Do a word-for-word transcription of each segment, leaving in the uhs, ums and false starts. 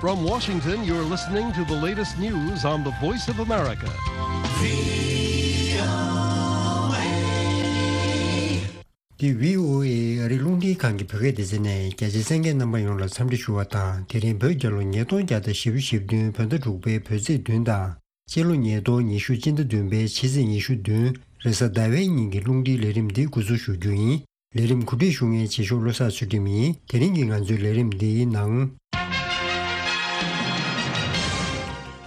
From Washington, you're listening to the latest news on the Voice of America. འདི་བྷི་ཨོ་ཨེ་ཨ་རིའི་རླུང་འཕྲིན་ཁང་གི་བོད་སྐད་སྡེ་ཚན་ནས། རྒྱ་ཆེའི་གསན་མཁན་རྣམ་པ་ཡོངས་ལ་འཚམས་འདྲི་ཞུ་བ་དང་། དེ་རིང་བོད་རྒྱལ་ལོ་ཉིས་སྟོང་བརྒྱ་དང་བཞི་བཅུ་ཞེ་བདུན། བོད་ཟླ་དྲུག་པའི་བོད་ཚེས་བདུན་དང་། སྤྱི་ལོ་ཉིས་སྟོང་ཉི་ཤུ་སྤྱི་ཟླ་བདུན་པའི་ཕྱི་ཚེས་ཉི་ཤུ་བདུན་རེས་གཟའ་ཟླ་བའི་ཉིན་གྱི་རླུང་འཕྲིན་ལས་རིམ་འདི་འགོ་འཛུགས་ཞུ་རྒྱུ་ཡིན། ལས་རིམ་གོ་སྒྲིག་ཞུ་མཁན་རྗེས་ཕྱོགས་བློ་བཟང་ཚུལ་ཁྲིམས་ཡིན། དེ་རིང་གི་ང་ཚོའི་ལས་རིམ་འདིའི་ནང་།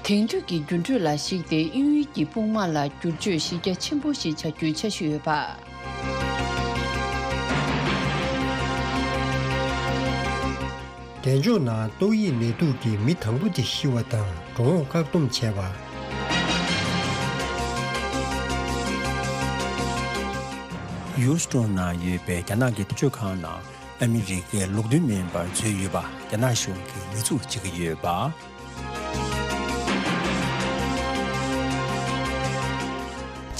དེང་དུས་ཀྱི་འགྱུར་འགྲོས་ལ་གཞིགས་ཏེ་དབྱིན་ཡུལ་གྱི་དཔུང་དམག་ལ་བསྒྱུར་བཅོས་གཞི་རྒྱ་ཆེན་པོ་ཞིག་བྱ་རྒྱུའི་འཆར་གཞི་ཡོད་པ། གདན་ལྕོག་ནང་ཏོག་དབྱིབས་ནད་དུག་གིས་མི་དང་པོ་དེ་ཤི་བ་དང་འགྲོ་འོང་བཀག་སྡོམ་བྱས་པ། ཡུ་སི་ཊོན་ནང་ཡོད་པའི་རྒྱ་ནག་གི་སྤྱི་ཁང་ནང་ཨ་མི་རི་ཀའི་ལུགས་མཐུན་མིན་པར་འཛུལ་ཡོད་པ་རྒྱ་ནག་གཞུང་གིས་ཉེས་འཛུགས་བྱེད་ཀྱི་ཡོད་པ།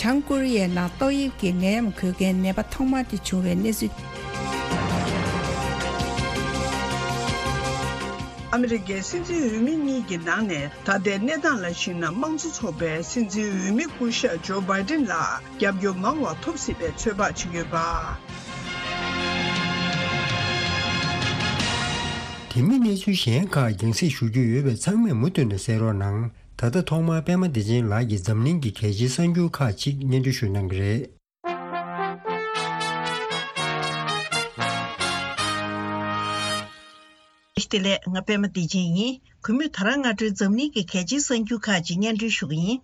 བྱང་ཀོ་རི་ཡའི་ནང་ཏོག་དབྱིབས་ཀྱི་ནད་ཡམས་འགོས་མཁན་ནད་པ་ཐོག་མ་དེ་བྱུང་བའི་གནས་ཚུལ། ཨ་མི་རི་ཀའི་སྲིད་འཛིན་འོས་མི་གཉིས་ཀྱི་ནང་ནས་ད་ལྟའི་གནས་སྟངས་ལ་གཞིགས་ན། དམངས་གཙོ་ཚོགས་པའི་སྲིད་འཛིན་འོས་མི་སྐུ་ཞབས་ཇོ་བྷའི་ཏིན་ལ་རྒྱབ་སྐྱོར་མང་བ་ཐོབ་སྲིད་པའི་ཚོད་དཔག་བྱེད་ཀྱི་ཡོད་པ། དེ་མིན་གནས་ཚུལ་གཞན་ཁག་རྒྱང་སྲིང་ཞུ་རྒྱུ་ཡོད་པས། ཚང་མས་མུ་མཐུད་ནས་གསན་རོགས་གནང་། ད་ལྟ་ཐོག་མར་པད་མ་བདེ་ཆེན་ལགས་ཀྱིས་འཛམ་གླིང་གི་གལ་ཆེའི་གསར་འགྱུར་ཁག་ཅིག་སྙན་སྒྲོན་ཞུ་གནང་གི་རེད། བདེ་ལེགས། ང་པད་མ་བདེ་ཆེན་ཡིན། གུས་མོས་ད་རང་སྔ་དྲོའི་འཛམ་གླིང་གི་གལ་ཆེའི་གསར་འགྱུར་ཁག་ཅིག་སྙན་སྒྲོན་ཞུ་གི་ཡིན།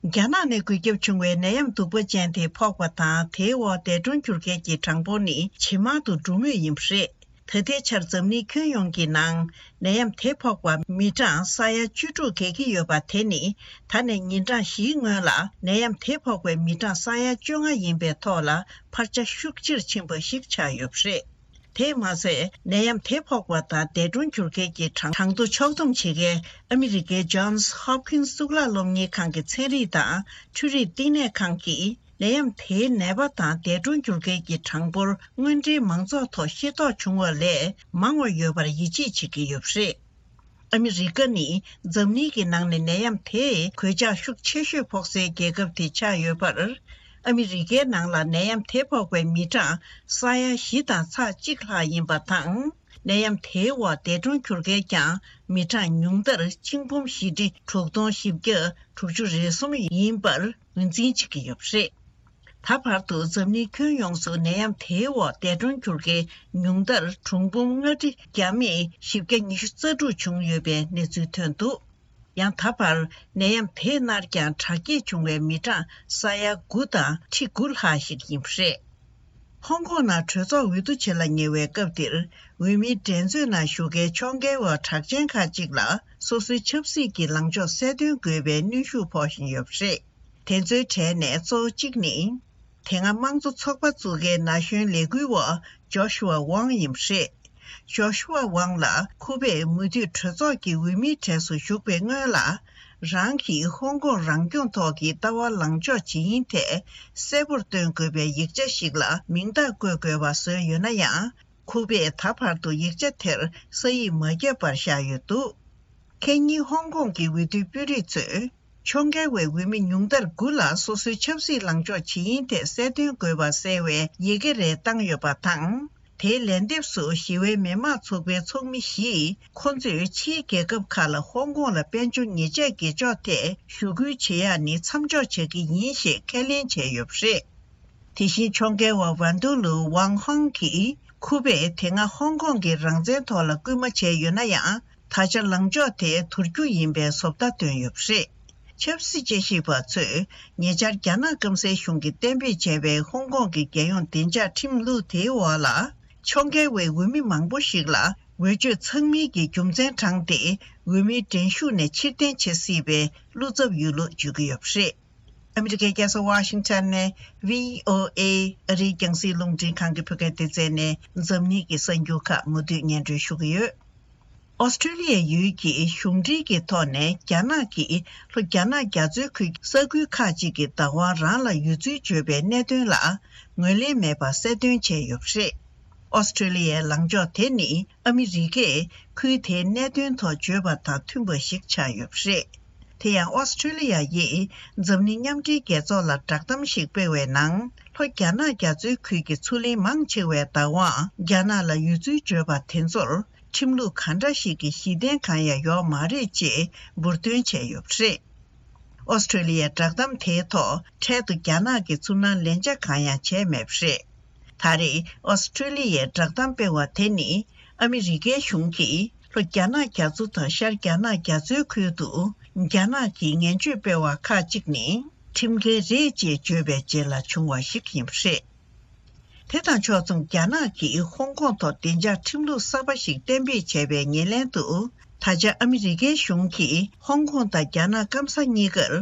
རྒྱ་ནག་ནས་འགོས་ཁྱབ་བྱུང་བའི་ནད་ཡམས་གདུག་པ་ཅན་དེ་ཕོག་པ་དང་། དེའི་འོག་འདས་གྲོངས་གྱུར་མཁན་གྱི་གྲངས་འབོར་ནི་ཇེ་མང་དུ་འགྲོ་མུས་ཡིན་པ་རེད། ད་ལྟའི་ཆར་འཛམ་གླིང་ཁྱོན་ཡོངས་ཀྱི་ནང་ནད་ཡམས་དེ་ཕོག་པ་མི་གྲངས་ས་ཡ་བཅུ་དྲུག་བརྒལ་གྱི་ཡོད་པ་དེ་ནི། ད་ནས་ཉིན་གྲངས་བཞིའི་སྔོན་ལ་ནད་ཡམས་དེ་ཕོག་པའི་མི་གྲངས་ས་ཡ་བཅོ་ལྔ་ཡིན་པའི་ཐོག་ལ་འཕར་ཆ་ཤུགས་ཆེར་ཕྱིན་པ་ཞིག་ཆགས་ཡོད་པ་རེད། དེས་མ་ཟད། ནད་ཡམས་དེ་ཕོག་པ་དང་འདས་གྲོངས་གྱུར་མཁན་གྱི་གྲངས་གྲངས་ཐོ་ཕྱོགས་བསྡོམས་བྱེད་མཁན་ཨ་མི་རི་ཀའི་Johns Hopkins་གཙུག་ལག་སློབ་གཉེར་ཁང་གི་ཚན་རིག་དང་འཕྲུལ་རིག་བསྟི་གནས་ཁང་གིས། ནད་ཡམས་དེའི་ནད་པ་དང་འདས་གྲོངས་གྱུར་མཁན་གྱི་གྲངས་འབོར་དངོས་འབྲེལ་མང་ཚོགས་ཐོག་ཤེས་རྟོགས་བྱུང་བ་ལས་མང་བ་ཡོད་པར་ཡིད་ཆེས་བྱེད་ཀྱི་ཡོད་པ་རེད། ཨ་མི་རི་ཀ་ནི་འཛམ་གླིང་གི་ནང་ནས་ནད་ཡམས་དེས་གོད་ཆག་ཤུགས་ཆེ་ཤོས་ཕོག་སའི་རྒྱལ་ཁབ་དེ་ཆགས་ཡོད་པར། ཨ་མི་རི་ཀའི་ནང་ལ་ནད་ཡམས་དེ་ཕོག་པའི་མི་གྲངས་ས་ཡ་བཞི་དང་ཚེག་གཅིག་ལྷག་ཡིན་པ་དང་། ནད་ཡམས་དེའི་འོག་འདས་གྲོངས་གྱུར་མཁན་ཀྱང་མི་གྲངས་ཉུང་མཐར་གཅིག་འབུམ་བཞི་ཁྲི་དྲུག་སྟོང་བཞི་བརྒྱ་དྲུག་ཅུ་རེ་གསུམ་ཡིན་པར་ངོས་འཛིན་བྱེད་ཀྱི་ཡོད་པ་རེད། ད་བར་དུ་འཛམ་གླིང་ཁྱོན་ཡོངས་སུ་ནད་ཡམས་དེའི་འོག་འདས་གྲོངས་གྱུར་མཁན་ཉུང་མཐར་གྲངས་འབོར་ལྔ་ཁྲི་བརྒྱ་མེད་བཞི་བརྒྱ་ཉི་ཤུ་རྩ་དྲུག་བྱུང་ཡོད་པའི་གནས་ཚུལ་ཐོན་འདུག་ཡང་ད་བར་ནད་ཡམས་དེས་མནར་ཀྱང་དྲག་སྐྱེད་བྱུང་བའི་མི་གྲངས་ས་ཡ་དགུ་དང་ཁྲི་དགུ་ལྷག་ཞིག་ཡིན་པ་རེད། ཧོང་ཀོང་ནང་གྲོས་ཚོགས་འོས་བསྡུ་བྱེད་ལ་ཉེ་བའི་སྐབས་འདིར། འོས་མིའི་འགྲན་རྩོད་ནང་ཞུགས་མཁན་ཕྱོགས་འགལ་བ་གྲགས་ཅན་ཁག་ཅིག་ལ་སོ་སོའི་ཆབ་སྲིད་ཀྱི་ལངས་ཕྱོགས་གསལ་སྟོན་དགོས་པའི་གནོན་ཤུགས་ཕོག་བཞིན་ཡོད་པ་རེད། དེ་ཚོའི་གྲས་ནས་གཙོ་བོ་གཅིག་ནི། དེ་སྔ་དམངས་གཙོ་ཚོགས་པ་བཙུགས་མཁན་ན་གཞོན་ལས་འགུལ་བ་ཇོ་ཤུ་ཝ་ཝང་ཡིན་པ་རེད། ཇོ་ཤུ་ཝ་ཝང་ལ་ཁུ་པེས་མུ་མཐུད་གྲོས་ཚོགས་ཀྱི་འོས་མིའི་གྲས་སུ་ཞུགས་པའི་སྔོན་ལ། རང་གིས་ཧོང་ཀོང་རང་སྐྱོང་ཐོག་གི་ལྟ་བ་ལངས་ཕྱོགས་ཇི་ཡིན་ཐད་གསལ་པོར་སྟོན་དགོས་པའི་ཡིག་ཆ་ཞིག་ལ་མིང་རྟགས་བཀོད་དགོས་པ་བཟོས་ཡོད་ན་ཡང་། ཁུ་པེས་ད་བར་དུ་ཡིག་ཆ་དེར་ས་ཡིག་མ་བརྒྱབ་པར་བཞག་ཡོད་འདུག་ཁེ་ཉིན་ཧོང་ཀོང་གི་འོས་བསྡུའི་དཔོན་རིགས་ཚོས། ཕྱོགས་འགལ་བའི་འོས་མི་ཉུང་མཐར་དགུ་ལ་སོ་སོའི་ཆབ་སྲིད་ལངས་ཕྱོགས་ཇི་ཡིན་ཐད་གསལ་སྟོན་དགོས་པ་གསལ་བའི་ཡི་གེ་རེ་བཏང་ཡོད་པ་དང་། དེའི་ལན་འདེབས་སུ་ཞི་བའི་མི་དམངས་ཚོགས་པའི་ཚོགས་མི་བཞིས། ཁོ་ཚོས་ཕྱིའི་རྒྱལ་ཁབ་ཁག་ལ་ཧོང་ཀོང་ལ་དཔལ་འབྱོར་ཉེས་ཆད་འགེལ་ཕྱོགས་ཐད་ཞུ་སྐུལ་བྱེད་ཡག་ནི་མཚམས་འཇོག་བྱ་གི་ཡིན་ཞེས་ཁས་ལེན་བྱས་ཡོད་པ་རེད། དེ་བཞིན་ཕྱོགས་འགལ་བ་ཝན་ཏུ་ལུའུ་ཝང་ཧོང་གིས། ཁུ་པས་དེ་སྔ་ཧོང་ཀོང་གི་རང་བཙན་ཐོག་ལ་སྐུལ་མ་བྱས་ཡོད་ན་ཡང་། ད་ཆ་ལངས་ཕྱོགས་དེ་དུར་རྒྱུ་ཡིན་པའི་བཟོ་ལྟ་བཏོན་ཡོད་པ་རེད། ཆབ་སྲིད་དཔྱད་ཞིབ་པ་ཚོས་ཉེ་ཆར་རྒྱ་ནག་སྐམ་སའི་གཞུང་གིས་གཏན་འབེབས་བྱས་པའི་ཧོང་ཀོང་གི་རྒྱལ་ཡོངས་བདེ་འཇགས་ཁྲིམས་ལུགས་དེའི་འོག་ལ། ཕྱོགས་འགལ་བའི་འོས་མི་མང་པོ་ཞིག་ལ་འོས་ཆོས་ཚང་མིན་གྱི་རྒྱུ་མཚན་དྲངས་ཏེ། འོས་མིའི་འགྲན་ཞུགས་ནས་ཕྱིར་འཐེན་བྱེད་སྲིད་པའི་བློ་འཚབ་ཡོད་ལུགས་བརྗོད་ཀྱི་ཡོད་པ་རེད། ཨ་མི་རི་ཀའི་རྒྱལ་ས་ཝ་ཤིང་ཊོན་ནས་བྷི་ཨོ་ཨེ་ཨ་རིའི་རྒྱང་སྲིང་རླུང་འཕྲིན་ཁང་གི་བོད་སྐད་སྡེ་ཚན་ནས་འཛམ་གླིང་གི་གསར་འགྱུར་ཁག་མུ་མཐུད་སྙན་སྒྲོན་ཞུ་གི་ཡོད། ཨོ་སི་ཀྲི་ལི་ཡའི་ཡུལ་གྱི་གཞུང་འབྲེལ་གྱི་ཐོག་ནས་རྒྱ་ནག་གིས་ལྷོ་རྒྱ་ནག་རྒྱ་མཚོའི་ཁུལ་གྱི་ས་ཁུལ་ཁག་ཅིག་གི་བདག་དབང་རང་ལ་ཡོད་ཚུལ་བརྗོད་པའི་གནད་དོན་ལ་ངོས་ལེན་མེད་པ་གསལ་སྟོན་བྱས་ཡོད་པ་རེད། ཨོ་སི་ཁྲུ་ལི་ཡའི་ལངས་ཕྱོགས་དེ་ནི་ཨ་མི་རི་ཀས་ཁུལ་དེའི་གནད་དོན་ཐོག་བརྗོད་པ་དང་མཐུན་པ་ཞིག་ཆགས་ཡོད་པ་རེད། དེ་ཡང་ཨོ་སི་ཁྲུ་ལི་ཡ་ཡིས་འཛམ་གླིང་མཉམ་འབྲེལ་རྒྱལ་ཚོགས་ལ་བསྒྲགས་གཏམ་ཞིག་སྤེལ་བའི་ནང་། ལྷོ་རྒྱ་ནག་རྒྱ་མཚོའི་ཁུལ་གྱི་མཚོ་གླིང་མང་ཆེ་བའི་བདག་དབང་རྒྱ་ནག་ལ་ཡོད་ཚུལ་བརྗོད་པ་དེ་ཚོར། ཁྲིམས་ལུགས་ག་འདྲ་ཞིག་གི་གཞི་རྟེན་གང་ཡང་ཡོད་མ་རེད་ཅེས་འབུར་འདོན་བྱས་ཡོད་པ་རེད། ཨོ་སི་ཁྲུ་ལི་ཡའི་བསྒྲགས་གཏམ་དེའི་ཐོག་འཕྲལ་དུ་རྒྱ་ནག་གིས་ཚུར་སྣང་ལན་ཆགས་གང་ཡང་བྱས་མེད་པ་རེད། ད་རེས་ཨོ་སི་ཁྲུ་ལི་ཡའི་བསྒྲགས་གཏམ་སྤེལ་བ་དེ་ནི་ཨ་མི་རི་ཀའི་གཞུང་གིས་ལྷོ་རྒྱ་ནག་རྒྱ་མཚོ་དང་ཤར་རྒྱ་ནག་རྒྱ་མཚོའི་ཁུལ་དུ་རྒྱ་ནག་གིས་ངན་བྱུས་སྤེལ་བ་ཁག་ཅིག་ནི་ཁྲིམས་འགལ་རེད་ཅེས་བརྗོད་པའི་རྗེས་ལ་བྱུང་བ་ཞིག་ཡིན་པ་རེད། དེ་དང་ཕྱོགས་མཚུངས་རྒྱ་ནག་གིས་ཧོང་ཀོང་ཐོག་བདེ་འཇགས་ཁྲིམས་ལུགས་གསར་པ་ཞིག་གཏན་འབེབས་བྱས་པའི་ཉེར་ལེན་དུ། ད་ཆ་ཨ་མི་རི་ཀའི་གཞུང་གིས་ཧོང་ཀོང་དང་རྒྱ་ནག་སྐམ་ས་གཉིས་ཀར་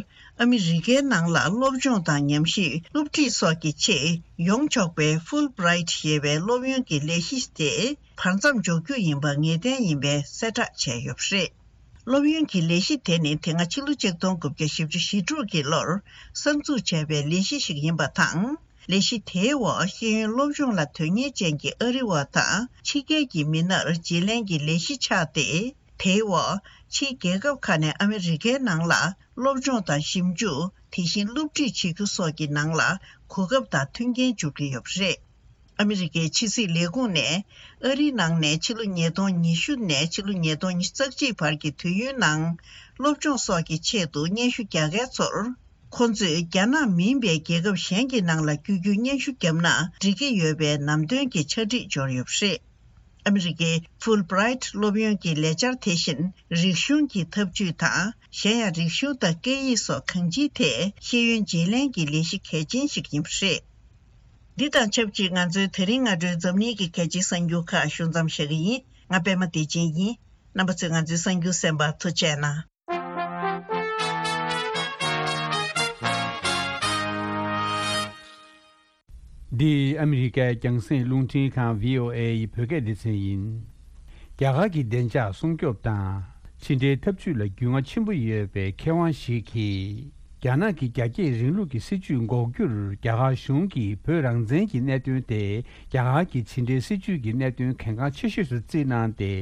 ཨ་མི་རི་ཀའི་ནང་ལ་སློབ་སྦྱོང་དང་ཉམས་ཞིབ་སློབ་ཁྲིད་སོགས་ཀྱི་ཆེད་ཡོང་ཆོག་པའི་ཧྥུལ་བྷི་རའིཊ་ཞེས་པའི་སློབ་ཡོན་གྱི་ལས་གཞི་དེ་བར་མཚམས་འཇོག་རྒྱུ་ཡིན་པ་ངེས་གཏན་ཡིན་པའི་གསལ་བསྒྲགས་བྱས་ཡོད་པ་རེད། སློབ་ཡོན་གྱི་ལས་གཞི་དེ་ནི་དེ་སྔ་ཕྱི་ལོ་ཆིག་སྟོང་དགུ་བརྒྱ་བཞི་བཅུ་ཞེ་དྲུག་གི་ལོར་གསར་འཛུགས་བྱས་པའི་ལས་གཞི་ཞིག་ཡིན་པ་དང་། ལས་གཞི་དེའི་འོག་ཤེས་ཡོན་སློབ་སྦྱོང་ལ་དོན་གཉེར་ཅན་གྱི་ཨ་རི་བ་དང་ཕྱི་རྒྱལ་གྱི་མི་སྣར་བརྗེ་ལེན་གྱི་ལས་གཞི་ཆགས་ཏེ། དེའི་འོག་ཕྱིའི་རྒྱལ་ཁབ་ཁག་ནས་ཨ་མི་རི་ཀའི་ནང་ལ་སློབ་སྦྱོང་དང་ཞིབ་འཇུག་དེ་བཞིན་སློབ་ཁྲིད་བྱེད་རྒྱུ་སོགས་ཀྱི་ནང་ལ་གོ་སྐབས་དང་མཐུན་རྐྱེན་འཇུག་གི་ཡོད་པ་རེད། ཨ་མི་རི་ཀའི་ཕྱི་སྲིད་ལས་ཁུངས་ནས་ཨ་རིའི་ནང་ནས་ཕྱི་ལོ་ཉིས་སྟོང་ཉི་ཤུ་ནས་ཕྱི་ལོ་ཉིས་སྟོང་ཉི་ཤུ་རྩ་གཅིག་བར་གྱི་དུས་ཡུན་ནང་སློབ་སྦྱོང་སོགས་ཀྱི་ཆེད་དུ་སྙན་ཞུ་རྒྱག་མཁན་ཚོར། ཁོ་ཚོས་རྒྱ་ནག་མིན་པའི་རྒྱལ་ཁབ་གཞན་གྱི་ནང་ལ་བསྐྱོད་རྒྱུའི་སྙན་ཞུ་བརྒྱབ་ན་འགྲིག་གི་ཡོད་པའི་ནང་དོན་གྱི་ཕྱག་བྲིས་འབྱོར་ཡོད་པ་རེད། ཨ་མི་རི་ཀའི་ཧྥུལ་བྷི་རའིཊ་སློབ་ཡོན་གྱི་ལས་འཆར་དེ་བཞིན་རིག་གཞུང་གི་ཐབས་ཇུས་དང་། གཞན་ཡང་རིག་གཞུང་དང་སྐད་ཡིག་སོགས་གང་ཅིའི་ཐད་ཤེས་ཡོན་བརྗེ་ལེན་གྱི་ལས་གཞི་གལ་ཆེན་ཞིག་ཡིན་པ་རེད། འདི་དང་ཆབས་ཅིག་ང་ཚོའི་དེ་རིང་སྔ་དྲོའི་འཛམ་གླིང་གི་གལ་ཆེའི་གསར་འགྱུར་ཁག་ཞུ་མཚམས་བཞག་གི་ཡིན། ང་པད་མ་བདེ་ཆེན་ཡིན། རྣམ་པ་ཚོས་ང་ཚོའི་གསར་འགྱུར་གསན་པར་ཐུགས་རྗེ་གནང་། འདི་ཨ་མི་རི་ཀའི་རྒྱང་སྲིང་རླུང་འཕྲིན་ཁང་བྷི་ཨོ་ཨེ་ཡི་བོད་སྐད་སྡེ་ཚན་ཡིན། རྒྱ་གར་གྱི་བདེ་འཇགས་སྲུང་སྐྱོབ་དང་ཕྱི་འབྲེལ་འཐབ་ཇུས་ལ་རྒྱུས་མངའ་ཆེན་པོ་ཡོད་པའི་མཁས་དབང་ཞིག་གིས། རྒྱ་ནག་གི་རྒྱ་སྐྱེད་རིང་ལུགས་ཀྱི་སྲིད་ཇུས་འགོག་རྒྱུར་རྒྱ་གར་གཞུང་གིས་བོད་རང་བཙན་གྱི་གནད་དོན་དེ་རྒྱ་གར་གྱི་ཕྱི་འབྲེལ་སྲིད་ཇུས་ཀྱི་གནད་དོན་གལ་འགངས་ཆེ་ཤོས་སུ་བརྩིས་གནང་སྟེ།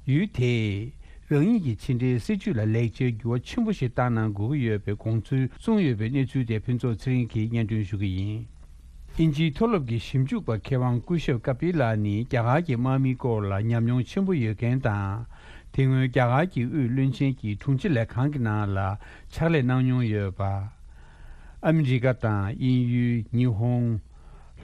ཡུལ་དེས་རང་ཉིད་ཀྱི་ཕྱི་འབྲེལ་སྲིད་ཇུས་ལ་ལེགས་ཆའི་འགྱུར་བ་ཆེན་པོ་ཞིག་བཏང་གནང་དགོས་ཀྱི་ཡོད་པའི་དགོངས་ཚུལ་གསུངས་ཡོད་པའི་གནས་ཚུལ་དེ་ཕུན་ཚོགས་ཚེ་རིང་གིས་སྙན་སྒྲོན་ཞུ་གི་ཡིན། དབྱིན་ཇིའི་མཐོ་སློབ་ཀྱི་ཞིབ་འཇུག་པ་མཁས་དབང་སྐུ་ཞབས་ཀ་པི་ལ་ནི་རྒྱ་གར་གྱི་དམག་མིའི་སྐོར་ལ་ཉམས་མྱོང་ཆེན་པོ་ཡོད་མཁན་དང་། དེ་སྔོན་རྒྱ་གར་གྱི་དབུས་བློན་ཆེན་གྱི་དྲུང་ཆེ་ལས་ཁང་གི་ནང་ལ་ཕྱག་ལས་གནང་མྱོང་ཡོད་པ། ཨ་མི་རི་ཀ་དང་དབྱིན་ཡུལ། ཉི་ཧོང་།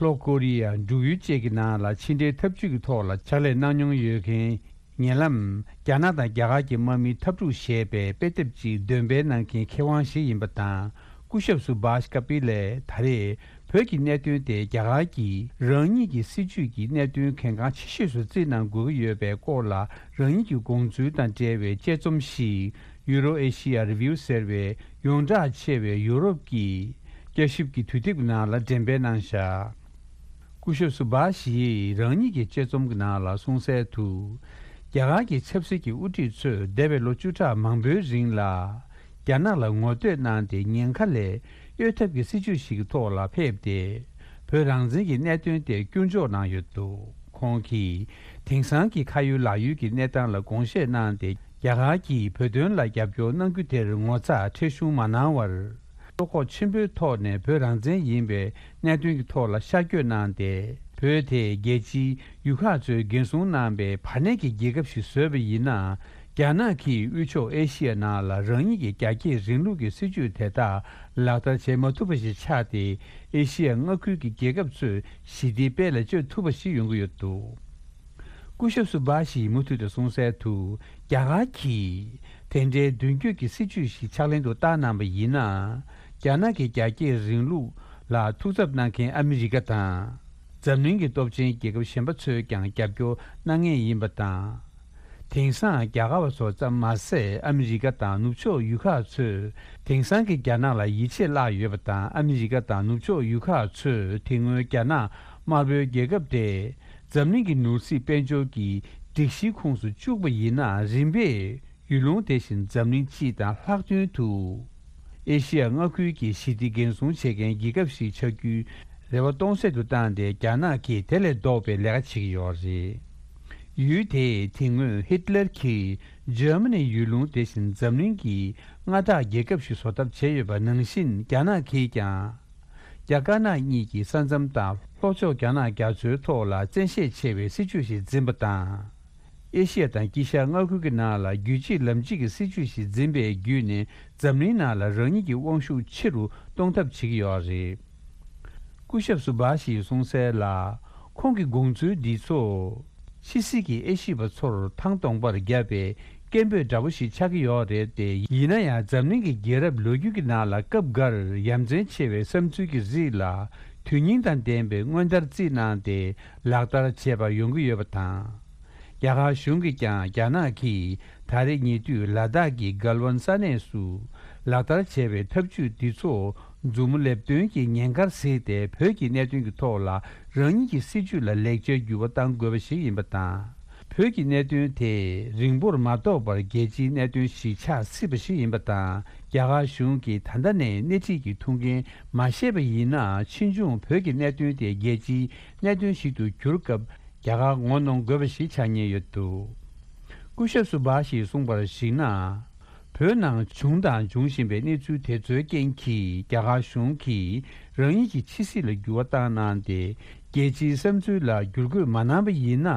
ལྷོ་ཀོ་རི་ཡ། འབྲུག་ཡུལ་བཅས་ཀྱི་ནང་ལ་ཕྱི་འབྲེལ་འཐབ་ཇུས་ཀྱི་ཐོག་ལ་ཕྱག་ལས་གནང་མྱོང་ཡོད་མཁན། ཉེ་ལམ། རྒྱ་ནག་དང་རྒྱ་གར་གྱི་དམག་མིའི་འཐབ་འཁྲུག་ཞེས་པའི་དཔེ་དེབ་ཅིག་འདོན་སྤེལ་གནང་མཁན་མཁས་དབང་ཞིག་ཡིན་པ་དང་། སྐུ་ཞབས་སུ་བྷཱཤ་ཀ་པི་ལས་ད་རེས་བོད་ཀྱི་གནད་དོན་དེ་རྒྱ་གར་གྱིས་རང་ཉིད་ཀྱི་སྲིད་ཇུས་ཀྱི་གནད་དོན་གལ་འགངས་ཆེ་ཤོས་སུ་བརྩིས་གནང་དགོས་ཀྱི་ཡོད་པའི་སྐོར་ལ་རང་ཉིད་ཀྱི་དགོངས་ཚུལ་དང་འབྲེལ་བའི་དཔྱད་རྩོམ་ཞིག་ཡུ་རོ་ཨེ་ཤི་ཡ་རི་བིའུ་ཟེར་བའི་ཡོངས་གྲགས་ཆེ་བའི་ཡུ་རོབ་ཀྱི་བསྐྱར་ཞིབ་ཀྱི་དུས་དེབ་ནང་ལ་འགྲེམས་སྤེལ་གནང་བཞག་སྐུ་ཞབས་སུ་བྷཱཤ་ཡིས་རང་ཉིད་ཀྱི་དཔྱད་རྩོམ་གྱི་ནང་ལ་གསུངས་གསལ་དུ། རྒྱ་གར་གྱི་ཆབ་སྲིད་ཀྱི་དབུ་ཁྲིད་ཚོས་འདས་པའི་ལོ་བཅུ་ཕྲག་མང་པོའི་རིང་ལ། རྒྱ་ནག་ལ་ངོ་བསྟོད་གནང་སྟེ་ཉེན་ཁ་ལས་གཡོལ་ཐབས་ཀྱི་སྲིད་ཇུས་ཤིག་གི་ཐོག་ལ་ཕེབས་ཏེ། བོད་རང་བཙན་གྱི་གནད་དོན་དེ་སྐྱོན་འཇོག་གནང་ཡོད་འདུག་ཁོང་གིས་དེང་སང་གི་ཁ་ཡོད་ལག་ཡོད་ཀྱི་གནས་སྟངས་ལ་དགོངས་བཞེས་གནང་སྟེ། རྒྱ་གར་གྱིས་བོད་དོན་ལ་རྒྱབ་སྐྱོར་གནང་རྒྱུ་དེར་ངོ་ཚ་ཁྲེལ་གཞུང་མ་གནང་བར། བློ་ཁོག་ཆེན་པོའི་ཐོག་ནས་བོད་རང་བཙན་ཡིན་པའི་གནད་དོན་གྱི་ཐོག་ལ་ཤར་བསྐྱོད་གནང་སྟེ། བོད་དེ་རྒྱལ་སྤྱིའི་ཡུལ་ཁག་ཚོས་འགན་སྲུང་གནང་པའི་བར་གནས་ཀྱི་རྒྱལ་ཁབ་ཞིག་བཟོས་པ་ཡིན་ན། རྒྱ་ནག་གིས་དབུས་ཕྱོགས་ཨེ་ཤི་ཡ་ནང་ལ་རང་ཉིད་ཀྱི་རྒྱ་སྐྱེད་རིང་ལུགས་ཀྱི་སྲིད་ཇུས་དེ་དག་ལག་བསྟར་བྱེད་མ་ཐུབ་པ་ཞིག་ཆགས་ཏེ། ཨེ་ཤི་ཡ་མངའ་ཁུལ་གྱི་རྒྱལ་ཁབ་ཚོས་ཞི་བདེའི་དཔལ་ལ་སྤྱོད་ཐུབ་པ་ཞིག་ཡོང་གི་ཡོད་འདུག་སྐུ་ཞབས་སུ་བྷཱཤ་ཡིས་མུ་མཐུད་དུ་གསུངས་གསལ་དུ། རྒྱ་གར་གྱིས་དེ་འདྲའི་མདུན་སྐྱོད་ཀྱི་སྲིད་ཇུས་ཤིག་ཕྱག་ལེན་དུ་བསྟར་གནང་པ་ཡིན་ན། རྒྱ་ནག་གི་རྒྱ་སྐྱེད་རིང་ལུགས་ལ་ཐུགས་འཚབ་གནང་མཁན་ཨ་མི་རི་ཀ་དང་། འཛམ་གླིང་གི་སྟོབས་ཆེན་རྒྱལ་ཁབ་གཞན་པ་ཚོས་ཀྱང་རྒྱབ་སྐྱོར་གནང་མཁན་ཡིན་པ་དང་། དེང་སང་རྒྱ་གར་བ་ཚོ་ཙམ་མ་ཟད་ཨ་མི་རི་ཀ་དང་ནུབ་ཕྱོགས་ཡུལ་ཁག་ཚོས་དེང་སང་གི་རྒྱ་ནག་ལ་ཡིད་ཆེས་བརླག་ཡོད་པ་དང་། ཨ་མི་རི་ཀ་དང་ནུབ་ཕྱོགས་ཡུལ་ཁག་ཚོས་དེ་སྔོན་རྒྱ་ནག་དམར་པོའི་རྒྱལ་ཁབ་དེ་འཛམ་གླིང་གི་ནོར་སྲིད་དཔལ་འབྱོར་གྱི་སྒྲིག་གཞིའི་ཁོངས་སུ་བཅུག་པ་ཡིན་ན། རིམ་པས་ཡུལ་ལུང་དེ་བཞིན་འཛམ་གླིང་སྤྱི་དང་ལྷག་དོན་དུ་ཨེ་ཤི་ཡ་མངའ་ཁུལ་གྱི་ཞི་བདེ་འགན་སྲུང་བྱེད་མཁན་རྒྱལ་ཁབ་ཞིག་ཆགས་རྒྱུའི་ རེ་བ་སྟོང་ཟད་དུ་བཏང་སྟེ། རྒྱ་ནག་གིས་དེ་ལས་ལྡོག་པའི་ལས་ཀ་བྱེད་ཀྱི་ཡོད་རེད། ཡུལ་དེས་དེ་སྔོན་ཧི་ཏི་ལེར་གྱིས་འཇར་མ་ནིའི་ཡུལ་ལུང་དེ་བཞིན་འཛམ་གླིང་གི་མངའ་བདག་རྒྱལ་ཁབ་ཞིག་བཟོ་ཐབས་བྱས་ཡོད་པ་ནང་བཞིན། རྒྱ་ནག་གིས་ཀྱང་རྒྱ་དཀར་ནག་གཉིས་ཀྱི་ས་མཚམས་དང་། ལྷོ་ཕྱོགས་རྒྱ་ནག་རྒྱ་མཚོའི་ཐོག་ལ་བཙན་ཤེད་ཆེ་བའི་སྲིད་ཇུས་ཤིག་འཛིན་པ་དང་། ཨེ་ཤི་ཡ་དང་དཀྱིལ་ཤར་མངའ་ཁུལ་གྱི་ནང་ལ་རྒྱུད་གཅིག་ལམ་གཅིག་གི་སྲིད་ཇུས་ཤིག་འཛིན་པའི་བརྒྱུད་ནས། འཛམ་གླིང་ནང་ལ་རང་ཉིད་ཀྱི་དབང་ཤུགས་ཆེ་རུ་གཏོང་ཐབས་བྱེད་ཀྱི་ཡོད་རེད། སྐུ་ཞབས་སུ་བྷ་ཤིས་གསུངས་གསལ་ལ། ཁོང་གི་དགོངས་ཚུལ་འདི་ཚོ་ཕྱི་སྲིད་ཀྱི་དབྱེ་ཞིབ་པ་ཚོར་ཐང་སྟོང་པར་བརྒྱབ་པའི་སྐད་འབོད་འདྲ་པོ་ཞིག་ཆགས་ཀྱི་ཡོད་རེད་དེ། ཡིན་ན་ཡང་། འཛམ་གླིང་གི་རྒྱལ་རབས་ལོ་རྒྱུས་ཀྱི་ནང་ལ་སྐབས་འགར་ཡ་མཚན་ཆེ་བའི་བསམ་ཚུལ་གྱི་རིགས་ལ་དོན་སྙིང་དང་ལྡན་པའི་སྔོན་བརྡར་རྩིས་གནང་སྟེ་ལག་བསྟར་བྱས་པ་ཡོང་གི་ཡོད་པ་དང་། རྒྱ་གར་གཞུང་གིས་ཀྱང་རྒྱ་ནག་གིས་ད་རེས་ཉེ་དུས་ལ་དྭགས་ཀྱི་གལ་ཝན་ས་གནས་སུ་ལག་བསྟར་བྱས་པའི་ཐབས་ཇུས་འདི་ཚོ་མཛུབ་མོ་ལེབ་སྟོན་གྱི་ཉེན་ཁར་གཟིགས་ཏེ། བོད་ཀྱི་གནད་དོན་གྱི་ཐོག་ལ་རང་ཉིད་ཀྱི་སྲིད་ཇུས་ལ་ལེགས་ཆའི་འགྱུར་བ་གཏང་དགོས་པ་ཞིག་ཡིན་པ་དང་། བོད་ཀྱི་གནད་དོན་དེ་རིང་པོར་མ་ཐོགས་པར་རྒྱལ་སྤྱིའི་གནད་དོན་ཞིག་ཆགས་སྲིད་པ་ཞིག་ཡིན་པ་དང་། རྒྱ་གར་གཞུང་གིས་ད་ལྟ་ནས་སྣེ་ཁྲིད་ཀྱི་ཐུགས་འགན་མ་བཞེས་པ་ཡིན་ན། ཕྱིས་འབྱུང་བོད་ཀྱི་གནད་དོན་དེ་རྒྱལ་སྤྱིའི་གནད་དོན་ཞིག་ཏུ་གྱུར་སྐབས། རྒྱ་གར་ངོ་གནོང་དགོས་པ་ཞིག་ཆགས་ཉེན་ཡོད་འདུག་སྐུ་ཞབས་སུ་བྷ་ཤིས་གསུངས་པར་གཞིགས་ན། བོད་ནང་བྱུང་དང་འབྱུང་བཞིན་པའི་གནས་ཚུལ་དེ་ཚོའི་རྐྱེན་གྱིས། རྒྱ་གར་གཞུང་གིས་རང་ཉིད་ཀྱི་ཕྱི་སྲིད་ལ་འགྱུར་བ་བཏང་གནང་སྟེ། རྒྱལ་སྤྱིའི་བསམ་ཚུལ་ལ་བསྒྱུར་བཀོད་མ་གནང་པ་ཡིན་ན།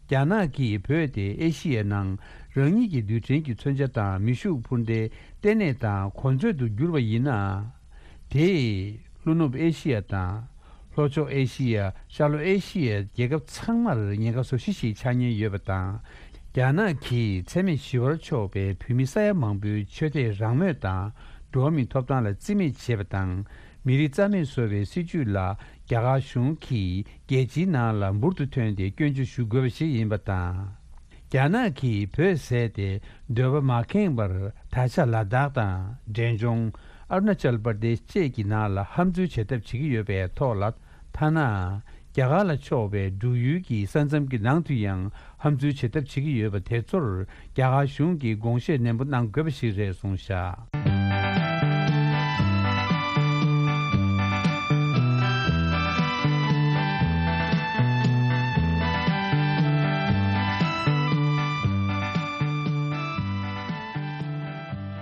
རྒྱ་ནག་གིས་བོད་དེ་ཨེ་ཤི་ཡའི་ནང་རང་ཉིད་ཀྱི་རྡུལ་ཕྲན་གྱི་མཚོན་ཆ་དང་མེ་ཤུགས་འཕུར་མདེལ་ལྟེ་གནས་དང་གོ་མཛོད་དུ་བསྒྱུར་བ་ཡིན་ན། དེས་ལྷོ་ནུབ་ཨེ་ཤི་ཡ་དང་། ལྷོ་ཕྱོགས་ཨེ་ཤི་ཡ། ཤར་ལྷོ་ཨེ་ཤི་ཡའི་རྒྱལ་ཁབ་ཚང་མར་ཉེན་ཁ་བཟོ་གཞི་ཞིག་ཆགས་ཉེན་ཡོད་པ་དང་། རྒྱ་ནག་གིས་འཚེ་མེད་ཞི་བར་ཕྱོགས་པའི་བོད་མི་ས་ཡ་མང་པོའི་ཆོས་དད་རང་མོས་དང་། འགྲོ་བ་མིའི་ཐོབ་ཐང་ལ་བརྩི་མེད་བྱས་པ་དང་། མི་རིགས་རྩ་མེད་བཟོ་བའི་སྲིད་ཇུས་ལ། རྒྱ་གར་གཞུང་གིས་རྒྱལ་སྤྱིའི་ནང་ལ་འབུར་དུ་ཐོན་ཏེ་སྐྱོན་བརྗོད་ཞུ་དགོས་པ་ཞིག་ཡིན་པ་དང་། རྒྱ་ནག་གིས་བོད་བཟས་ཏེ་འདོད་པ་མ་ཁེངས་པར། ད་ཆ་ལ་དྭགས་དང་འབྲས་ལྗོངས། ཨ་རུ་ན་ཅལ་པར་དེཤ་བཅས་ཀྱི་ནང་ལ་ཧམ་འཛུལ་བྱེད་ཐབས་བྱེད་ཀྱི་ཡོད་པའི་ཐོག་ལ། ཐ་ན་རྒྱ་གར་ལ་ཕྱོགས་པའི་འབྲུག་ཡུལ་གྱི་ས་མཚམས་ཀྱི་ནང་དུ་ཡང་ཧམ་འཛུལ་བྱེད་ཐབས་བྱེད་ཀྱི་ཡོད་པ་དེ་ཚོར། རྒྱ་གར་གཞུང་གིས་དགོངས་བཞེས་ནན་པོ་གནང་དགོས་པ་ཞིག་རེད་གསུངས་བཞག་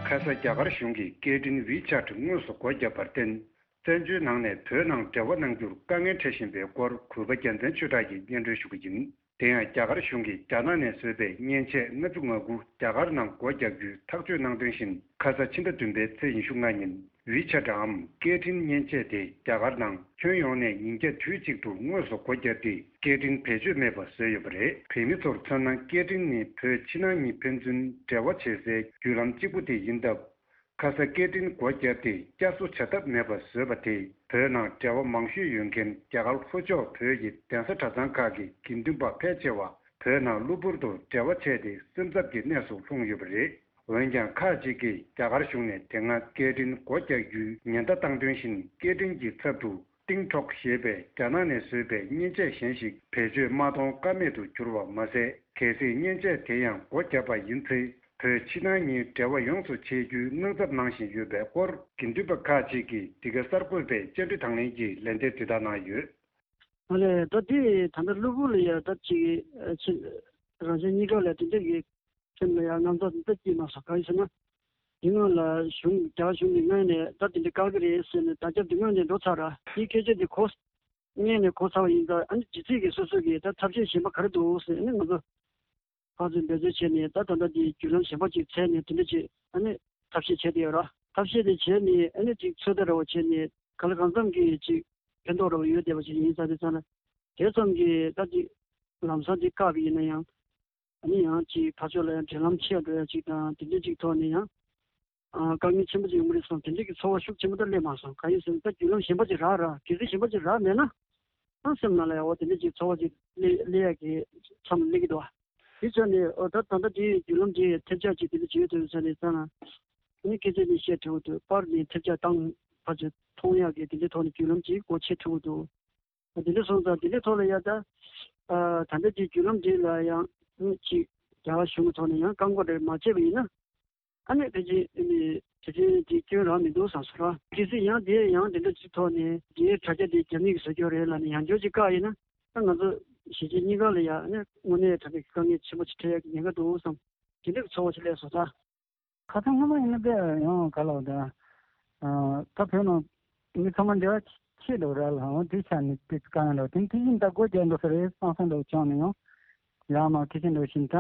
ཁ་ས་རྒྱ་གར་གཞུང་གིས་སྐད་འཕྲིན་ཝི་ཆེ་ཊི་དངོས་སུ་སྒོ་བརྒྱབ་པར་བརྟེན། བཙན་བྱོལ་ནང་ནས་བོད་ནང་འབྲེལ་བ་གནང་རྒྱུར་དཀའ་ངལ་འཕྲད་བཞིན་པའི་སྐོར། གུས་པ་རྒྱལ་མཚན་ཆོས་གྲགས་ཀྱིས་སྙན་སྒྲོན་ཞུ་གི་ཡིན། དེ་ཡང་རྒྱ་གར་གཞུང་གིས་རྒྱ་ནག་ནས་བཟོས་པའི་མཉེན་ཆས་ལྔ་བཅུ་ང་དགུ་རྒྱ་གར་ནང་སྒོ་རྒྱག་རྒྱུའི་ཐག་གཅོད་གནང་དོན་བཞིན། ཁ་ས་ཕྱི་ཟླ་བདུན་པའི་ཚེས་ཉི་ཤུ་ལྔ་ཉིན། ཝི་ཆེ་ཊིའམ་སྐད་འཕྲིན་མཉེན་ཆས་དེ་རྒྱ་གར་ནང་ཁྱོན་ཡོངས་ནས་ཉིན་བརྒྱ་དུས་གཅིག་ཏུ་དངོས་སུ་སྒོ་བརྒྱབ་སྟེ། སྐད་འཕྲིན་བེད་སྤྱོད་མེད་པ་བཟོས་ཡོད་པ་རེད། བོད་མི་ཚོར་མཚོན་ན། སྐད་འཕྲིན་ནི་བོད་ཕྱི་ནང་གཉིས་ཕན་ཚུན་འབྲེལ་བ་བྱེད་སའི་བརྒྱུད་ལམ་གཅིག་པུ་དེ་ཡིན་སྟབས། ཁ་ས་སྐད་འཕྲིན་སྒོ་བརྒྱབ་སྟེ་བསྐྱར་གསོ་བྱ་ཐབས་མེད་པ་བཟོས་པ་དེས། བོད་ནང་འབྲེལ་བ་མང་ཤོས་ཡོད་མཁན་རྒྱ་གར་ལྷོ་ཕྱོགས་བོད་ཀྱི་གདན་ས་གྲྭ་ཚང་ཁག་གི་དགེ་འདུན་པ་ཕལ་ཆེ་བ་བོད་ནང་གློ་བུར་དུ་འབྲེལ་བ་ཆད་དེ། སེམས་འཚབ་ཀྱི་གནས་སུ་ལྷུང་ཡོད་པ་རེད། འོན་ཀྱང་། ཁག་ཅིག་གིས་རྒྱ་གར་གཞུང་ནས་དེ་སྔ་སྐད་འཕྲིན་སྒོ་རྒྱག་རྒྱུའི་ཉེན་བརྡ་བཏང་དོན་བཞིན། སྐད་འཕྲིན་གྱི་ཚབ་ཏུ་ཏིང་ཊོག་ཞེས་པའི་རྒྱ་ནག་ནས་བཟོས་པའི་མཉེན་ཆས་གཞན་ཞིག་བེད་སྤྱོད་མ་གཏོང་ཀ་མེད་དུ་གྱུར་བ་མ་ཟད། གལ་སྲིད་མཉེན་ཆས་དེ་ཡང་སྒོ་བརྒྱབ་པ་ཡིན་ཚེ། བོད་ཕྱི་ནང་གཉིས་འབྲེལ་བ་ཡོངས་སུ་ཆད་རྒྱུའི་སྣང་ཚབ་གནང་བཞིན་ཡོད་པའི་སྐོར། དགེ་འདུན་པ་ཁག་ཅིག་གིས་འདི་ག་གསར་འགོད་པའི་བཅར་འདྲི་དང་ལེན་གྱི་ལན་འདེབས་དེ་དག་གནང་ཡོད། ཨ་ལས། ད་དེ་ད་ལྟ་གློ་བུར་ལ་ཡ་ད་ཅིག་ཨ་ཕྱི་རང་བཞིན་གཉིས་ཀ་ལ་དེ་འདྲ་གི་སེམས་ལ་ཡ་དངངས་འཚབ་འདི་ལྟ་སྐྱེས་མ་སོང་། གང་ཡིན་ཟེར་ན། དེ་སྔོན་ལ་གཞུང་རྒྱ་གར་གཞུང་གི་ངོས་ནས་ད་དེ་འདྲ་བཀག་གི་རེད་ཟེར་ནས་བརྡ་ཁྱབ་དེ་སྔོན་ནས་འགྲོ་ཚར་ར། དེའི་སྐད་ཆ་དེ་གོ་སྔོན་ནས་གོ་ཚར་བ་ཡིན་ཙང་། ཨ་ནི་ཇི་སྲིད་ཀྱི་སོ་སོ་གི་ད་ཐབས་ཤེས་གཞན་པ་ག་རེ་འདུག་ཟེར། ཨ་ནི་ང་ཚོ་ཕར་ཚུར་འབད་རྩོལ་བྱས་ནས། ད་ད་ལྟ་འདི་བརྒྱུད་ལམ་གཞན་པ་ཅིག་འཚོལ་ནས་དེ་འདྲ་ཅིག་ཨ་ནི་ཐབས་ཤེས་བྱས་བསྡད་ཡོད་ར། ཐབས་ཤེས་དེ་བྱས་ནས་ཨ་ནི་ཅིག་ཚོད་ལྟ་འདྲ་བོ་བྱས་ནས། གང་ལ་གང་འཚམ་གྱི་ཅིག་ཕན་ཐོགས་འདྲ་བོ་ཡོད་བསྡད་པ་ཅིག་ཡིན་ས་དེ་ཙང་ན། དེ་ཙམ་གྱིས་ད་ཅིག་ལམ་སང་ཅིག་བཀག་པ་ཡིན་ན་ཡང་། ཨ་ནི་ཡང་ཅིག་ཕར་ཕྱོགས་ལ་ཡང་འབྲེལ་ལམ་ཆད་འགྲོ་ཡ་ཅིག་དང་། དེ་འདྲ་ཅིག་ཐོག་ནས་ཡང་། ཨ། དཀའ་ངལ་ཆེན་པོ་ཅིག་ཡོང་གི་རེད་བསམ། དེ་འདྲ་གི་ཚོར་བ་ཤུགས་ཆེན་པོ་ད་སླེབས་མ་སོང་། གང་ཡིན་ཟེར་ན། ད་བརྒྱུད་ལམ་གཞན་པ་ཅིག་རག་ར། གལ་སྲིད་གཞན་པ་ཅིག་རག་མེད་ན། ཨ། སེམས་ནང་ལ་ཡང་འོ་དེ་འདྲ་ཅིག་ཚོར་བ་ཅིག་སླེབས་སླེབས་ཡ་གི་མཚམས་སླེབས་ཀྱི་འདུག་བ། དེ་ཆ་ནས་འོ་ད་ད་ལྟ་དེའི་བརྒྱུད་ལམ་དེ་ཐེབས་ཆག་ཅིག་དེ་འདྲ་བྱེད་ཐུབ་ས་རེད་ཙང་ན། ཨ་ནི་སྐད་ཆ་ནི་བཤད་ཐུབ་ཀྱི་འདུག་པར་ནས་ཐེབས་ཆག་བཏང་ཕར་ཚུར་མཐོང་ཡག་གི་དེ་འདྲའི་ཐོག་ནས་བརྒྱུད་ལམ་ཅིག་སྒོ་ཕྱེ་ཐུབ་ཀྱི་འདུག་དེ་འདྲ་སོང་ཙང་དེ་འདྲའི་ཐོག་ལ་ཡ་ད། ཨ། ད་ལྟ་དེའི་བརྒྱུད་ལམ་དེ་ལ་ཡང་ཅིག་རྒྱ་གར་གཞུང་གི་ཐོག་ནས་ཡང་བཀག་འགོག་རེ་མ་བྱས་པ་ཡིན་ན། ཨ་ནི་ཕལ་ཆེར་ཨ་ནི་ ཞེ་ཅིག་འདི་སྐྱོན་རག་མི་འདུག་བསམ་སོང་ར། གལ་སྲིད་ཡང་དེ་ཡང་དེ་འདྲ་ཅིག་ཐོག་ནས་དེའི་དྲ་རྒྱ་དེ་རྒྱ་མི་གིས་བཟོ་རྒྱུ་རེད་ལབ་ནས་ཡང་བསྐྱར་ཅིག་བཀག་ཡིན་ན། ད་ང་ཚོ་གཞིས་བྱེས་གཉིས་ཀ་ལ་ཡང་ནས་དངོས་གནས་དྲང་གནས་ཀྱི་དཀའ་ངལ་ཆེན་པོ་ཅིག་འཕྲད་ཡག་གི་ཉེན་ཁ་འདུག་བསམ། དེ་འདྲ་གི་ཚོར་བ་ཅིག་སླེབས་སོང་ད། ཁ་སང་སྔོན་མ་ཡིན་ན་དཔེ་ཡང་ག་ལབ་དང་། ད་བོད་ནང་མི་ཚང་མ་འབྲེལ་བ་ཆེ་འདུག་ར་ལ་འོ་དེ་ཆ་ནས་དཔེ་དཀའ་ངལ་འདུག་དེ་དེ་བཞིན་ད་སྒོ་རྒྱག་འདུག་ས་རེད་བསམ་བསམ་འདྲ་བོ་བྱུང་ནས་ཡང་ཡར་མར་ཁེ་ཆེ་འདྲ་བཞིན་ད་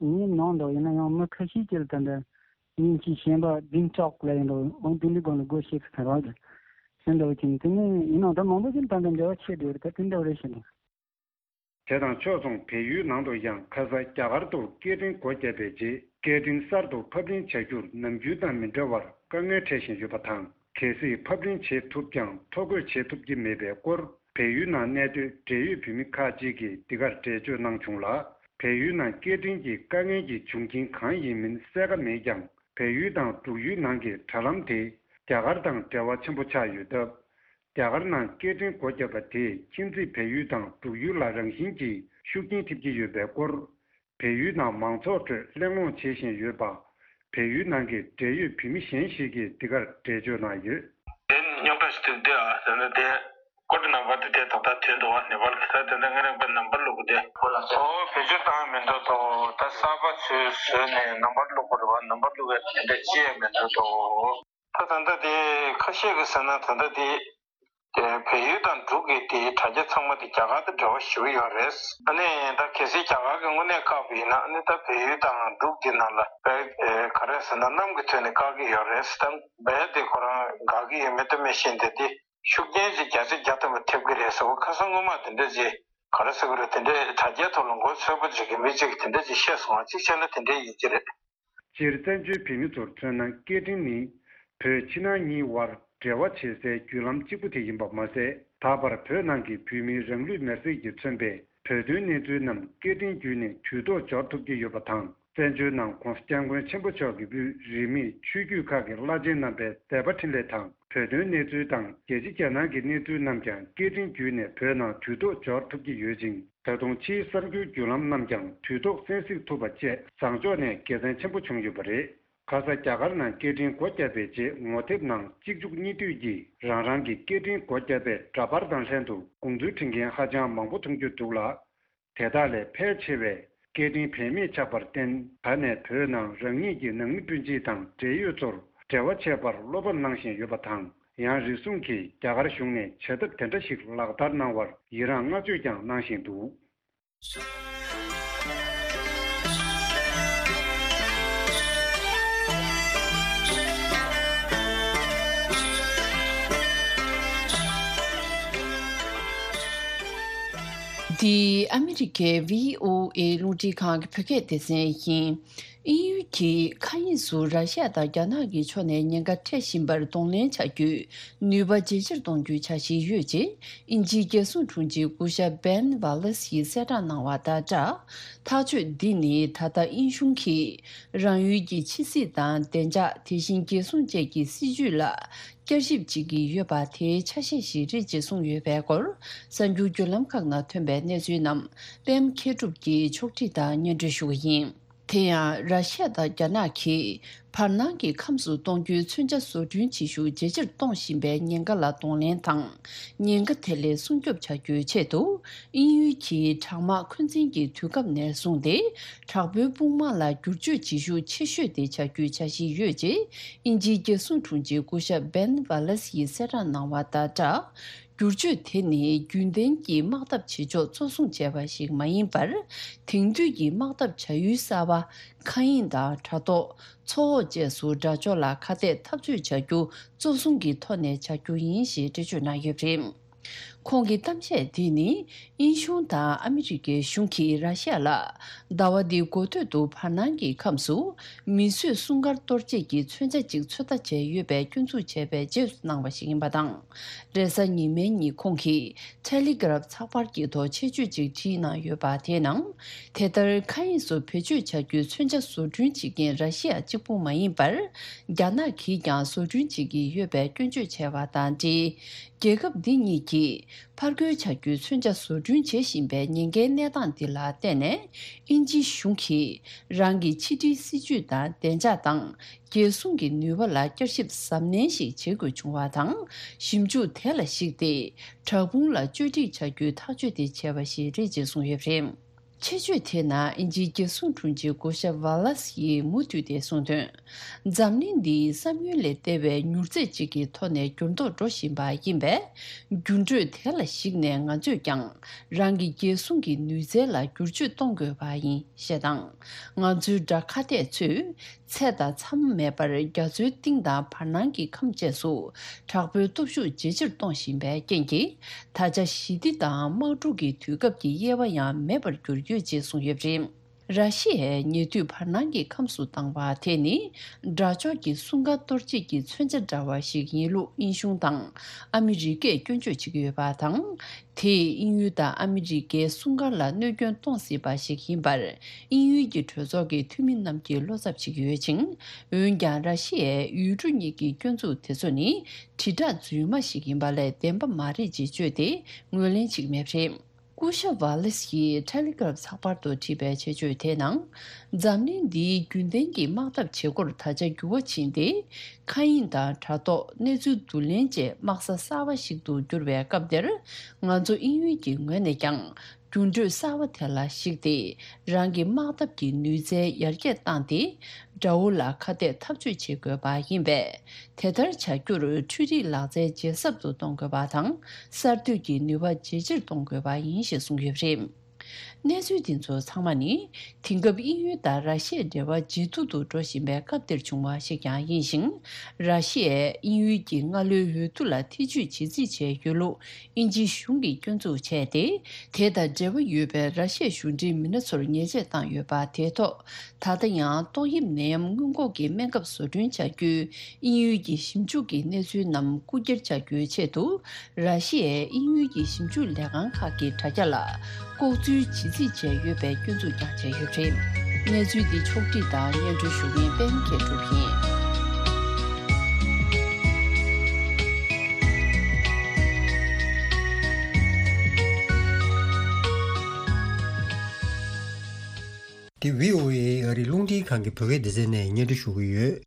ངའི་ནང་འདུག་ཡིན་ན་ཡང་མི་ཁ་ཤས་ཀྱིས་ད་འདྲ་ཉིན་གཅིག་གཞན་པ་བདུན་ཅོག་ལ་ཡིན་འདུག་འོ་དེ་འདྲའི་སྒོ་ནས་སྒོ་ཕྱེ་གི་ཟེར་བ་རེད། ཟེར་འདྲ་བོ་བྱས་ནས་དེ་ནས་ཡིན་ནའང་ད་མང་པོ་ཞིག་ད་འདྲ་འབྲེལ་བ་ཆེ་འདུག་རེད། ད་དེ་འདྲ་བོ་རེད་ཤེས་འདུག་དེ་དང་ཕྱོགས་མཚུངས་བལ་ཡུལ་ནང་དུ་ཡང་ཁ་སང་རྒྱ་གར་དུ་སྐད་འཕྲིན་སྒོ་བརྒྱབ་པའི་རྗེས་སྐད་འཕྲིན་གསར་དུ་ཕབ་ལེན་བྱ་རྒྱུར་ནམ་རྒྱུན་དང་མི་འདྲ་བར་དཀའ་ངལ་འཕྲད་བཞིན་ཡོད་པ་དང་། གལ་སྲིད་ཕབ་ལེན་བྱེད་ཐུབ་ཀྱང་ཐོ་འགོད་བྱེད་ཐུབ་ཀྱི་མེད་པའི་སྐོར། བལ་ཡུལ་ནང་གནས་སྡོད་འབྲེལ་ཡོད་བོད་མི་ཁག་ཅིག་གིས་འདི་གར་འགྲེལ་བརྗོད་གནང་བྱུང་ལ། བལ་ཡུལ་ནང་སྐད་འཕྲིན་གྱི་དཀའ་ངལ་གྱི་འབྱུང་རྐྱེན་གང་ཡིན་མིན་གསལ་ཁ་མེད་ཀྱང་། བལ་ཡུལ་དང་འབྲུག་ཡུལ་ནང་གི་དྲ་ལམ་དེ་རྒྱ་གར་དང་འབྲེལ་བ་ཆེན་པོ་ཆགས་ཡོད་སྟབས། རྒྱ་གར་ནང་སྐད་འཕྲིན་སྒོ་བརྒྱབ་པ་དེས་ཁྱིམ་མཚེས་བལ་ཡུལ་དང་འབྲུག་ཡུལ་ལ་རང་བཞིན་གྱིས་ཤུགས་རྐྱེན་ཐེབས་ཀྱི་ཡོད་པའི་སྐོར། བལ་ཡུལ་ནང་མང་ཚོགས་ཁྲོད་གླེང་སློང་བྱེད་བཞིན་ཡོད་པ། བལ་ཡུལ་ནང་གི་འབྲེལ་ཡོད་བོད་མི་གཞན་ཞིག་གིས་འདི་གར་འགྲེལ་བརྗོད་གནང་ཡོད། དེ་རྙོག་དྲ་ཞིག་འདུག་སྟེ། ཨ་ཟེར་ན་དེ་ཀོཌ་ནམ་བར་དེ་དེ་ད་ལྟ་ཐོན་འདུག་བ། ནེ་པཱལ་གྱི་ད་དེ་འདྲ་ང་རང་པའི་ནམ་བར་བླུག་གི་དེ། ཨོ་བེད་སྤྱོད་བཏང་མི་འདུག་དོ། ད་གསར་པ་ཚུར་བཟོས་ནས་ནམ་བར་བླུག་དགོས་རེད་བ། ནམ་བར་བླུག་ཡ་དེ་འདྲ་ཅི་ཡང་མི་འདུག་དོ། ད་ད་ལྟ་དེ་ཁ་ཤས་ཀྱིས་ཟེར་ན་ད་ལྟ་དེ་དེ་བལ་ཡུལ་དང་འབྲུག་གི་དེ་དྲ་རྒྱ་ཚང་མ་དེ་རྒྱ་གར་དང་འབྲེལ་བ་ཞེ་པོ་ཡོད་རེད། ཨ་ནི་ད་གལ་སྲིད་རྒྱ་གར་གྱིས་དངོས་གནས་བཀག་པ་ཡིན་ན། ཨ་ནི་ད་བལ་ཡུལ་དང་འབྲུག་དེ་ནང་ལ་བལ་ག་རེ་ཟེར་ན་གནམ་གྱི་ཐོག་ནས་བཀག་གི་ཡོད་རེད། ད་བལ་དེ་ཁོ་རང་དགའ་གི་ཡོད་མེད་ད་མི་ཤེས། དེ་དེ་ཤུགས་རྐྱེན་ཅིག་བརྒྱ་ཆ་བརྒྱ་ཐམ་པ་ཐེབས་ཀྱི་རེད་ཟེར་བ། ཁ་སང་སྔོན་མ་དེ་འདྲ་ཅིག་ག་རེ་ཟེར་གི་རེད། དེ་འདྲའི་དྲ་རྒྱའི་ཐོག་ལ་མགོ་ཚོས་པོ་ཅིག་གི་མི་གཅིག་གིས་དེ་འདྲ་ཅིག་བཤད་སོང་བ། གཅིག་བྱས་ན་དེ་འདྲའི་ཡིན་གྱི་རེད། སྤྱིར་བཙན་བྱོལ་བོད་མི་ཚོར་མཚོན་ན་སྐད་འཕྲིན་ནི་བོད་ཕྱི་ནང་གཉིས་བར་འབྲེལ་བ་བྱེད་སའི་བརྒྱུད་ལམ་གཅིག་པུ་དེ་ཡིན་པ་མ་ཟད། ད་བར་བོད་ནང་གི་བོད་མིའི་རང་ལུས་མེར་སྲེག་གིས་མཚོན་པའི་བོད་དོན་གནས་ཚུལ་རྣམས་སྐད་འཕྲིན་བརྒྱུད་ནས་དུས་ཐོག་འབྱོར་ཐུབ་ཀྱི་ཡོད་པ་དང་། བཙན་བྱོལ་ནང་༧གོང་ས་༧སྐྱབས་མགོན་ཆེན་པོ་མཆོག་གི་དབུས་རིས་མེད་ཆོས་བརྒྱུད་ཁག་གི་བླ་ཆེན་རྣམ་པའི་མཛད་པ་འཕྲིན་ལས་དང་། བོད་དོན་གནས་ཚུལ་དང་རྒྱལ་སྤྱི་རྒྱ་ནག་གི་གནས་ཚུལ་རྣམས་ཀྱང་སྐད་འཕྲིན་བརྒྱུད་ནས་བོད་ནང་དུས་ཐོག་འབྱོར་ཐུབ་ཀྱི་ཡོད་ཅིང་། ད་དུང་ཕྱིའི་གསར་འགྱུར་བརྒྱུད་ལམ་རྣམས་ཀྱང་དུས་ཐོག་གསན་གཟིགས་ཐུབ་པ་བཅས་བཟང་ཕྱོགས་ནས་དགེ་མཚན་ཆེན་པོ་བྱུང་ཡོད་པ་རེད། ཁ་ས་རྒྱ་གར་ནང་སྐད་འཕྲིན་སྒོ་བརྒྱབ་པའི་རྗེས་ངོ་དེབ་ནང་གཅིག་མཇུག་གཉིས་མཐུད་ཀྱིས་རང་རང་གི་སྐད་འཕྲིན་སྒོ་བརྒྱབ་པའི་འདྲ་པར་དང་ལྷན་དུ་དགོངས་ཚུལ་འབྲི་མཁན་ཧ་ཅང་མང་པོ་མཐོང་རྒྱུ་འདུག་ལ། དེ་དག་ལས་ཕལ་ཆེ་བས་སྐད་འཕྲིན་བེད་མེད་ཆགས་པར་བརྟེན། ད་ནས་བོད་ནང་རང་ཉིད་ཀྱི་ནང་མི་སྤུན་མཆེད་དང་འབྲེལ་ཡོད་ཚོར་འབྲེལ་བ་བྱེད་པར་བློ་ཕམ་གནང་བཞིན་ཡོད་པ་དང་། ཡང་རེ་ཟུང་གིས་རྒྱ་གར་གཞུང་ནས་བྱ་ཐབས་དེ་འདྲ་ཞིག་ལག་བསྟར་གནང་བར་ཡི་རངས་བསྔགས་བརྗོད་ཀྱང་གནང་བཞིན་འདུག། འདི་ཨ་མི་རི་ཀའི་བྷི་ཨོ་ཨེ་རླུང་འཕྲིན་ཁང་གི་བོད་སྐད་སྡེ་ཚན་ཡིན། དབྱིན་ཡུལ་གྱིས་མཁའ་དབྱིངས་སུ་ར་ཤི་ཡ་དང་རྒྱ་ནག་གི་ཕྱོགས་ནས་ཉེན་ཁ་འཕྲད་བཞིན་པར་གདོང་ལེན་བྱ་རྒྱུའི་ནུས་པ་ཇེ་ཆེར་གཏོང་རྒྱུའི་འཆར་གཞི་ཡོད་ཅེས། དབྱིན་ཇིའི་རྒྱལ་སྲུང་དྲུང་ཆེ་སྐུ་ཞབས་བྷེན་ཝ་ལེ་སི་ཡིས་གསལ་བསྒྲགས་གནང་བ་དང་སྦྲགས། ཐག་གཅོད་འདི་ནི་ད་ལྟ་དབྱིན་གཞུང་གིས་རང་ཡུལ་གྱི་ཕྱི་སྲིད་དང་བདེ་འཇགས། དེ་བཞིན་རྒྱལ་སྲུང་བཅས་ཀྱི་སྲིད་ཇུས་ལ་བསྐྱར་ཞིབ་བྱེད་ཀྱི་ཡོད་པ་དེའི་ཆ་ཤས་ཤིག་རེད་ཅེས་གསུངས་ཡོད་པའི་སྐོར། གསར་འགྱུར་བརྒྱུད་ལམ་ཁག་ནང་ཐོན་པའི་གནས་ཚུལ་རྣམས་པད་མ་མཁས་གྲུབ་ཀྱིས་ཕྱོགས་སྒྲིག་དང་སྙན་སྒྲོན་ཞུ་བ་ཡིན། དེ་ཡང་ར་ཤི་ཡ་དང་རྒྱ་ནག་གིས་བར་སྣང་གི་ཁམས་སུ་གཏོང་རྒྱུའི་མཚོན་ཆ་བཟོ་སྐྲུན་བྱེད་ཤུགས་ཇེ་ཆེར་གཏོང་བཞིན་པའི་ཉེན་ཁ་ལ་གདོང་ལེན་དང་། ཉེན་ཁ་དེ་ལས་སྲུང་སྐྱོབ་བྱ་རྒྱུའི་ཆེད་དུ། དབྱིན་ཡུལ་གྱིས་དྲག་དམག་འཁོན་འཛིན་གྱི་དུས་སྐབས་ནས་བཟུང་སྟེ། དྲག་པོའི་དཔུང་དམག་ལ་བསྒྱུར་བཅོས་བྱེད་ཤུགས་ཆེ་ཤོས་དེ་བྱ་རྒྱུའི་འཆར་གཞི་ཡོད་ཅེས། དབྱིན་ཇིའི་རྒྱལ་སྲུང་དྲུང་ཆེ་སྐུ་ཞབས་བྷེན་ཝ་ལེ་སི་ཡིས་གསལ་བསྒྲགས་གནང་བ་དང་སྦྲགས། བསྒྱུར་བཅོས་དེ་ནི་རྒྱུན་ལྡན་གྱི་དམག་འཐབ་བྱེད་ཕྱོགས་གཙོ་བཟུང་བྱས་པ་ཞིག་མ་ཡིན་པར། དེང་དུས་ཀྱི་དམག་འཐབ་བྱ་ཡུལ་གསར་པ། མཁའ་དབྱིངས་དང་དྲ་ཐོག་མཚོ་འོག་བཅས་སུ་དགྲ་ཕྱོགས་ལ་ཁ་གཏད་འཐབ་རྩོད་བྱ་རྒྱུ་གཙོ་བཟུང་གི་ཐོག་ནས་བྱ་རྒྱུ་ཡིན་ཞེས་འགྲེལ་བརྗོད་གནང་ཡོད་པ་རེད། ཁོང་གི་གཏམ་བཤད་དེ་ནི། དབྱིན་གཞུང་དང་ཨ་མི་རི་ཀའི་གཞུང་གིས་ར་ཤི་ཡ་ལ། ཟླ་བ་འདིའི་འགོ་སྟོད་དུ་བར་སྣང་གི་ཁམས་སུ། མིས་བཟོས་སྲུང་སྐར་གཏོར་བྱེད་ཀྱི་མཚོན་ཆ་ཅིག་ཚོད་ལྟ་བྱས་ཡོད་པའི་སྐྱོན་འཛུགས་བྱས་པའི་རྗེས་སུ་གནང་བ་ཞིག་ཡིན་པ་དང་། རེས་གཟའ་ཉི་མའི་ཉིན་ཁོང་གིས་ཊེ་ལི་གྷ་རབ་ཚགས་པར་གྱི་ཐོག་ཆེད་བརྗོད་ཅིག་བྲིས་གནང་ཡོད་པ་དེའི་ནང་། དེ་ལྟར་མཁའ་དབྱིངས་སུ་བེད་སྤྱོད་བྱ་རྒྱུའི་མཚོན་ཆ་བཟོ་སྐྲུན་བྱེད་མཁན་ར་ཤི་ཡ་གཅིག་པུ་མ་ཡིན་པར། རྒྱ་ནག་གིས་ཀྱང་བཟོ་སྐྲུན་བྱེད་ཀྱི་ཡོད་པའི་སྐྱོན་བརྗོད་བྱས་པ་དང་འབྲེལ། རྒྱལ་ཁབ་འདི་གཉིས་ཀྱིས་ ཕར་རྒོལ་བྱ་རྒྱུའི་མཚོན་ཆ་བཟོ་སྐྲུན་བྱེད་བཞིན་པའི་ཉེན་ཁའི་གནས་སྟངས་འདི་ལ་བརྟེན་ནས། དབྱིན་ཇིའི་གཞུང་གིས་རང་གི་ཕྱི་འབྲེལ་སྲིད་ཇུས་དང་བདེ་འཇགས་དང་། རྒྱལ་སྲུང་གི་ནུས་པ་ལ་བསྐྱར་ཞིབ་གཟབ་ནན་ཞིག་བྱེད་དགོས་བྱུང་བ་དང་། ཞིབ་འཇུག་དེ་ལ་གཞིགས་ཏེ། དྲག་དཔུང་ལ་བཅོས་སྒྲིག་བྱ་རྒྱུའི་ཐག་གཅོད་དེ་བྱས་པ་ཞིག་རེད་ཅེས་གསུངས་ཡོད་པ་རེད། ཆེད་བརྗོད་དེའི་ནང་དབྱིན་ཇིའི་རྒྱལ་སྲུང་དྲུང་ཆེ་སྐུ་ཞབས་ཝ་ལ་སི་ཡིས་མུ་མཐུད་དེ་གསུངས་དོན། འཛམ་གླིང་འདི་བསམ་ཡུལ་ལས་འདས་པའི་མྱུར་ཚད་ཅིག་གི་ཐོག་ནས་འགྱུར་ལྡོག་འགྲོ་བཞིན་པ་ཡིན་པས། འགྱུར་འགྲོས་དེ་ལ་གཞིགས་ནས་ང་ཚོས་ཀྱང་རང་གི་རྒྱལ་སྲུང་གི་ནུས་རྩལ་ལ་བསྒྱུར་བཅོས་གཏོང་དགོས་པ་ཡིན་ཞེས་དང་། ང་ཚོའི་དགྲ་ཁ་གཏད་ཚོས། ཚད་དང་མཚམས་མེད་པར་རྒྱ་མཚོའི་གཏིང་དང་བར་སྣང་གི་ཁམས་བཅས་སུ་དྲག་པོའི་སྟོབས་ཤུགས་ཇེ་ཆེར་གཏོང་བཞིན་པའི་རྐྱེན་གྱིས། ད་ཆ་ཞི་བདེ་དང་དམག་འཁྲུག་གི་དུས་སྐབས་ཀྱི་དབྱེ་བ་ཡང་མེད་པར་གྱུར་ཡོད་ཅེས་གསུངས་ཡོད་པ་རེད། ར་ཤི་ཡས་ཉེ་དུས་བར་སྣང་གི་ཁམས་སུ་བཏང་བ་དེ་ནི། དགྲ་ཕྱོགས་ཀྱི་སྲུང་སྐར་གཏོར་བྱེད་ཀྱི་མཚོན་ཆ་འདྲ་བ་ཞིག་ཡིན་ལུགས་དབྱིན་གཞུང་དང་ཨ་མི་རི་ཀས་སྐྱོན་བརྗོད་བྱེད་ཀྱི་ཡོད་པ་དང་། དེས་དབྱིན་ཡུལ་དང་ཨ་མི་རི་ཀའི་སྲུང་སྐར་ལ་གནོད་སྐྱོན་གཏོང་སྲིད་པ་ཞིག་ཡིན་པར། དབྱིན་ཡུལ་གྱི་གྲོས་ཚོགས་ཀྱི་འཐུས་མི་རྣམས་ཀྱིས་བློ་འཚབ་བྱེད་ཀྱི་ཡོད་ཅིང་། འོན་ཀྱང་། ར་ཤི་ཡའི་ཡུལ་གྲུ་གཉིས་ཀྱི་སྐྱོན་འཛུགས་དེ་ཚོ་ནི། དྲིལ་བསྒྲགས་རྫུན་མ་ཞིག་ཡིན་པ་ལས་བདེན་པ་མ་རེད་ཅེས་བརྗོད་དེ། ངོས་ལེན་བྱེད་ཀྱི་མེད་པ་རེད། སྐུ་ཞབས་ཝ་ལེ་སི་ཡིས་ཊེ་ལི་གྷ་རབ་ཚགས་པར་དུ་བྲིས་པའི་ཆེད་བརྗོད་དེའི་ནང་། འཛམ་གླིང་འདིའི་རྒྱུན་ལྡན་གྱི་དམག་འཐབ་བྱེད་སྒོར་ད་ཆ་འགྱུར་བ་ཕྱིན་ཏེ། མཁའ་དབྱིངས་དང་དྲ་ཐོག་གནས་ཚུལ་བསྡུ་ལེན་བཅས་དམག་ས་གསར་བ་ཞིག་ཏུ་གྱུར་བའི་སྐབས་འདིར། ང་ཚོ་དབྱིན་ཡུལ་གྱི་ངོས་ནས་ཀྱང་། འགྱུར་འགྲོས་གསར་བ་དེ་ལ་གཞིགས་ཏེ། རང་གི་དམག་འཐབ་ཀྱི་ནུས་རྩལ་ཡར་རྒྱས་བཏང་སྟེ། དགྲ་བོ་ལ་ཁ་གཏད་འཐབ་རྩོད་བྱེད་དགོས་པ་ཡིན་པས། དེ་ལྟར་བྱ་རྒྱུར་འཕྲུལ་རིག་ལག་རྩལ་ཇེ་ཟབ་ཏུ་གཏོང་དགོས་པ་དང་། གསར་གཏོད་ཀྱི་ནུས་པ་ཇེ་ཆེར་གཏོང་དགོས་པ་ཡིན་ཞེས་གསུངས་ཡོད་པ་རེད། གནས་ཚུལ་འདི་ཚོ་ཚང་མ་ནི། དེང་སྐབས་དབྱིན་ཡུལ་དང་ར་ཤི་ཡའི་འབྲེལ་བ་ཇེ་སྡུག་ཏུ་འགྲོ་བཞིན་པའི་སྐབས་འདིར་བྱུང་བ་ཞིག་ཀྱང་ཡིན་ཞིང་། ར་ཤི་ཡས་དབྱིན་ཡུལ་གྱི་སྔ་ལོའི་འོས་བསྡུ་ལ་ཐེ་ཇུས་བྱེད་རྩིས་བྱས་ཡོད་ལུགས། དབྱིན་ཇིའི་གཞུང་གིས་སྐྱོན་འཛུགས་བྱས་ཏེ། དེ་དང་འབྲེལ་བ་ཡོད་པའི་ར་ཤི་ཡའི་གཞུང་འབྲེལ་མི་སྣ་ཚོར་ཉེས་ཆད་བཏང་ཡོད་པ་དེའི་ཐོག་ད་ལྟ་ཡང་ཏོག་དབྱིབས་ནད་ཡམས་སྔོན་འགོག་གི་སྨན་ཁབ་བཟོ་སྐྲུན་བྱ་རྒྱུའི་དབྱིན་ཡུལ་གྱི་ཞིབ་འཇུག་གི་གནས་ཚུལ་རྣམས་རྐུ་འཁྱེར་བྱ་རྒྱུའི་ཆེད་དུ། ར་ཤི་ཡས་དབྱིན་ཡུལ་གྱི་ཞིབ་འཇུག་ལས་ཁང་ཁག་གི་དྲ་རྒྱ་ལ་ལྐོག་འཛུལ་བྱེད་རྩིས་བྱས་ཡོད་པའི་སྐྱོན་འཛུགས་ཀྱང་བྱས་ཡོད་པ་རེད། གནས་ཚུལ་འདི་ཕྱོགས་བསྒྲིགས་དང་སྙན་སྒྲོན་ཞུ་མཁན་པད་མ་མཁས་གྲུབ་ཡིན། འདི་བྷི་ཨོ་ཨེ་ཨ་རིའི་རླུང་འཕྲིན་ཁང་གི་བོད་སྐད་སྡེ་ཚན་ནས་སྙན་སྒྲོན་ཞུ་གི་ཡོད།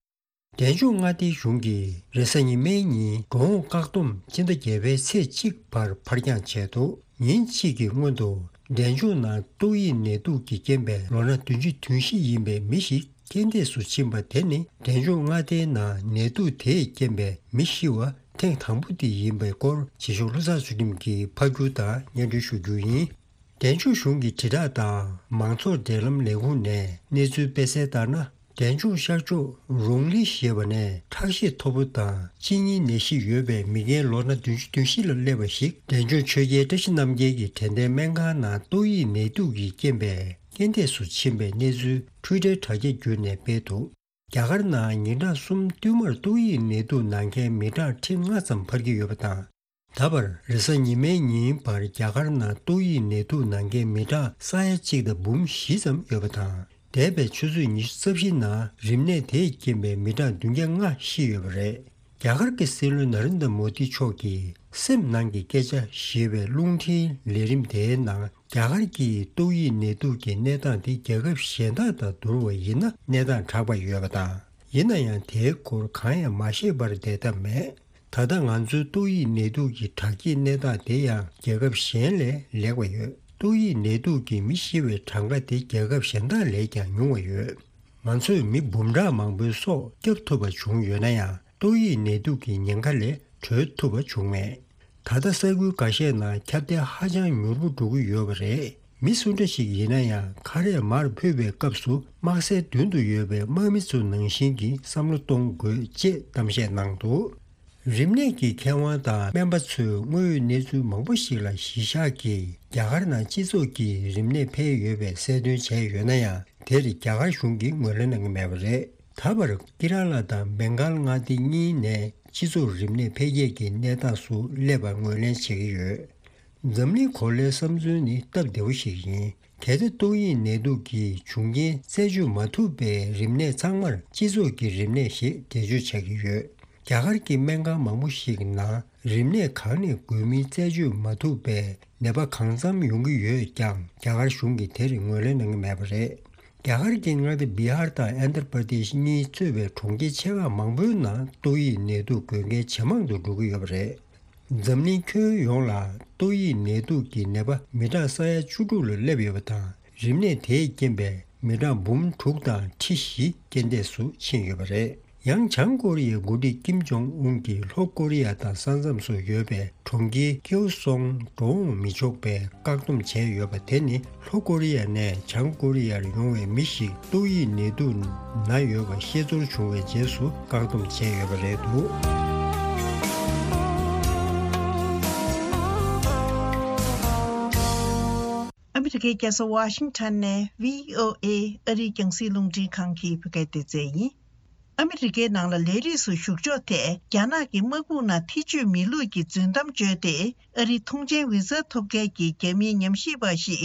འབྲས་ལྗོངས་མངའ་སྡེའི་གཞུང་གིས་རེས་གཟའ་ཉི་མའི་ཉིན་དགུང་ལོ་བཀག་སྡོམ་སྤྱི་ཟླ་བརྒྱད་པའི་ཚེས་གཅིག་བར་ཕར་འགྱངས་བྱས་འདུག་ཉིན་གཅིག་གི་སྔོན་དུ་འབྲས་ལྗོངས་ནང་ཏོག་དབྱིབས་ནད་དུག་གི་རྐྱེན་པས་ལོ་ན་བདུན་ཅུ་དོན་བཞི་ཡིན་པའི་མི་ཞིག་རྐྱེན་འདས་སུ་ཕྱིན་པ་དེ་ནི་འབྲས་ལྗོངས་མངའ་སྡེའི་ནང་ནད་དུག་དེས་རྐྱེན་པས་མི་ཤི་བ་ཐེངས་དང་པོ་དེ་ཡིན་པའི་སྐོར་རྗེས་ཕྱོགས་ལྷུ་ཚང་ཚུལ་ཁྲིམས་ཀྱིས་ཕབ་སྒྱུར་དང་སྙན་སྒྲོན་ཞུ་རྒྱུ་ཡིན། འབྲས་ལྗོངས་གཞུང་གི་དྲིལ་བསྒྲགས་དང་མང་ཚོགས་འབྲེལ་ལམ་ལས་ཁུངས་ནས་གནས་ཚུལ་སྤེལ་གསལ་ལྟར་ན། འབྲས་ལྗོངས་ཤར་ཕྱོགས་རོང་ལི་ཞེས་པ་ནས་ཁྲག་ཤེད་མཐོ་པོ་དང་གཅིན་སྙི་ནད་གཞི་ཡོད་པའི་མི་རྒན་ལོ་ན་བདུན་ཅུ་དོན་བཞི་ལ་སླེབས་པ་ཞིག་འབྲས་ལྗོངས་ཆོས་རྒྱལ་བཀྲ་ཤིས་རྣམ་རྒྱལ་གྱི་དྲན་རྟེན་སྨན་ཁང་ནང་ཏོག་དབྱིབས་ནད་དུག་གི་རྐྱེན་པས་རྐྱེན་འདས་སུ་ཕྱིན་པའི་གནས་ཚུལ་འཕྲུལ་ཁྲལ་དྲ་རྒྱ་བརྒྱུད་ནས་སྤེལ་འདུག་རྒྱ་གར་ནང་ཉིན་གྲངས་གསུམ་བསྟུད་མར་ཏོག་དབྱིབས་ནད་དུག་ན་མཁན་མི་གྲངས་ཁྲི་ལྔ་ཙམ་འཕར་གྱི་ཡོད་པ་དང་། ད་བར་རེས་གཟའ་ཉི་མའི་ཉིན་བར་རྒྱ་གར་ནང་ཏོག་དབྱིབས་ནད་དུག་ན་མཁན་མི་གྲངས་ས་ཡ་གཅིག་དང་འབུམ་བཞི་ཙམ་ཡོད་པ་དང་། འདས་པའི་ཆུ་ཚོད་ཉི་ཤུ་རྩ་བཞི་ནང་རིམས་ནད་དེས་རྐྱེན་པས་མི་གྲངས་བདུན་བརྒྱ་ལྔ་ཤི་ཡོད་པ་རེད། རྒྱ་གར་གྱི་སྲིད་བློན་ན་རེན་དྲ་མོ་དི་མཆོག་གིས་སེམས་ནང་གི་སྐད་ཆ་ཞེས་པའི་རླུང་འཕྲིན་ལས་རིམ་དེའི་ནང་རྒྱ་གར་གྱིས་ཏོག་དབྱིབས་ནད་དུག་གི་གནས་སྟངས་དེ་རྒྱལ་ཁབ་གཞན་དག་དང་བསྡུར་བ་ཡིན་ན་གནས་སྟངས་དྲག་པ་ཡོད་པ་དང་། ཡིན་ན་ཡང་དེའི་སྐོར་གང་ཡང་མ་ཤེས་པར་བསྡད་ཐབས་མེད། ད་ལྟ་ང་ཚོའི་ཏོག་དབྱིབས་ནད་དུག་གི་དྲག་སྐྱེད་གནས་སྟངས་དེ་ཡང་རྒྱལ་ཁབ་གཞན་ལས་ལེགས་པ་ཡོད། ཏོག་དབྱིབས་ནད་དུག་གིས་མི་ཤི་བའི་གྲངས་ཀ་དེ་རྒྱལ་ཁབ་གཞན་དག་ལས་ཀྱང་ཉུང་བ་ཡོད། ང་ཚོས་མི་འབུམ་ཕྲག་མང་པོའི་སྲོག་སྐྱབས་ཐུབ་པ་བྱུང་ཡོད་ན་ཡང་ཏོག་དབྱིབས་ནད་དུག་གི་ཉེན་ཁ་ལས་གྲོལ་ཐུབ་པ་བྱུང་མེད། ད་ལྟ་ས་ཁུལ་འགའ་ཤས་ནང་ཁྱབ་གདལ་ཧ་ཅང་མྱུར་པོ་འགྲོ་གི་ཡོད་པ་རེད། མི་སུ་འདྲ་ཞིག་ཡིན་ན་ཡང་ཁ་རས་མར་ཕུད་པའི་སྐབས་སུ་དམག་སའི་མདུན་དུ་ཡོད་པའི་དམག་མི་ཚོ་ནང་བཞིན་གྱི་བསམ་བློ་གཏོང་དགོས་ཅེས་གཏམ་བཤད་གནང་འདུག་རིམས་ནད་ཀྱི་མཁས་དབང་དང་སྨན་པ་ཚོས་དངོས་ཡོད་གནས་ཚུལ་མང་པོ་ཞིག་ལ་གཞི་བཞག་གིས་རྒྱ་གར་ནང་སྤྱི་ཚོགས་ཀྱི་རིམས་ནད་འཕེལ་ཡོད་པའི་གསལ་སྟོན་བྱས་ཡོད་ན་ཡང་། དེར་རྒྱ་གར་གཞུང་གིས་ངོས་ལེན་གནང་གི་མེད་པ་རེད། ད་བར་ཀི་ར་ལ་དང་བེང་གཱལ་མངའ་སྡེ་གཉིས་ནས་སྤྱི་ཚོགས་རིམས་ནད་འཕེལ་རྒྱས་ཀྱི་གནས་སྟངས་སུ་སླེབས་པར་ངོས་ལེན་བྱེད་ཀྱི་ཡོད། འཛམ་གླིང་གོ་ལའི་བསམ་ཚུལ་ནི་སྟབས་བདེ་བོ་ཞིག་ཡིན། གལ་ཏེ་ཏོག་དབྱིབས་ནད་དུག་གི་བྱུང་རྐྱེན་རྩད་གཅོད་མ་ཐུབ་པའི་རིམས་ནད་ཚང་མར་སྤྱི་ཚོགས་ཀྱི་རིམས་ནད་ཞེས་འགྲེལ་བརྗོད་བྱ་གི་ཡོད། རྒྱ་གར་གྱི་སྨན་ཁང་མང་པོ་ཞིག་ནང་ རིམས་ནད་གང་ནས་འགོས་མིན་རྩད་གཅོད་མ་ཐུབ་པས་ནད་པ་གང་འཚམ་ཡོང་གི་ཡོད་ཀྱང་རྒྱ་གར་གཞུང་གིས་དེར་ངོས་ལེན་གནང་གི་མེད་པ་རེད། རྒྱ་གར་གྱི་མངའ་སྡེ་བི་ཧར་དང་ཨན་དྷྲ་པར་དེཤ་གཉིས་གཙོས་པའི་གྲོང་ཁྱེར་ཆེ་ཁག་མང་པོའི་ནང་ཏོག་དབྱིབས་ནད་དུག་འགོས་མཁན་ཇེ་མང་དུ་འགྲོ་གི་ཡོད་པ་རེད། འཛམ་གླིང་ཁྱོན་ཡོངས་ལ་ཏོག་དབྱིབས་ནད་དུག་གི་ནད་པ་མི་གྲངས་ས་ཡ་བཅུ་དྲུག་ལ་སླེབས་ཡོད་པ་དང་། རིམས་ནད་དེས་རྐྱེན་པས་མི་གྲངས་འབུམ་དྲུག་དང་ཁྲི་བཞི་རྐྱེན་འདས་སུ་ཕྱིན་ཡོད་པ་རེད། ཡང་བྱང་ཀོ་རི་ཡའི་འགོ་ཁྲིད་ཀིམ་ཇོང་ཨུན་གྱིས་ལྷོ་ཀོ་རི་ཡ་དང་ས་མཚམས་སུ་ཡོད་པའི་གྲོང་ཁྱེར་ཀེའུ་སོང་འགྲོ་འོང་མི་ཆོག་པའི་བཀག་སྡོམ་བྱས་ཡོད་པ་དེ་ནི། ལྷོ་ཀོ་རི་ཡ་ནས་བྱང་ཀོ་རི་ཡར་ཡོང་བའི་མི་ཞིག་ཏོག་དབྱིབས་ནད་དུག་ན་ཡོད་པ་ཤེས་ཚོར་བྱུང་བའི་རྗེས་སུ་བཀག་སྡོམ་བྱས་ཡོད་པ་རེད་འདུག། ཨ་མི་རི་ཀའི་རྒྱལ་ས་ཝ་ཤིང་ཊོན་ནས་བྷི་ཨོ་ཨེ་ཨ་རིའི་རྒྱང་སྲིང་རླུང་འཕྲིན་ཁང་གི་བོད་སྐད་སྡེ་ཚན་ཡིན། ཨ་མི་རི་ཀའི་ནང་ལ་ལས་རིགས་སུ་ཞུགས་ཕྱོགས་ཐད་རྒྱ་ནག་གི་དམག་དཔུང་ནང་ཐེ་བྱུས་མེད་ལུགས་ཀྱི་རྫུན་གཏམ་བརྗོད་དེ་ཨ་རིའི་ཐོངས་མཆན་བི་ཟ་ཐོབ་མཁན་གྱི་རྒྱ་མིའི་ཉམས་ཞིབ་པ་ཞིག་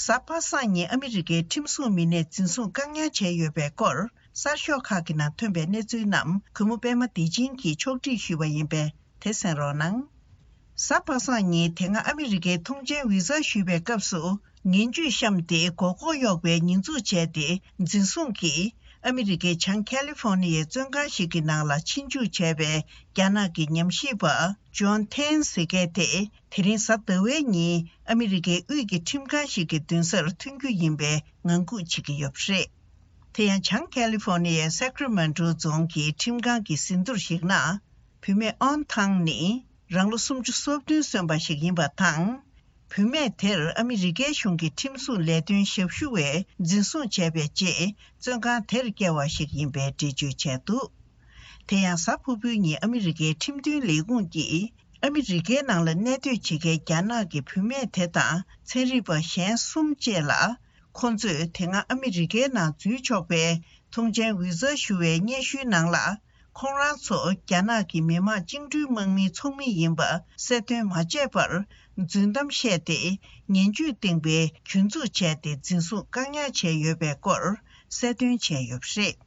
གཟའ་པ་སངས་ཉིན་ཨ་མི་རི་ཀའི་ཁྲིམས་སྲུང་མི་སྣས་འཛིན་བཟུང་བཀག་ཉར་བྱས་ཡོད་པའི་སྐོར་གསར་ཤོག་ཁག་གི་ནང་ཐོན་པའི་གནས་ཚུལ་རྣམས་གུས་མོ་པད་མ་བདེ་ཆེན་གྱིས་ཕྱོགས་སྒྲིག་ཞུས་པ་ཡིན་པས་དེ་གསན་རོགས་གནང་། གཟའ་པ་སངས་ཉིན་དེ་སྔ་ཨ་མི་རི་ཀའི་ཐོངས་མཆན་བི་ཟ་ཞུས་པའི་སྐབས་སུ་ངན་ཇུས་བཤམས་ཏེ་མགོ་སྐོར་གཡོག་པའི་ཉེས་འཛུགས་བྱས་ཏེ་འཛིན་བཟུང་གིས་ཨ་མི་རི་ཀའི་བྱང་ཁ་ལི་ཧྥོ་ནི་ཡའི་བཙོན་ཁང་ཞིག་གི་ནང་ལ་ཕྱིན་འཇུག་བྱས་པའི་རྒྱ་ནག་གི་ཉམས་ཞིབ་པ་ཇོན་ཐེན་ཟེར་མཁན་དེ་དེ་རིང་གཟའ་ཟླ་བའི་ཉིན་ཨ་མི་རི་ཀའི་དབུས་ཀྱི་ཁྲིམས་ཁང་ཞིག་གི་མདུན་སར་ཐོན་རྒྱུ་ཡིན་པའི་ངང་སྒུག་བྱེད་ཀྱི་ཡོད་པ་རེད། དེ་ཡང་བྱང་ཁ་ལི་ཧྥོ་ནི་ཡའི་སེ་ཀ་ར་མེན་ཊོ་རྫོང་གི་ཁྲིམས་ཁང་གི་ཟིན་ཐོར་ཞིག་ན། བུད་མེད་ཨོན་ཐང་ནི་རང་ལོ་སུམ་ཅུ་སོ་བདུན་སོན་པ་ཞིག་ཡིན་པ་དང་། བུད་མེད་དེར་ཨ་མི་རི་ཀའི་གཞུང་གི་ཁྲིམས་སྲུང་ལས་དོན་ཞབས་ཞུ་བས་འཛིན་བཟུང་བྱས་པའི་རྗེས་བཙོན་ཁང་དེར་བསྐྱལ་བ་ཞིག་ཡིན་པའི་འགྲེལ་བརྗོད་བྱས་འདུག། དེ་ཡང་གཟའ་ཕུར་བུའི་ཉིན་ཨ་མི་རི་ཀའི་ཁྲིམས་དོན་ལས་ཁུངས་ཀྱིས་ཨ་མི་རི་ཀའི་ནང་ལ་གནས་སྡོད་བྱེད་མཁན་རྒྱ་ནག་གི་བུད་མེད་དེ་དང་ཚན་རིག་པ་གཞན་གསུམ་བཅས་ལ། ཁོང་ཚོས་དེ་སྔ་ཨ་མི་རི་ཀའི་ནང་འཛུལ་ཆོག་པའི་ཐོངས་མཆན་བི་ཟ་ཞུ་བའི་སྙན་ཞུའི་ནང་ལ། ཁོང་རང་ཚོ་རྒྱ་ནག་གི་མི་དམངས་བཅིངས་འགྲོལ་དམག་མིའི་ཚོགས་མི་ཡིན་པ་གསལ་སྟོན་མ་བྱས་པར། རྫུན་གཏམ་བཤད་དེ། ངན་ཇུས་བཏིང་པའི་ཇུས་འཛུགས་བྱས་ཏེ། འཛིན་བཟུང་བཀག་ཉར་བྱས་ཡོད་པའི་སྐོར་གསལ་སྟོན་བྱས་ཡོད་པ་རེད།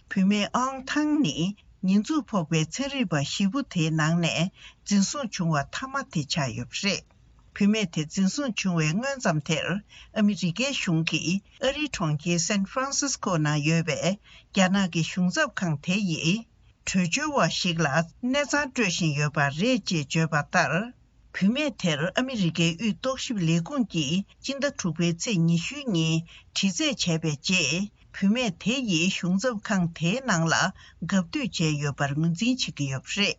བུད་མེད་ཨང་ཐང་ནི། ཉེས་འཛུགས་ཕོག་པའི་ཚན་རིག་པ་བཞི་པོ་དེའི་ནང་ནས། འཛིན་བཟུང་བྱུང་བ་མཐའ་མ་དེ་ཆགས་ཡོད་པ་རེད། བུད་མེད་དེ་འཛིན་བཟུང་བྱུང་བའི་སྔོན་ཙམ་དེར། ཨ་མི་རི་ཀའི་གཞུང་གིས་ཨ་རིའི་གྲོང་ཁྱེར་སན་ཧྥ་རན་སིས་ཀོ་ནང་ཡོད་པའི་རྒྱ་ནག་གི་གཞུང་ཚབ་ཁང་དེ་ཡིས། བྲོས་བྱོལ་བ་ཞིག་ལ་གནས་ཚང་སྤྲོད་བཞིན་ཡོད་པ་རེད་ཅེས་བརྗོད་པ་ལྟར། བུད་མེད་དེར་ཨ་མི་རི་ཀའི་དབུས་རྟོག་ཞིབ་ལས་ཁུངས་ཀྱིས་སྤྱི་ཟླ་དྲུག་པའི་ཚེས་ཉི་ཤུའི་ཉིན་དྲི་རྩད་བྱས་པའི་རྗེས། བུད་མེད་དེ་ཡིས་གཞུང་ཚབ་ཁང་དེའི་ནང་ལ་གབ་སྡོད་བྱས་ཡོད་པར་ངོས་འཛིན་བྱེད་ཀྱི་ཡོད་པ་རེད།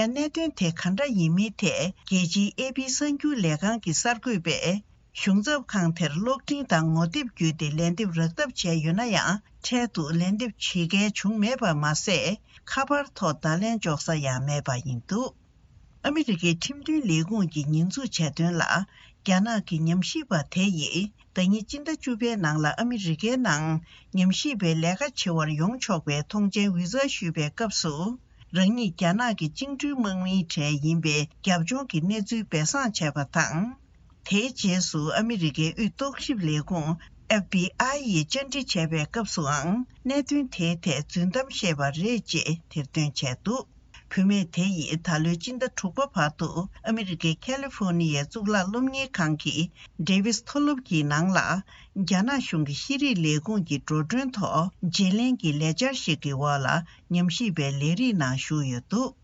ཡང་གནད་དོན་དེ་ག་འདྲ་ཡིན་མིན་ཐད་རྒྱལ་སྤྱིའི་ཨེ་པི་གསར་འགྱུར་ལས་ཁང་གི་གསར་འགོད་པས། གཞུང་ཚབ་ཁང་དེར་གློག་འཕྲིན་དང་ངོ་དེབ་བརྒྱུད་དེ་ལན་འདེབས་རག་ཐབས་བྱས་ཡོད་ན་ཡང་། འཕྲལ་དུ་ལན་འདེབས་བྱེད་མཁན་བྱུང་མེད་པ་མ་ཟད། ཁ་པར་ཐོག་བརྡ་ལན་འཇོག་ས་ཡང་མེད་པ་ཡིན་འདུག། ཨ་མི་རི་ཀའི་ཁྲིམས་དོན་ལས་ཁུངས་ཀྱི་ཉེས་འཛུགས་བྱས་དོན་ལ། རྒྱ་ནག་གི་ཉམས་ཞིབ་པ་དེ་ཡིས། ཟླ་ཉིན་སྤྱི་ཟླ་བཅུ་པའི་ནང་ལ་ཨ་མི་རི་ཀའི་ནང་ཉམས་ཞིབ་པའི་ལས་ཀ་བྱེད་པར་ཡོང་ཆོག་པའི་ཐོངས་མཆན་བི་ཟ་ཞུས་པའི་སྐབས་སུ། རང་ཉིད་རྒྱ་ནག་གི་བཅིངས་འགྲོལ་དམག་མིའི་གྲས་ཡིན་པའི་རྒྱབ་ལྗོངས་ཀྱི་གནས་ཚུལ་སྦས་གསང་བྱས་པ་དང་། དེའི་རྗེས་སུ་ཨ་མི་རི་ཀའི་དབུས་རྟོག་ཞིབ་ལས་ཁུངས་ཨེཕ་བི་ཨའི་ཡིས་བཅར་འདྲི་བྱས་པའི་སྐབས་སུའང་། གནད་དོན་དེའི་ཐད་རྫུན་གཏམ་བཤད་པ་རེད་ཅེས་ཐེར་འདོན་བྱས་འདུག། བུད་མེད་དེ་ཡིས་ད་ལོའི་སྤྱི་ཟླ་དྲུག་པ་བར་དུ་ཨ་མི་རི་ཀའི་ཁ་ལི་ཧྥོ་ནི་ཡའི་གཙུག་ལག་སློབ་གཉེར་ཁང་གི་ཌེ་ཝིས་མཐོ་སློབ་ཀྱི་ནང་ལ། རྒྱ་ནག་གཞུང་གི་ཤེས་རིག་ལས་ཁུངས་ཀྱི་འགྲོ་གྲོན་ཐོག་བརྗེ་ལེན་གྱི་ལས་འཆར་ཞིག་གི་འོག་ལ་ཉམས་ཞིབ་པའི་ལས་རིགས་ནང་ཞུགས་ཡོད་འདུག།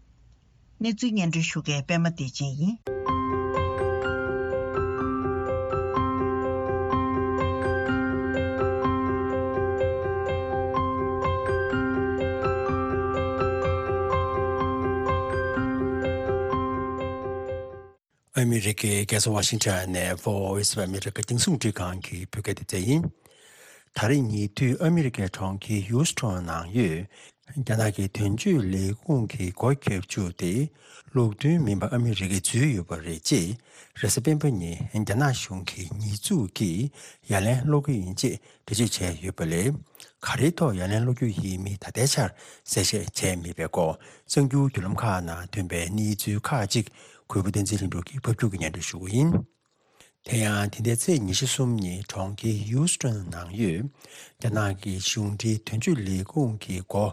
གནས་ཚུལ་སྙན་སྒྲོན་ཞུ་མཁན་པད་མ་བདེ་ཆེན་ཡིན། ཨ་མི་རི་ཀའི་རྒྱལ་ས་ཝ་ཤིང་ཊོན་ནས་Voice of America་རྒྱང་སྲིང་འཕྲིན་ཁང་གི་བོད་སྐད་སྡེ་ཚན་ཡིན། ད་རེས་ཉེ་དུས་ཨ་མི་རི་ཀའི་གྲོང་ཁྱེར་ཧིའུ་སི་ཊོན་ནང་ཡོད། རྒྱ་ནག་གི་དོན་གཅོད་ལས་ཁུངས་ཀྱི་སྒོ་བརྒྱབ་བཅུག་སྟེ། ལུགས་མཐུན་མིན་པ་ཨ་མི་རི་ཀས་འཛུལ་ཡོད་པ་རེད་ཅེས། རེས་གཟའ་སྤེན་པ་ཉིན་རྒྱ་ནག་གཞུང་གི་ཉེས་འཛུགས་ཀྱིས་ཡ་ལན་སློག་གི་ཡིན་ཅེས་འགྲེལ་བརྗོད་བྱས་ཡོད་པ་ལས། ག་རེའི་ཐོག་ཡ་ལན་སློག་རྒྱུ་ཡིན་མིན་ད་ལྟའི་ཆར་གསལ་བཤད་བྱས་མེད་པའི་སྐོར། གསར་འགྱུར་བརྒྱུད་ལམ་ཁག་ནང་ཐོན་པའི་གནས་ཚུལ་ཁག་ཅིག་གུས་པ་བསྟན་འཛིན་ལྷུན་གྲུབ་ཀྱིས་ཕབ་སྒྱུར་གྱིས་སྙན་སྒྲོན་ཞུ་གི་ཡིན། དེ་ཡང་དེ་ཟླའི་ཚེས་ཉི་ཤུ་གསུམ་ཉིན་གྲོང་ཁྱེར་ཧིའུ་སི་ཊོན་ནང་ཡོད་རྒྱ་ནག་གི་གཞུང་འབྲེལ་དོན་གཅོད་ལས་ཁུངས་ཀྱི་སྒོ་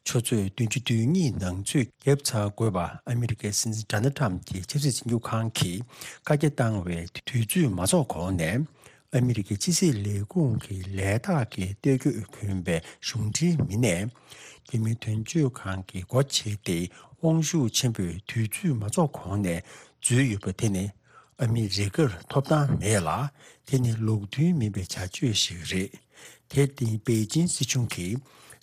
ཆུ་ཚོད་བདུན་ཅུ་དོན་གཉིས་ནང་ཚུད་བརྒྱབ་ཚར་དགོས་པ་ཨ་མི་རི་ཀའི་སྲིད་འཛིན་ཌོ་ནལ་ཊམ་གྱི་ཆབ་སྲིད་འཛིན་སྐྱོང་ཁང་གིས་བཀའ་རྒྱ་བཏང་བའི་དུས་ཚོད་མ་རྫོགས་གོང་ནས། ཨ་མི་རི་ཀའི་ཕྱི་སྲིད་ལས་ཁུངས་ཀྱི་ལས་རྟགས་ཀྱི་སྟོད་གོས་གྱོན་པའི་གཞུང་འབྲེལ་མི་སྣས་རྒྱ་མིའི་དོན་གཅོད་ཁང་གི་སྒོ་ཕྱེ་སྟེ། དབང་ཤུགས་ཆེན་པོས་དུས་ཚོད་མ་རྫོགས་གོང་ནས་འཛུལ་ཡོད་པ་དེ་ནི་ཨ་མི་རི་ཀར་ཐོབ་ཐང་མེད་ལ། དེ་ནི་ལུགས་མཐུན་མིན་པའི་བྱ་སྤྱོད་ཞིག་རེད། དེར་བརྟེན་པེ་ཅིན་སྲིད་གཞུང་གིས་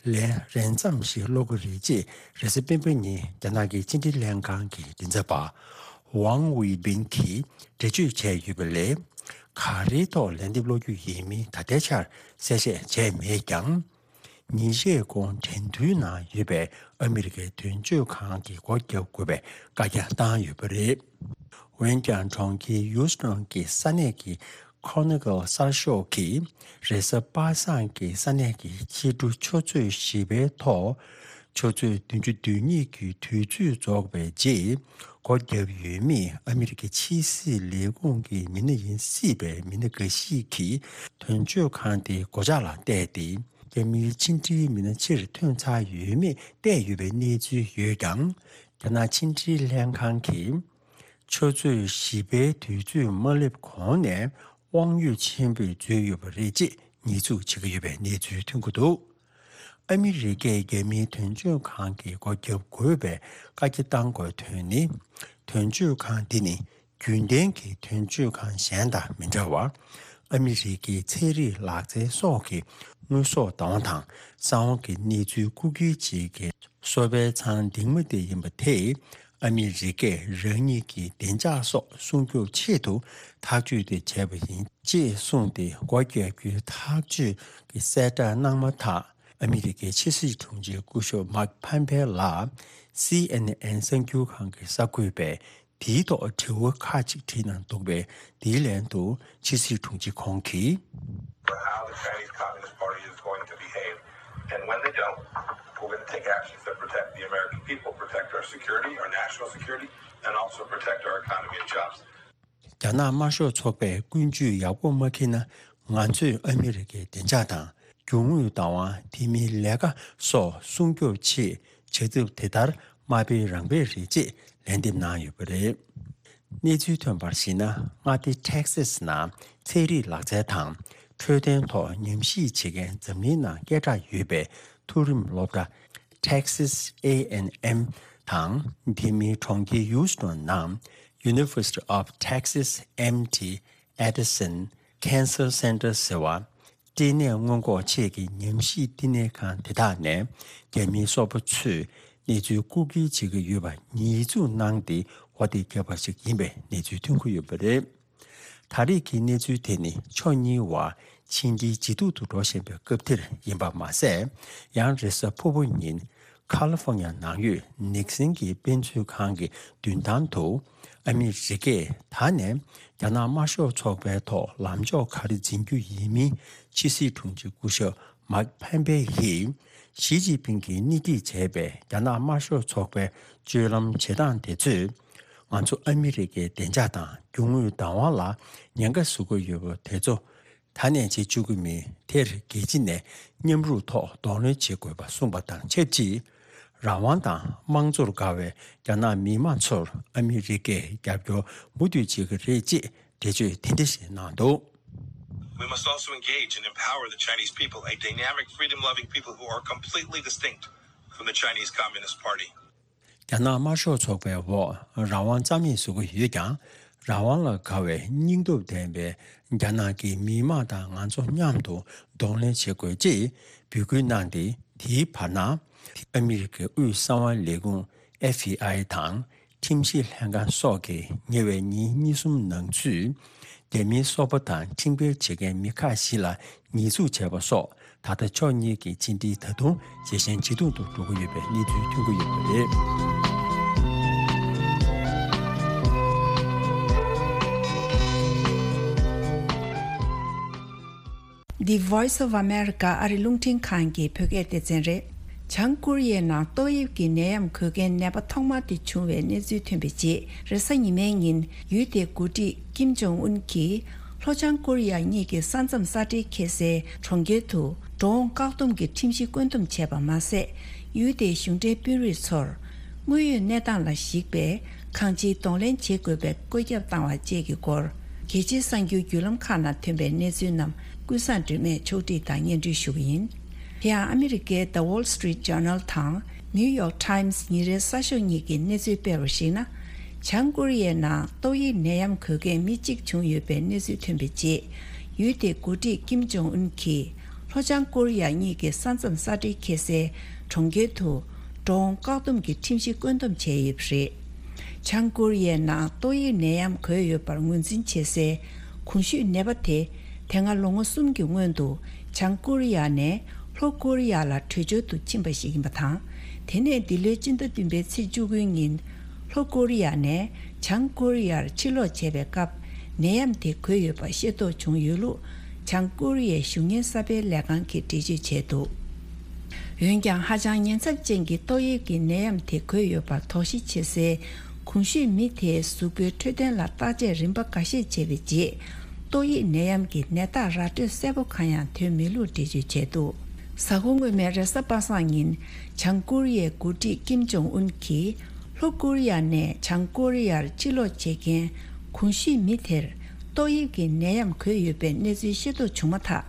ལན་རན་ཙམ་ཞིག་སློག་གི་རེད་ཅེས་རེས་གཟའ་སྤེན་པ་ཉིན་རྒྱ་ནག་གི་ཕྱི་འབྲེལ་ལྷན་ཁང་གི་མགྲིན་ཚབ་པ་ཝང་ཝེ་བིན་གྱིས་འགྲེལ་བརྗོད་བྱས་ཡོད་པ་ལས། ག་རེའི་ཐོག་ལན་འདེབས་སློག་རྒྱུ་ཡིན་མིན་ད་ལྟའི་ཆར་གསལ་བཤད་བྱས་མེད་ཀྱང་། ཉིན་ཤས་གོང་འགྲན་བསྡུར་ནང་ཡོད་པའི་ཨ་མི་རི་ཀའི་དོན་གཅོད་ཁང་གི་སྒོ་བརྒྱབ་དགོས་པའི་བཀའ་རྒྱ་བཏང་ཡོད་པ་རེད། འོན་ཀྱང་གྲོང་ཁྱེར་ཡུ་སི་ཊོན་གྱི་ས་གནས་ཀྱི་Chronicle་གསར་ཤོག་གིས་རེས་གཟའ་པ་སངས་ཀྱི་ས་གནས་ཀྱི་ཕྱི་དྲོ་ཆུ་ཚོད་བཞི་པའི་ཐོག་ཆུ་ཚོད་བདུན་ཅུ་དོན་གཉིས་ཀྱི་དུས་ཚོད་རྫོགས་པའི་རྗེས་སྒོ་བརྒྱབ་ཡོད་མེད་ཨ་མི་རི་ཀའི་ཕྱི་སྲིད་ལས་ཁུངས་ཀྱི་མི་སྣ་ཡིན་སྲིད་པའི་མི་སྣ་འགའ་ཞིག་གིས་དོན་གཅོད་ཁང་དེའི་སྒོ་ལྕགས་ལ་བལྟས་ཏེ། རྒྱ་མིའི་ཕྱི་འབྲེལ་མི་སྣ་ཕྱིར་ཐོན་ཚར་ཡོད་མེད་བལྟས་ཡོད་པའི་གནས་ཚུལ་ཡོད་ཀྱང་། རྒྱ་ནག་ཕྱི་འབྲེལ་ལྷན་ཁང་གིས་ཆུ་ཚོད་བཞི་པའི་དུས་ཚོད་མ་སླེབས་གོང་ནས་དབང་ཡོད་ཆེན་པོས་འཛུལ་ཡོད་པ་རེད་ཅེས་ཉེས་འཛུགས་བྱེད་ཀྱི་ཡོད་པའི་གནས་ཚུལ་ཐོན་གྱི་འདུག་ཨ་མི་རི་ཀས་རྒྱ་མིའི་དོན་གཅོད་ཁང་གི་སྒོ་བརྒྱབ་དགོས་པའི་བཀའ་རྒྱ་བཏང་དགོས་དོན་ནི། དོན་གཅོད་ཁང་འདི་ནི་རྒྱུན་ལྡན་གྱི་དོན་གཅོད་ཁང་གཞན་དང་མི་འདྲ་བར། ཨ་མི་རི་ཀའི་ཚན་རིག་ལག་རྩལ་སོགས་ཀྱི་དངོས་ཟོག་བདག་དབང་དང་གསང་བ་གི་གནས་ཚུལ་རྐུ་འཁྱེར་བྱེད་མཁན་གསོ་པའི་ཚང་འདིང་མ་དེ་ཡིན་པ་དེས། ཨ་མི་རི་ཀས་རང་ཉིད་ཀྱི་བདེ་འཇགས་སོགས་སྲུང་སྐྱོབ་ཆེད་དུ་ཐག་གཅོད་དེ་བྱས་པ་ཡིན་ཅེས་གསུངས་ཏེ། སྒོ་བརྒྱབ་རྒྱུའི་ཐག་གཅོད་ཀྱི་གསལ་བསྒྲགས་གནང་མ་ཐག་ཨ་མི་རི་ཀའི་ཕྱི་སྲིད་དྲུང་ཆེ་སྐུ་ཞབས་མཱིག་ཕམ་པེ་ལགས་སི་ཨེན་ཨེན་གསར་འགྱུར་ཁང་གི་གསར་འགོད་པས་དེའི་ཐོག་དྲི་བ་ཁག་ཅིག་དྲིས་གནང་འདུག་པས། དེའི་ལན་དུ་ཕྱི་སྲིད་དྲུང་ཆེ་ཁོང་གིས། How the Chinese Communist Party is going to behave. And when they don't, we're going to take actions that protect the American people, protect our security, our national security, and also protect our economy and jobs. རྒྱ་ནག་དམར་ཤོག་ཚོགས་པས་ཀུན་སྤྱོད་ཡག་པོ་མ་འཁྱེར་ན། ང་ཚོས་ཨ་མི་རི་ཀའི་བདེ་འཇགས་དང་། རྒྱུ་དངོས་བདག་དབང་། དེ་མིན་ལས་ཀ་སོགས་སྲུང་སྐྱོབ་ཆེད་བྱ་ཐབས་དེ་ལྟར་མ་སྤེལ་རང་སྤེལ་རེད་ཅེས་ལན་འདེབས་གནང་ཡོད་པ་རེད། གནས་ཚུལ་ཐོན་པར་གཞིགས་ན། མངའ་སྡེ་ཊེག་སིས་ནང་ཚན་རིག་ལག་རྩལ་དང་འཕྲོད་བསྟེན་ཐོག་ཉམས་ཞིབ་བྱེད་མཁན་འཛམ་གླིང་ནང་སྐད་གྲགས་ཡོད་པའི་མཐོ་རིམ་སློབ་གྲྭ་Texas A and M དང་། དེ་མིན་གྲོང་ཁྱེར་ཡུ་སི་ཊོན་ནང་University of Texas M T Addison Cancer Center ཟེར་བ། སྐྲན་ནད་སྔོན་འགོག་ཆེད་ཀྱི་ཉམས་ཞིབ་བསྟི་གནས་ཁང་དེ་དག་ནས་རྒྱ་མིའི་སོག་པོ་ཚོས་གནས་ཚུལ་རྐུ་འཁྱེར་བྱེད་ཀྱི་ཡོད་པ་ཉེས་འཛུགས་གནང་སྟེ། འོ་དེ་བརྒྱབ་པ་ཞིག་ཡིན་པའི་གནས་ཚུལ་ཐོན་གྱི་ཡོད་པ་རེད། ད་རེས་ཀྱི་གནས་ཚུལ་དེ་ནི་ཕྱོགས་གཉིས་བར་ཕྱི་འབྲེལ་ཇེ་སྡུག་ཏུ་འགྲོ་བཞིན་པའི་སྐབས་འདིར་ཡིན་པ་མ་ཟད། ཡང་རེས་གཟའ་ཕུར་བུ་ཉིན་ཁ་ལི་ཧྥོ་ཉ་ནང་ཡོད་ནིག་སན་གྱི་དཔེ་མཛོད་ཁང་གི་མདུན་ཐང་དུ་ཨ་མི་རི་ཀས་ད་ནས་རྒྱ་ནག་དམར་ཤོག་ཚོགས་པའི་ཐོག་ལམ་ཕྱོགས་ག་རེ་འཛིན་རྒྱུ་ཡིན་མིན་ཕྱི་སྲིད་དྲུང་ཆེ་སྐུ་ཞབས་མཱིག་ཕམ་པེ་ཡིས་ཞི་ཅིན་ཕིང་གིས་སྣེ་ཁྲིད་བྱས་པའི་རྒྱ་ནག་དམར་ཤོག་ཚོགས་པའི་སྤྱོད་ལམ་བྱེད་སྟངས་དེ་ཚོས་ང་ཚོ་ཨ་མི་རི་ཀའི་བདེ་འཇགས་དང་རྒྱུ་དངོས་བདག་དབང་ལ་ཉེན་ཁ་བཟོ་གི་ཡོད་པ་དེ་ཚོ་ད་ནས་བྱེད་བཅུག་གི་མིན། དེར་རྒྱལ་སྤྱི་ནས་མཉམ་རུབ་ཐོག་གདོང་ལེན་བྱེད་དགོས་པ་གསུངས་པ་དང་ཆབས་ཅིག་རང་དབང་དང་དམངས་གཙོར་དགའ་བའི་རྒྱ་ནག་མི་དམངས་ཚོར་ཨ་མི་རི་ཀས་རྒྱབ་སྐྱོར་མུ་མཐུད་བྱེད་ཀྱི་རེད་ཅེས་འགྲེལ་བརྗོད་དེ་འདྲ་ཞིག་གནང་འདུག We must also engage and empower the Chinese people, a dynamic, freedom-loving people who are completely distinct from the Chinese Communist Party. རྒྱ་ནག་དམར་ཤོག་ཚོགས་པའི་འོག་རང་དབང་རྩ་མེད་བཟོ་གི་ཡོད་ཀྱང་། རང་དབང་ལ་དགའ་བའི་སྙིང་སྟོབས་ལྡན་པའི་རྒྱ་ནག་གི་མི་དམངས་དང་ང་ཚོ་མཉམ་དུ་གདོང་ལེན་བྱེད་དགོས་ཅེས་འབོད་སྐུལ་གནང་སྟེ། དེའི་བར་ན། ཨ་མི་རི་ཀའི་དབུས་གསང་བ་ལས་ཁུངས་ཨེཕ་བི་ཨའི་དང་། ཁྲིམས་ཞིབ་ལྷན་ཁང་སོགས་ཀྱིས་ཉེ་བའི་ཉིན་གཉིས་གསུམ་ནང་ཚུད། རྒྱ་མིའི་སོག་པོ་དང་ཁྲིམས་འགལ་བྱེད་མཁན་མི་ཁག་ཞིག་ལ་ཉེས་འཛུགས་བྱས་པ་སོགས། ད་ལྟ་ཕྱོགས་གཉིས་ཀྱི་ཕྱི་འབྲེལ་ད་དུང་ཇེ་ཞན་ཇེ་སྡུག་ཏུ་འགྲོ་གི་ཡོད་པའི་གནས་ཚུལ་ཐོན་གྱི་ཡོད་པ་རེད། The Voice of America ཨ་རི་རླུང་འཕྲིན་ཁང་གི་བོད་སྐད་སྡེ་ཚན་རེད། བྱང་ཀོ་རི་ཡའི་ནང་ཏོག་དབྱིབས་ཀྱི་ནད་ཡམས་འགོས་མཁན་ནད་པ་ཐོག་མ་དེ་བྱུང་བའི་གནས་ཚུལ་ཐོན་པའི་རྗེས། རེས་གཟའ་ཉི་མའི་ཉིན་ཡུལ་དེའི་འགོ་ཁྲིད་ ཀིམ་ཇོང་ཨུན་གྱིས་ལྷོ་བྱང་ཀོ་རི་ཡ་གཉིས་ཀྱི་ས་མཚམས་ས་འབྲེལ་ཁེལ་སའི་གྲོང་ཁྱེར་དུ་འགྲོ་འོང་བཀག་སྡོམ་གྱི་ཁྲིམས་གཞི་བཀོད་འདོམས་བྱས་པ་མ་ཟད། ཡུལ་དེའི་གཞུང་འབྲེལ་དཔོན་རིགས་ཚོར་དངོས་ཡོད་གནས་སྟངས་ལ་གཞིགས་པའི་གང་ཅིའི་གདོང་ལེན་བྱེད་དགོས་པའི་བཀོད་ཁྱབ་བཏང་བ་བཅས་ཀྱི་སྐོར། རྒྱལ་སྤྱིའི་གསར་འགྱུར་བརྒྱུད་ལམ་ཁག་ནང་ཐོན་པའི་གནས་ཚུལ་རྣམས་ཀུན་བཟང་སྒྲོལ་མས་ཕྱོགས་སྒྲིག་དང་སྙན་སྒྲོན་ཞུ་གི་ཡིན། དེ་ཡང་ཨ་མི་རི་ཀའི་The Wall Street Journal་དང་New York Times་ཉིན་རེའི་གསར་ཤོག་གཉིས་ཀྱིས་གནས་ཚུལ་སྤེལ་བར་གཞིགས་ན། བྱང་ཀོ་རི་ཡའི་ནང་ཏོག་དབྱིབས་ནད་ཡམས་འགོས་མཁན་མི་གཅིག་བྱུང་ཡོད་པའི་གནས་ཚུལ་ཐོན་པའི་རྗེས། ཡུལ་དེའི་འགོ་ཁྲིད་ཀིམ་ཇོང་ཨུན་གྱིས་ལྷོ་བྱང་ཀོ་རི་ཡ་གཉིས་ཀྱི་ས་མཚམས་ས་འབྲེལ་ཁེལ་སའི་གྲོང་ཁྱེར་དུ་འགྲོ་འོང་བཀག་སྡོམ་གྱི་ཁྲིམས་གཞི་བཀོད་འདོམས་བྱས་ཡོད་པ་རེད། བྱང་ཀོ་རི་ཡའི་ནང་ཏོག་དབྱིབས་ནད་ཡམས་འགོས་ཡོད་པར་ངོས་འཛིན་བྱེད་སའི་གོང་ཞུས་ནད་པ་དེ། དེ་སྔ་ལོ་ངོ་གསུམ་གྱི་སྔོན་དུ་བྱང་ཀོ་རི་ཡ་ནས་ལྷོ་ཀོ་རི་ཡ་ལ་བྲོས་བྱོལ་དུ་ཕྱིན་པ་ཞིག་ཡིན་པ་དང་། དེ་ནས་འདི་ལོའི་སྤྱི་ཟླ་བདུན་པའི་ཚེས་བཅུ་དགུའི་ཉིན། ལྷོ་ཀོ་རི་ཡ་ནས་བྱང་ཀོ་རི་ཡར་ཕྱིར་ལོག་བྱས་པའི་སྐབས། ནད་ཡམས་དེ་འགོས་ཡོད་པ་ཤེས་རྟོགས་བྱུང་ཡོད་ལུགས། བྱང་ཀོ་རི་ཡའི་གཞུང་གཉེར་གསར་སྤེལ་ལས་ཁང་གིས་འགྲེལ་བརྗོད་བྱས་འདུག་འོན་ཀྱང་། ཧ་ཅང་ཉེན་ཚབས་ཅན་གྱི་ཏོག་དབྱིབས་ཀྱི་ནད་ཡམས་དེ་འགོས་ཡོད་པར་དོགས་གཞི་བྱེད་སའི་གོང་ཞུས་མི་དེའི་གཟུགས་པོའི་འཕྲོད་བསྟེན་ལ་བརྟག་དཔྱད་རིམ་པ་འགའ་ཤས་བྱས་པའི་རྗེས། ཏོག་དབྱིབས་ནད་ཡམས་ཀྱི་ནད་རྟགས་ར་སྤྲོད་གསལ་པོ་གང་ཡང་ཐོན་མེད་ལུགས་འགྲེལ་བརྗོད་བྱས་འདུག་གཟའ་འཁོར་སྔོན་མའི་རེས་གཟའ་པ་སངས་ཉིན། བྱང་ཀོ་རི་ཡའི་འགོ་ཁྲིད་ཀིམ་ཇོང་ཨུན་གྱིས། ལྷོ་ཀོ་རི་ཡ་ནས་བྱང་ཀོ་རི་ཡར་ཕྱིར་ལོག་བྱེད་མཁན་གོང་ཞུས་མི་དེར་ཏོག་དབྱིབས་ཀྱི་ནད་ཡམས་འགོས་ཡོད་པའི་གནས་ཚུལ་ཤེས་རྟོགས་བྱུང་མ་ཐག་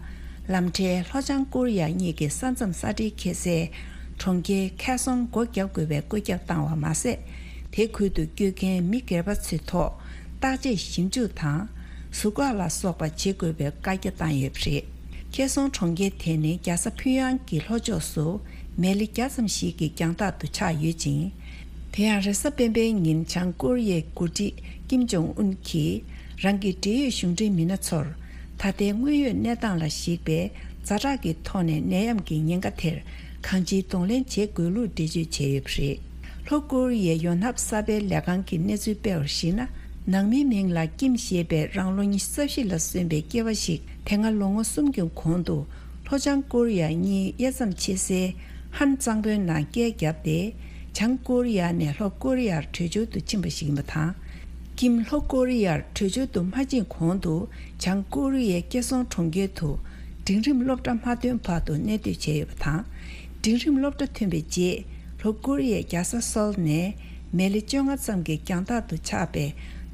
ལམ་འཕྲལ་ལྷོ་བྱང་ཀོ་རི་ཡ་གཉིས་ཀྱི་ས་མཚམས་ས་འབྲེལ་ཁེལ་སའི་གྲོང་ཁྱེར་ཁེ་སོང་སྒོ་བརྒྱབ་དགོས་པའི་བཀོད་ཁྱབ་བཏང་བ་མ་ཟད། དེ་ཁུལ་དུ་བསྐྱོད་མཁན་མི་སྒེར་པ་ཚོའི་ཐོག་བརྟག་དཔྱད་ཞིབ་འཇུག་དང་། གཟུགས་འགག་ལ་སོགས་པ་བྱེད་དགོས་པའི་བཀའ་རྒྱ་བཏང་ཡོད་པ་རེད། ཁེ་སོང་གྲོང་ཁྱེར་དེ་ནི་རྒྱལ་ས་ཕིན་ཡང་གི་ལྷོ་ཕྱོགས་སུ་མེ་ལེ་བརྒྱ་ཙམ་ཞིག་གི་རྒྱང་ཐག་ཏུ་ཆགས་ཡོད་ཅིང་། དེ་ཡང་རེས་གཟའ་སྤེན་པའི་ཉིན་བྱང་ཀོ་རི་ཡའི་འགོ་ཁྲིད་ཀིམ་ཇོང་ཨུན་གྱིས་རང་གི་འབྲེལ་ཡོད་གཞུང་འབྲེལ་མི་སྣ་ཚོར། ད་ལྟའི་དངོས་ཡོད་གནས་སྟངས་ལ་གཞིགས་པའི་ཛ་དྲག་གི་ཐོག་ནས་ནད་ཡམས་ཀྱི་ཉེན་ཁ་དེར་གང་ཅིའི་གདོང་ལེན་བྱེད་དགོས་ལུགས་འགྲེལ་བརྗོད་བྱས་ཡོད་པ་རེད། ལྷོ་ཀོ་རི་ཡའི་ཡོ་ནབ་གསར་སྤེལ་ལས་ཁང་གིས་གནས་ཚུལ་སྤེལ་བར་གཞིགས་ན། ནང་མིའི་མིང་ལ་ཀིམ་ཞེས་པའི་རང་ལོ་ཉི་ཤུ་རྩ་བཞི་ལ་སོན་པའི་སྐྱེས་པ་ཞིག་དེ་སྔ་ལོ་ངོ་གསུམ་གྱི་གོང་དུ་ལྷོ་བྱང་ཀོ་རི་ཡ་གཉིས་དབྱེ་མཚམས་ཕྱེ་སའི་ཧན་གཙང་པོའི་ནང་སྐད་བརྒྱབ་སྟེ། བྱང་ཀོ་རི་ཡ་ནས་ལྷོ་ཀོ་རི་ཡར་བྲོས་བྱོལ་དུ་ཕྱིན་པ་ཞིག་ཡིན་པ་དང་། ཀིམ་ལྷོ་ཀོ་རི་ཡར་བྲོས་བྱོལ་དུ་མ་ཕྱིན་གོང་དུ། བྱང་ཀོ་རི་ཡའི་ཁེ་སོང་གྲོང་ཁྱེར་དུ་འབྲིང་རིམ་སློབ་གྲྭ་མ་ཐོན་བར་དུ་གནས་སྡོད་བྱས་ཡོད་པ་དང་། འབྲིང་རིམ་སློབ་གྲྭ་ཐོན་པའི་རྗེས། ལྷོ་ཀོ་རི་ཡའི་རྒྱལ་ས་སོལ་ནས་མེ་ལེ་བཅོ་ལྔ་ཙམ་གྱི་རྒྱང་ཐག་ཏུ་ཆགས་པའི་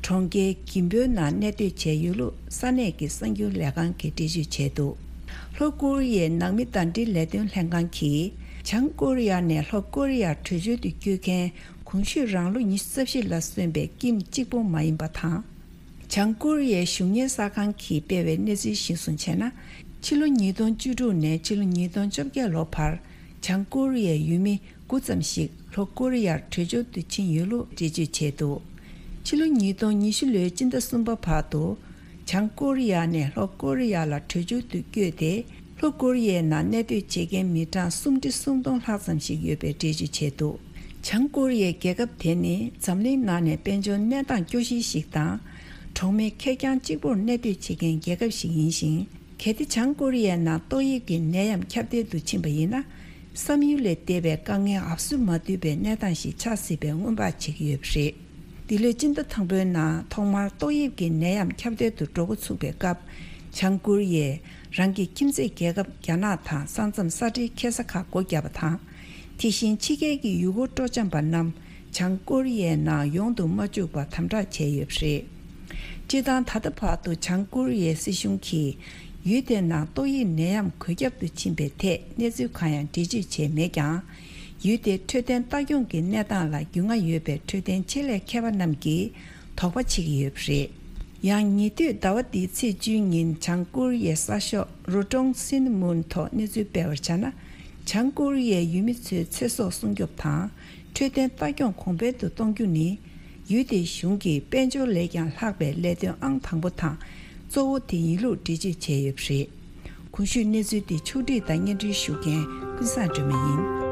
གྲོང་ཁྱེར་གིམ་པོའི་ནང་གནས་སྡོད་བྱས་ཡོད་ལུགས་ས་གནས་ཀྱི་གསར་འགྱུར་ལས་ཁང་གིས་འགྲེལ་བརྗོད་བྱས་འདུག་ལྷོ་ཀོ་རི་ཡའི་ནང་མི་ཟླ་སྒྲིལ་ལས་དོན་ལྷན་ཁང་གིས། བྱང་ཀོ་རི་ཡ་ནས་ལྷོ་ཀོ་རི་ཡར་བྲོས་བྱོལ་དུ་བསྐྱོད་མཁན་གོང་ཞུས་རང་ལོ་ཉི་ཤུ་རྩ་བཞི་ལ་སོན་པའི་ཀིམ་གཅིག་པོ་མ་ཡིན་པ་དང་། བྱང་ཀོ་རི་ཡའི་གཞུང་གཉེར་གསར་ཁང་གིས་སྤེལ་བའི་གནས་ཚུལ་གཞིར་བཟུང་བྱས་ན། ཕྱི་ལོ་ཉིས་སྟོང་བཅུ་དྲུག་ནས་ཕྱི་ལོ་ཉིས་སྟོང་བཅོ་བརྒྱད་ལོ་བར། བྱང་ཀོ་རི་ཡའི་ཡུལ་མི་དགུ་ཙམ་ཞིག་ལྷོ་ཀོ་རི་ཡར་བྲོས་བྱོལ་དུ་ཕྱིན་ཡོད་ལུགས་འགྲེལ་བརྗོད་བྱས་འདུག་ཕྱི་ལོ་ཉིས་སྟོང་ཉི་ཤུ་ལོའི་སྤྱི་ཟླ་གསུམ་པ་བར་དུ། བྱང་ཀོ་རི་ཡ་ནས་ལྷོ་ཀོ་རི་ཡ་ལ་བྲོས་བྱོལ་དུ་བསྐྱོད་དེ། ལྷོ་ཀོ་རི་ཡའི་ནང་གནས་སྡོད་བྱེད་མཁན་མི་གྲངས་སུམ་ཁྲི་སུམ་སྟོང་ལྷག་ཙམ་ཞིག་ཡོད་པའི་འགྲེལ་བརྗོད་བྱས་འདུག་བྱང་ཀོ་རི་ཡའི་རྒྱལ་ཁབ་དེ་ནི་འཛམ་གླིང་ནང་ནས་དཔལ་འབྱོར་གནས་སྟངས་སྐྱོ་ཤོས་ཤིག་དང་། གྲོང་མི་ཁེར་རྐྱང་གཅིག་པུར་གནས་སྡོད་བྱེད་མཁན་རྒྱལ་ཁབ་ཞིག་ཡིན་ཞིང་། གལ་ཏེ་བྱང་ཀོ་རི་ཡའི་ནང་ཏོག་དབྱིབས་ཀྱི་ནད་ཡམས་ཁྱབ་གདལ་དུ་ཕྱིན་པ་ཡིན་ན། བསམ་ཡུལ་ལས་འདས་པའི་དཀའ་ངལ་འབབ་སུ་མ་འདུས་པའི་གནས་སྟངས་ཤིག་ཆགས་སྲིད་པའི་སྔོན་དཔག་བྱེད་ཀྱི་ཡོད་པ་རེད། འདི་ལོའི་སྤྱི་ཟླ་དང་པོའི་ནང་ཐོག་མར་ཏོག་དབྱིབས་ཀྱི་ནད་ཡམས་ཁྱབ་གདལ་དུ་འགྲོ་འགོ་ཚུགས་པའི་སྐབས། བྱང་ཀོ་རི་ཡས་རང་གི་ཁྱིམ་མཚེས་རྒྱལ་ཁབ་རྒྱ་ནག་དང་ས་མཚམས་ས་འབྲེལ་ཁེལ་ས་ཁག་སྒོ་བརྒྱབ་པ་དང་། དེ་བཞིན་ཕྱི་རྒྱལ་གྱི་ཡུལ་སྐོར་སྤྲོ་འཆམ་པ་རྣམས་བྱང་ཀོ་རི་ཡའི་ནང་ཡོང་དུ་མ་བཅུག་པར་དམ་དྲག་བྱས་ཡོད་པ་རེད། སྤྱིར་བཏང་ད་ལྟ་བར་དུ་བྱང་ཀོ་རི་ཡའི་སྲིད་གཞུང་གིས་ཡུལ་དེའི་ནང་ཏོག་དབྱིབས་ནད་ཡམས་འགོས་ཁྱབ་ཏུ་ཕྱིན་པའི་ཐད་གནས་ཚུལ་གང་ཡང་འགྲེལ་བརྗོད་བྱས་མེད་ཀྱང་། ཡུལ་དེའི་འཕྲོད་བསྟེན་ལྟ་སྐྱོང་གི་གནས་སྟངས་ལ་རྒྱུས་མངའ་ཡོད་པའི་འཕྲོད་བསྟེན་ཆེད་ལས་མཁས་པ་རྣམས་ཀྱིས་དོགས་པ་བྱེད་ཀྱི་ཡོད་པ་རེད། ཡང་ཉེ་དུས་ཟླ་བ་འདིའི་ཚེས་བཅུའི་ཉིན་བྱང་ཀོ་རི་ཡའི་གསར་ཤོག་རོ་ཀྲོང་སིན་མུན་ཐོག་གནས་ཚུལ་སྤེལ་བར་བྱས་ན། བྱང་ཀོ་རི་ཡའི་ཡུལ་མི་ཚོའི་ཚེ་སྲོག་སྲུང་སྐྱོབ་དང་། འཕྲོད་བསྟེན་ལྟ་སྐྱོང་གོང་འཕེལ་དུ་གཏོང་རྒྱུ་ནི། ཡུལ་དེའི་གཞུང་གི་དཔལ་འབྱོར་ལས་ཀྱང་ལྷག་པའི་ལས་དོན་ཨང་དང་པོ་དང་གཙོ་བོ་དེ་ཡིན་ལུགས་འགྲེལ་བརྗོད་བྱས་ཡོད་པ་རེད། གོང་ཞུས་གནས་ཚུལ་དེ་ཕྱོགས་སྒྲིག་དང་སྙན་སྒྲོན་ཞུ་མཁན་ཀུན་བཟང་སྒྲོལ་མ་ཡིན།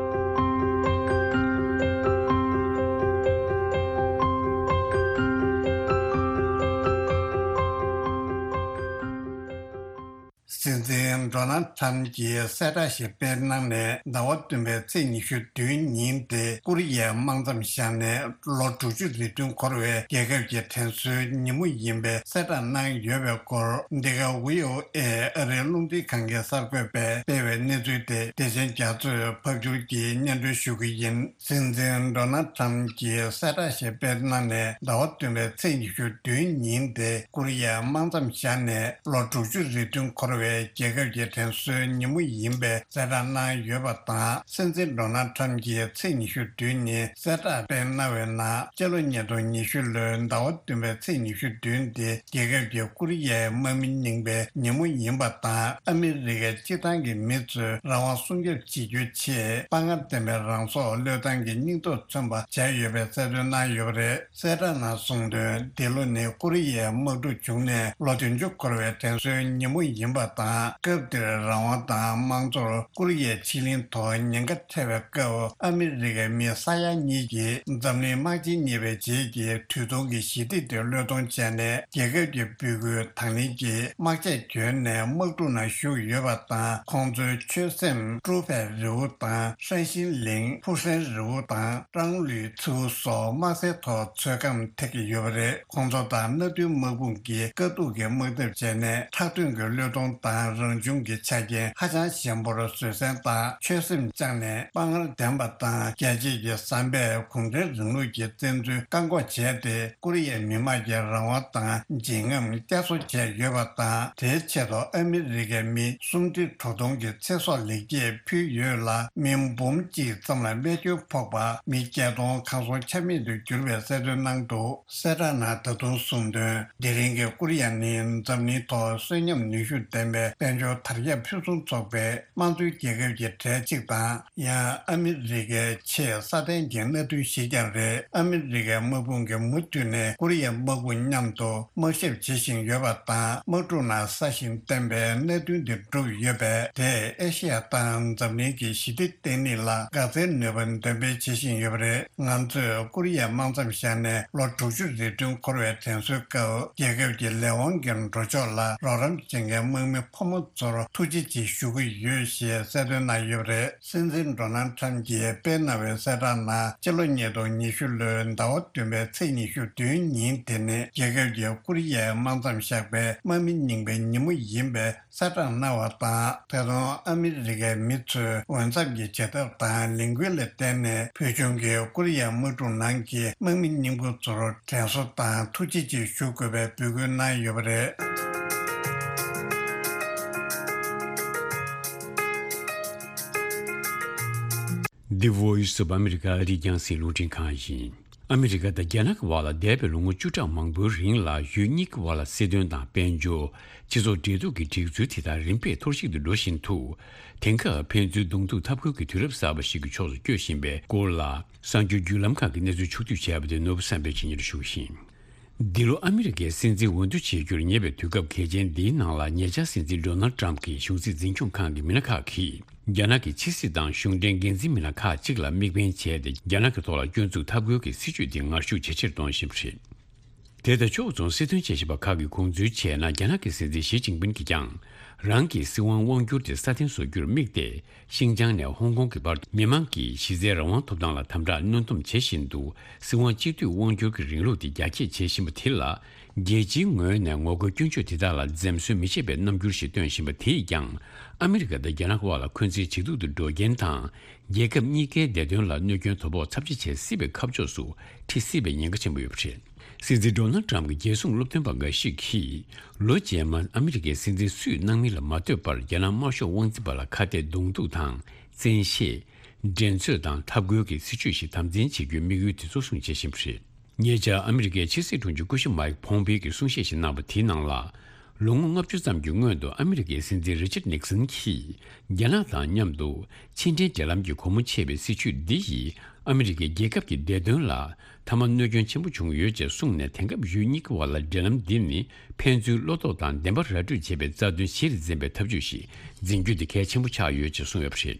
སྲིད་འཛིན་ཌོ་ནལ་ཊམ་གྱིས་གསལ་བསྒྲགས་ཤིག་སྤེལ་གནང་ནས། ཟླ་བ་བདུན་པའི་ཚེས་ཉི་ཤུ་བདུན་ཉིན་དེ་ཀོ་རི་ཡའི་དམག་མཚམས་བཞག་ནས་ལོ་དྲུག་ཅུ་རེ་བདུན་འཁོར་བའི་རྒྱལ་ཁབ་ཀྱི་དྲན་གསོའི་ཉིན་མོ་ཡིན་པའི་གསལ་བསྒྲགས་གནང་ཡོད་པའི་སྐོར། འདི་ག་བྷི་ཨོ་ཨེ་ཨ་རིའི་རླུང་འཕྲིན་ཁང་གི་གསར་འགོད་པས་སྤེལ་བའི་གནས་ཚུལ་དེ། བདེ་ཆེན་རྒྱ་མཚོས་ཕབ་སྒྱུར་གྱིས་སྙན་སྒྲོན་ཞུ་གི་ཡིན། སྲིད་འཛིན་ཌོ་ནལ་ཊམ་གྱིས་གསལ་བསྒྲགས་ཤིག་སྤེལ་གནང་ནས། ཟླ་བ་བདུན་པའི་ཚེས་ཉི་ཤུ་བདུན་ཉིན་དེ་ཀོ་རི་ཡའི་དམག་མཚམས་བཞག་ནས་ལོ་དྲུག་ཅུ་རེ་བདུན་འཁོར་བའི་རྒྱལ་ཁབ་ཀྱི་དྲན་གསོའི་ཉིན་མོ་ཡིན་པའི་གསལ་བསྒྲགས་གནང་ཡོད་པ་དང་། སྲིད་འཛིན་ཌོ་ནལ་ཊམ་གྱིས་ཚེས་ཉི་ཤུ་བདུན་ཉིན་གསལ་བསྒྲགས་སྤེལ་གནང་བའི་ནང་། སྤྱི་ལོ་ཉིས་སྟོང་ཉི་ཤུ་ལོའི་ཟླ་བ་བདུན་པའི་ཚེས་ཉི་ཤུ་བདུན་དེ་རྒྱལ་ཁབ་ཀྱི་ཀོ་རི་ཡའི་དམག་མི་རྙིང་པའི་ཉིན་མོ་ཡིན་པ་དང་། ཨ་མི་རི་ཀའི་སྤྱིར་བཏང་གི་མི་ཚོས་རང་དབང་སྲུང་སྐྱོབ་བྱེད་རྒྱུའི་ཆེད་དཔའ་ངར་ལྡན་པའི་རང་སྲོག་བློས་བཏང་གི་སྙིང་སྟོབས་མཚོན་པ་བྱས་ཡོད་པའི་གསལ་སྟོན་གནང་ཡོད་པ་རེད། གསལ་བསྒྲགས་ནང་གསུངས་དོན། འདི་ལོ་ནི་ཀོ་རི་ཡའི་དམག་འཁྲུག་བྱུང་ནས་ལོ་བདུན་ཅུ་འཁོར་བའི་དྲན་གསོའི་ཉིན་མོ་ཡིན་པ་དང་། སྐབས་དེར་རང་དབང་དང་དམངས་གཙོར་ཀོ་རི་ཡའི་ཕྱེད་གླིང་ཐོག་ཉེན་ཁ་འཕྲད་པའི་སྐབས། ཨ་མི་རི་ཀའི་མི་ས་ཡ་གཉིས་ཀྱིས་འཛམ་གླིང་དམག་ཆེན་གཉིས་པའི་རྗེས་ཀྱི་དུས་ཐུང་གི་ཞི་བདེ་དེ་བློས་གཏོང་བྱས་ནས། རྒྱལ་ཁབ་ཀྱི་འབོད་སྐུལ་དང་ལེན་གྱིས་དམག་ཆས་གྱོན་ནས་དམག་འཁྲུག་ནང་ཞུགས་ཡོད་པ་དང་། ཁོང་ཚོའི་ཆོད་སེམས། ཀྲུའུ་ཧྥེ་རི་བོ་དང་། ཧྲན་ཤིན་ལིང་། ཧྥུ་ཧྲན་རི་བོ་དང་། ཀྲང་ལུའི་མཚེའུ་སོགས་དམག་སའི་ཐོག་ཚོད་བགམ་ཐེབས་ཀྱི་ཡོད་པ་རེད། ཁོང་ཚོ་དང་མནའ་མཐུན་དམག་དཔུང་གིས་དཀའ་སྡུག་གི་དམག་འཐབ་བྱས་ནས། ཁྲག་དྲོན་གྱི་བློས་གཏོང་དང་རང་བྱུང་གི་ཆ་རྐྱེན་ཧ་ཅང་ཞན་པོར་བཟོད་བསྲན་དང་ཆོད་སེམས་བཅངས་ནས། དཔའ་ངར་ལྡན་པ་དང་རྒྱལ་གཅེས་ཀྱི་བསམ་པས་གུང་ཁྲན་རིང་ལུགས་ཀྱི་བཙན་འཛུལ་བཀག་འགོག་བྱས་ཏེ། ཀོ་རི་ཡའི་མི་དམངས་ཀྱི་རང་དབང་དང་འཇིགས་རྔམ་བསྐྱར་གསོ་བྱས་ཡོད་པ་དང་། དེའི་ཆེད་དུ་ཨ་མི་རི་ཀའི་མི་སུམ་ཁྲི་དྲུག་སྟོང་གི་ཚེ་སྲོག་ལེགས་སྐྱེས་ཕུལ་ཡོད་ལ། མི་འབུམ་གཅིག་ཙམ་ལ་རྨས་སྐྱོན་ཕོག་པ། མི་བརྒྱད་སྟོང་གང་སོང་ཆ་མེད་དུ་གྱུར་པའི་གསལ་སྟོན་གནང་འདུག། གསལ་བསྒྲགས་ནང་ད་དུང་གསུངས་དོན། དེ་རིང་གི་ཀོ་རི་ཡ་ནི་འཛམ་གླིང་ཐོག་གསོན་ཉམས་ནུས་ཤུགས་ལྡན་པའི་དཔལ་འབྱོར་དར་ཁྱབ་ཕུན་སུམ་ཚོགས་པའི་དམངས་གཙོའི་རྒྱལ་ཁབ་ཀྱི་གྲས་གཅིག་དང་། ཡང་ཨ་མི་རི་ཀའི་ཆེས་སྲ་བརྟན་གྱི་མནའ་མཐུན་ཞིག་ཀྱང་རེད། ཨ་མི་རི་ཀའི་དམག་དཔུང་གིས་མུ་མཐུད་ནས་ཀོ་རི་ཡའི་དམག་དཔུང་མཉམ་དུ་དམག་ཞབས་བྱེད་བཞིན་ཡོད་པ་དང་། དམག་འཁྲུག་ནང་སྲ་ཞིང་བརྟན་པའི་གནད་དོན་འདི་གྲུབ་ཡོད་པས། དེས་ཨེ་ཤེ་ཡ་དང་འཛམ་གླིང་གི་ཞི་བདེ་བརྟན་ལྷིང་ལ་འགག་རྩའི་ནུས་པ་འདོན་སྤེལ་བྱེད་བཞིན་ཡོད་པ་རེད། ང་ཚོས་ཀོ་རི་ཡའི་དམག་མཚམས་བཞག་ནས་ལོ་དྲུག་ཅུ་རེ་བདུན་འཁོར་བའི་དྲན་གསོའི་སྐབས། རྒྱལ་ཁབ་ཀྱི་ལས་དབང་གི་འགྲོ་ཕྱོགས་ལ་རོགས་རམ་བྱེད་མཁན་དམག་མི་ཕོ་མོ་ཚོར་ཐུགས་རྗེ་ཆེ་ཞུ་གི་ཡོད་ཞེས་གསལ་སྟོན་གནང་ཡོད་པ་རེད། སྲིད་འཛིན་ཌོ་ནལ་ཊམ་གྱིས་སྤེལ་གནང་བའི་གསལ་བསྒྲགས་ནང་། སྤྱི་ལོ་ཉིས་སྟོང་ཉི་ཤུ་ལོའི་ཟླ་བ་བདུན་པའི་ཚེས་ཉི་ཤུ་བདུན་ཉིན་དེ་ནི་རྒྱལ་ཁབ་ཀྱི་ཀོ་རི་ཡའི་དམག་མཚམས་བཞག་པའི་དམག་མི་རྙིང་པའི་ཉིན་མོ་ཡིན་པའི་གསལ་བསྒྲགས་གནང་བ་དང་། ད་དུང་ཨ་མི་རི་ཀའི་མི་ཚོས་འོས་འཚམ་གྱི་བྱེད་ཐབས་དང་ལས་འགུལ་ལ་བརྟེན་ནས། ཕུལ་བྱུང་གི་ཀོ་རི་ཡའི་དམག་འཁྲུག་ནང་གི་དམག་མི་རྙིང་པ་ཚོར་དྲན་གསོ་དང་ཐུགས་རྗེ་ཆེ་ཞུ་དགོས་པའི་འབོད་སྐུལ་གནང་ཡོད་པ་རེད། The Voice of America ཨ་རིའི་རྒྱང་སྲིང་རླུང་འཕྲིན་ཁང་ཡིན། ཨ་མི་རི་ཀ་དང་རྒྱ་ནག་གི་བར་ལ་འདས་པའི་ལོ་ངོ་བཅུ་ཕྲག་མང་པོའི་རིང་ལ་ཡུལ་གཉིས་ཀྱི་བར་ལ་སྲིད་དོན་དང་དཔལ་འབྱོར། སྤྱི་ཚོགས་འབྲེལ་གཏུག་གི་སྒྲིག་འཛུལ་དེ་དག་རིམ་པས་འཐོར་ཞིག་ཏུ་འགྲོ་བཞིན་འདུག། དེང་སྐབས་ཕན་ཚུན་གདོང་ཐུག་འཐབ་རྒོལ་གྱི་དུས་རབས་གསར་པ་ཞིག་གི་ཕྱོགས་སུ་བསྐྱོད་བཞིན་པའི་སྐོར་ལ། གསར་འགྱུར་བརྒྱུད་ལམ་ཁག་གིས་གནས་ཚུལ་ཕྱོགས་བསྡུས་བྱས་པ་དེ་ནོར་བུ་བསམ་འཕེལ་གྱིས་སྙན་སྒྲོན་ཞུ་གི་ཡིན། འདི་ལོ་ཨ་མི་རི་ཀའི་སྲིད་འཛིན་འོས་བསྡུ་བྱེད་རྒྱུར་ཉེ་བའི་དུས་སྐབས་གལ་ཆེན་འདིའི་ནང་ལ། ཉེ་ཆར་སྲིད་འཛིན་ཌོ་ནལ་ཊམ་གྱི་གཞུང་སྲིད་འཛིན་སྐྱོང་ཁང་གི་མི་སྣ་ཁག་གིས། རྒྱ་ནག་གི་ཕྱི་སྲིད་དང་གཞུང་འབྲེལ་འགན་འཛིན་མི་སྣ་ཁག་ཅིག་ལ་དམིགས་འབེན་བྱས་ཏེ། རྒྱ་ནག་གི་ཐོག་ལ་སྐྱོན་འཛུགས་འཐབ་རྒོལ་གྱི་སྲིད་བྱུས་དེ་ངར་ཤུགས་ཇེ་ཆེར་གཏོང་བཞིན་པ་རེད། དེ་དང་ཕྱོགས་མཚུངས་སྲིད་དོན་དཔྱད་ཞིབ་པ་ཁག་གིས་དགོངས་ཚུལ་བྱས་ན། རྒྱ་ནག་གི་སྲིད་འཛིན་ཞི་ཅིན་ཕིན་གྱིས་ཀྱང་། རང་གི་སྲིད་དབང་དབང་བསྒྱུར་དེ་སྲ་བརྟན་བཟོ་རྒྱུར་དམིགས་ཏེ། ཤིན་ཅང་ནས་ཧོང་ཀོང་གི་བར་དུ་མི་མང་གི་གཞི་རྩའི་རང་དབང་ཐོབ་ཐང་ལ་དམ་དྲག་གནོན་སྡོམ་བྱེད་བཞིན་འདུག། སྲིད་དབང་གཅིག་སྡུད་དབང་སྒྱུར་གྱི་རིང་ལུགས་དེ་རྒྱ་སྐྱེད་བྱེད་བཞིན་པ་དེ་ལ། རྒྱལ་སྤྱིའི་ངོས་ནས་ངོ་རྒོལ་སྐྱོན་བརྗོད་དེ་དག་ལ་འཛེམ་ཟོན་མི་བྱེད་པའི་རྣམ་འགྱུར་ཞིག་སྟོན་བཞིན་པ་དེས་ཀྱང་། ཨ་མི་རི་ཀ་དང་རྒྱ་ནག་དབར་ལ་འཁོན་འཛིན་ཇེ་སྡུག་ཏུ་འགྲོ་རྐྱེན་དང་། རྒྱལ་ཁབ་གཉིས་ཀའི་བདེ་དོན་ལ་གནོད་སྐྱོན་དོ་ཕོག་ཚབས་ཆེ་བྱེད་སྲིད་པའི་ཁ་ཕྱོགས་སུ་ཁྲིད་སྲིད་པའི་ཉེན་ཁ་ཆེན་པོ་ཡོད་པ་རེད། སྲིད་འཛིན་ཌོ་ནལ་ཊམ་གྱི་རྒྱལ་སྲུང་སློབ་སྟོན་པ་འགའ་ཞིག་གིས། ལོ་རྗེས་མར་ཨ་མི་རི་ཀའི་སྲིད་འཛིན་སུས་གནང་མིན་ལ་མ་ལྟོས་པར། རྒྱ་ནག་དམར་ཤོག་དབང་འཛིན་པ་ལ་ཁ་གཏད་གདོང་ཐུག་དང་། བཙན་ཤེད། འགྲན་རྩོད་དང་འཐབ་རྒོལ་གྱི་སྲིད་བྱུས་ཤིག་དམ་འཛིན་བྱེད་རྒྱུའི་དམིགས་ཡུལ་དེ་གཙོ་བཟུང་བྱེད་བཞིན་པ་རེད། ཉེ་ཆར་ཨ་མི་རི་ཀའི་ཕྱི་སྲིད་དྲུང་ཆེ་སྐུ་ཞབས་མཱིག་ཕོམ་པེ་གིས་གསུང་བཤད་ཞིག་གནང་བ་དེའི་ནང་ལ། ལོ་ངོ་ལྔ་བཅུ་ཙམ་གྱི་སྔོན་དུ་ཨ་མི་རི་ཀའི་སྲིད་འཛིན་རི་ཅར་ནིག་སན་གྱིས། རྒྱ་ནག་དང་མཉམ་དུ་ཕྱི་འབྲེལ་འབྲེལ་ལམ་གྱི་སྒོ་མོ་ཕྱེ་བའི་སྲིད་བྱུས་འདི་ཡིས། ཨ་མི་རི་ཀའི་རྒྱལ་ཁབ་ཀྱི་བདེ་དོན་ལ་མཐའ་མ་གནོད་སྐྱོན་ཆེན་པོ་བྱུང་ཡོད་ཅེས་གསུངས་ནས། དེང་སྐབས་ཡུལ་གཉིས་ཀྱི་བར་ལ་འབྲེལ་ལམ་འདི་ནི་ཕན་ཚུན་བློ་དོགས་དང་བདེན་པ་ར་སྤྲོད་བྱེད་པའི་རྩ་དོན་གཞིར་འཛིན་པའི་ཐབས་ཇུས་ཤིག་འཛིན་རྒྱུ་དེ་གལ་ཆེན་པོ་ཆགས་ཡོད་ཅེས་གསུངས་ཡོད་པ་རེད།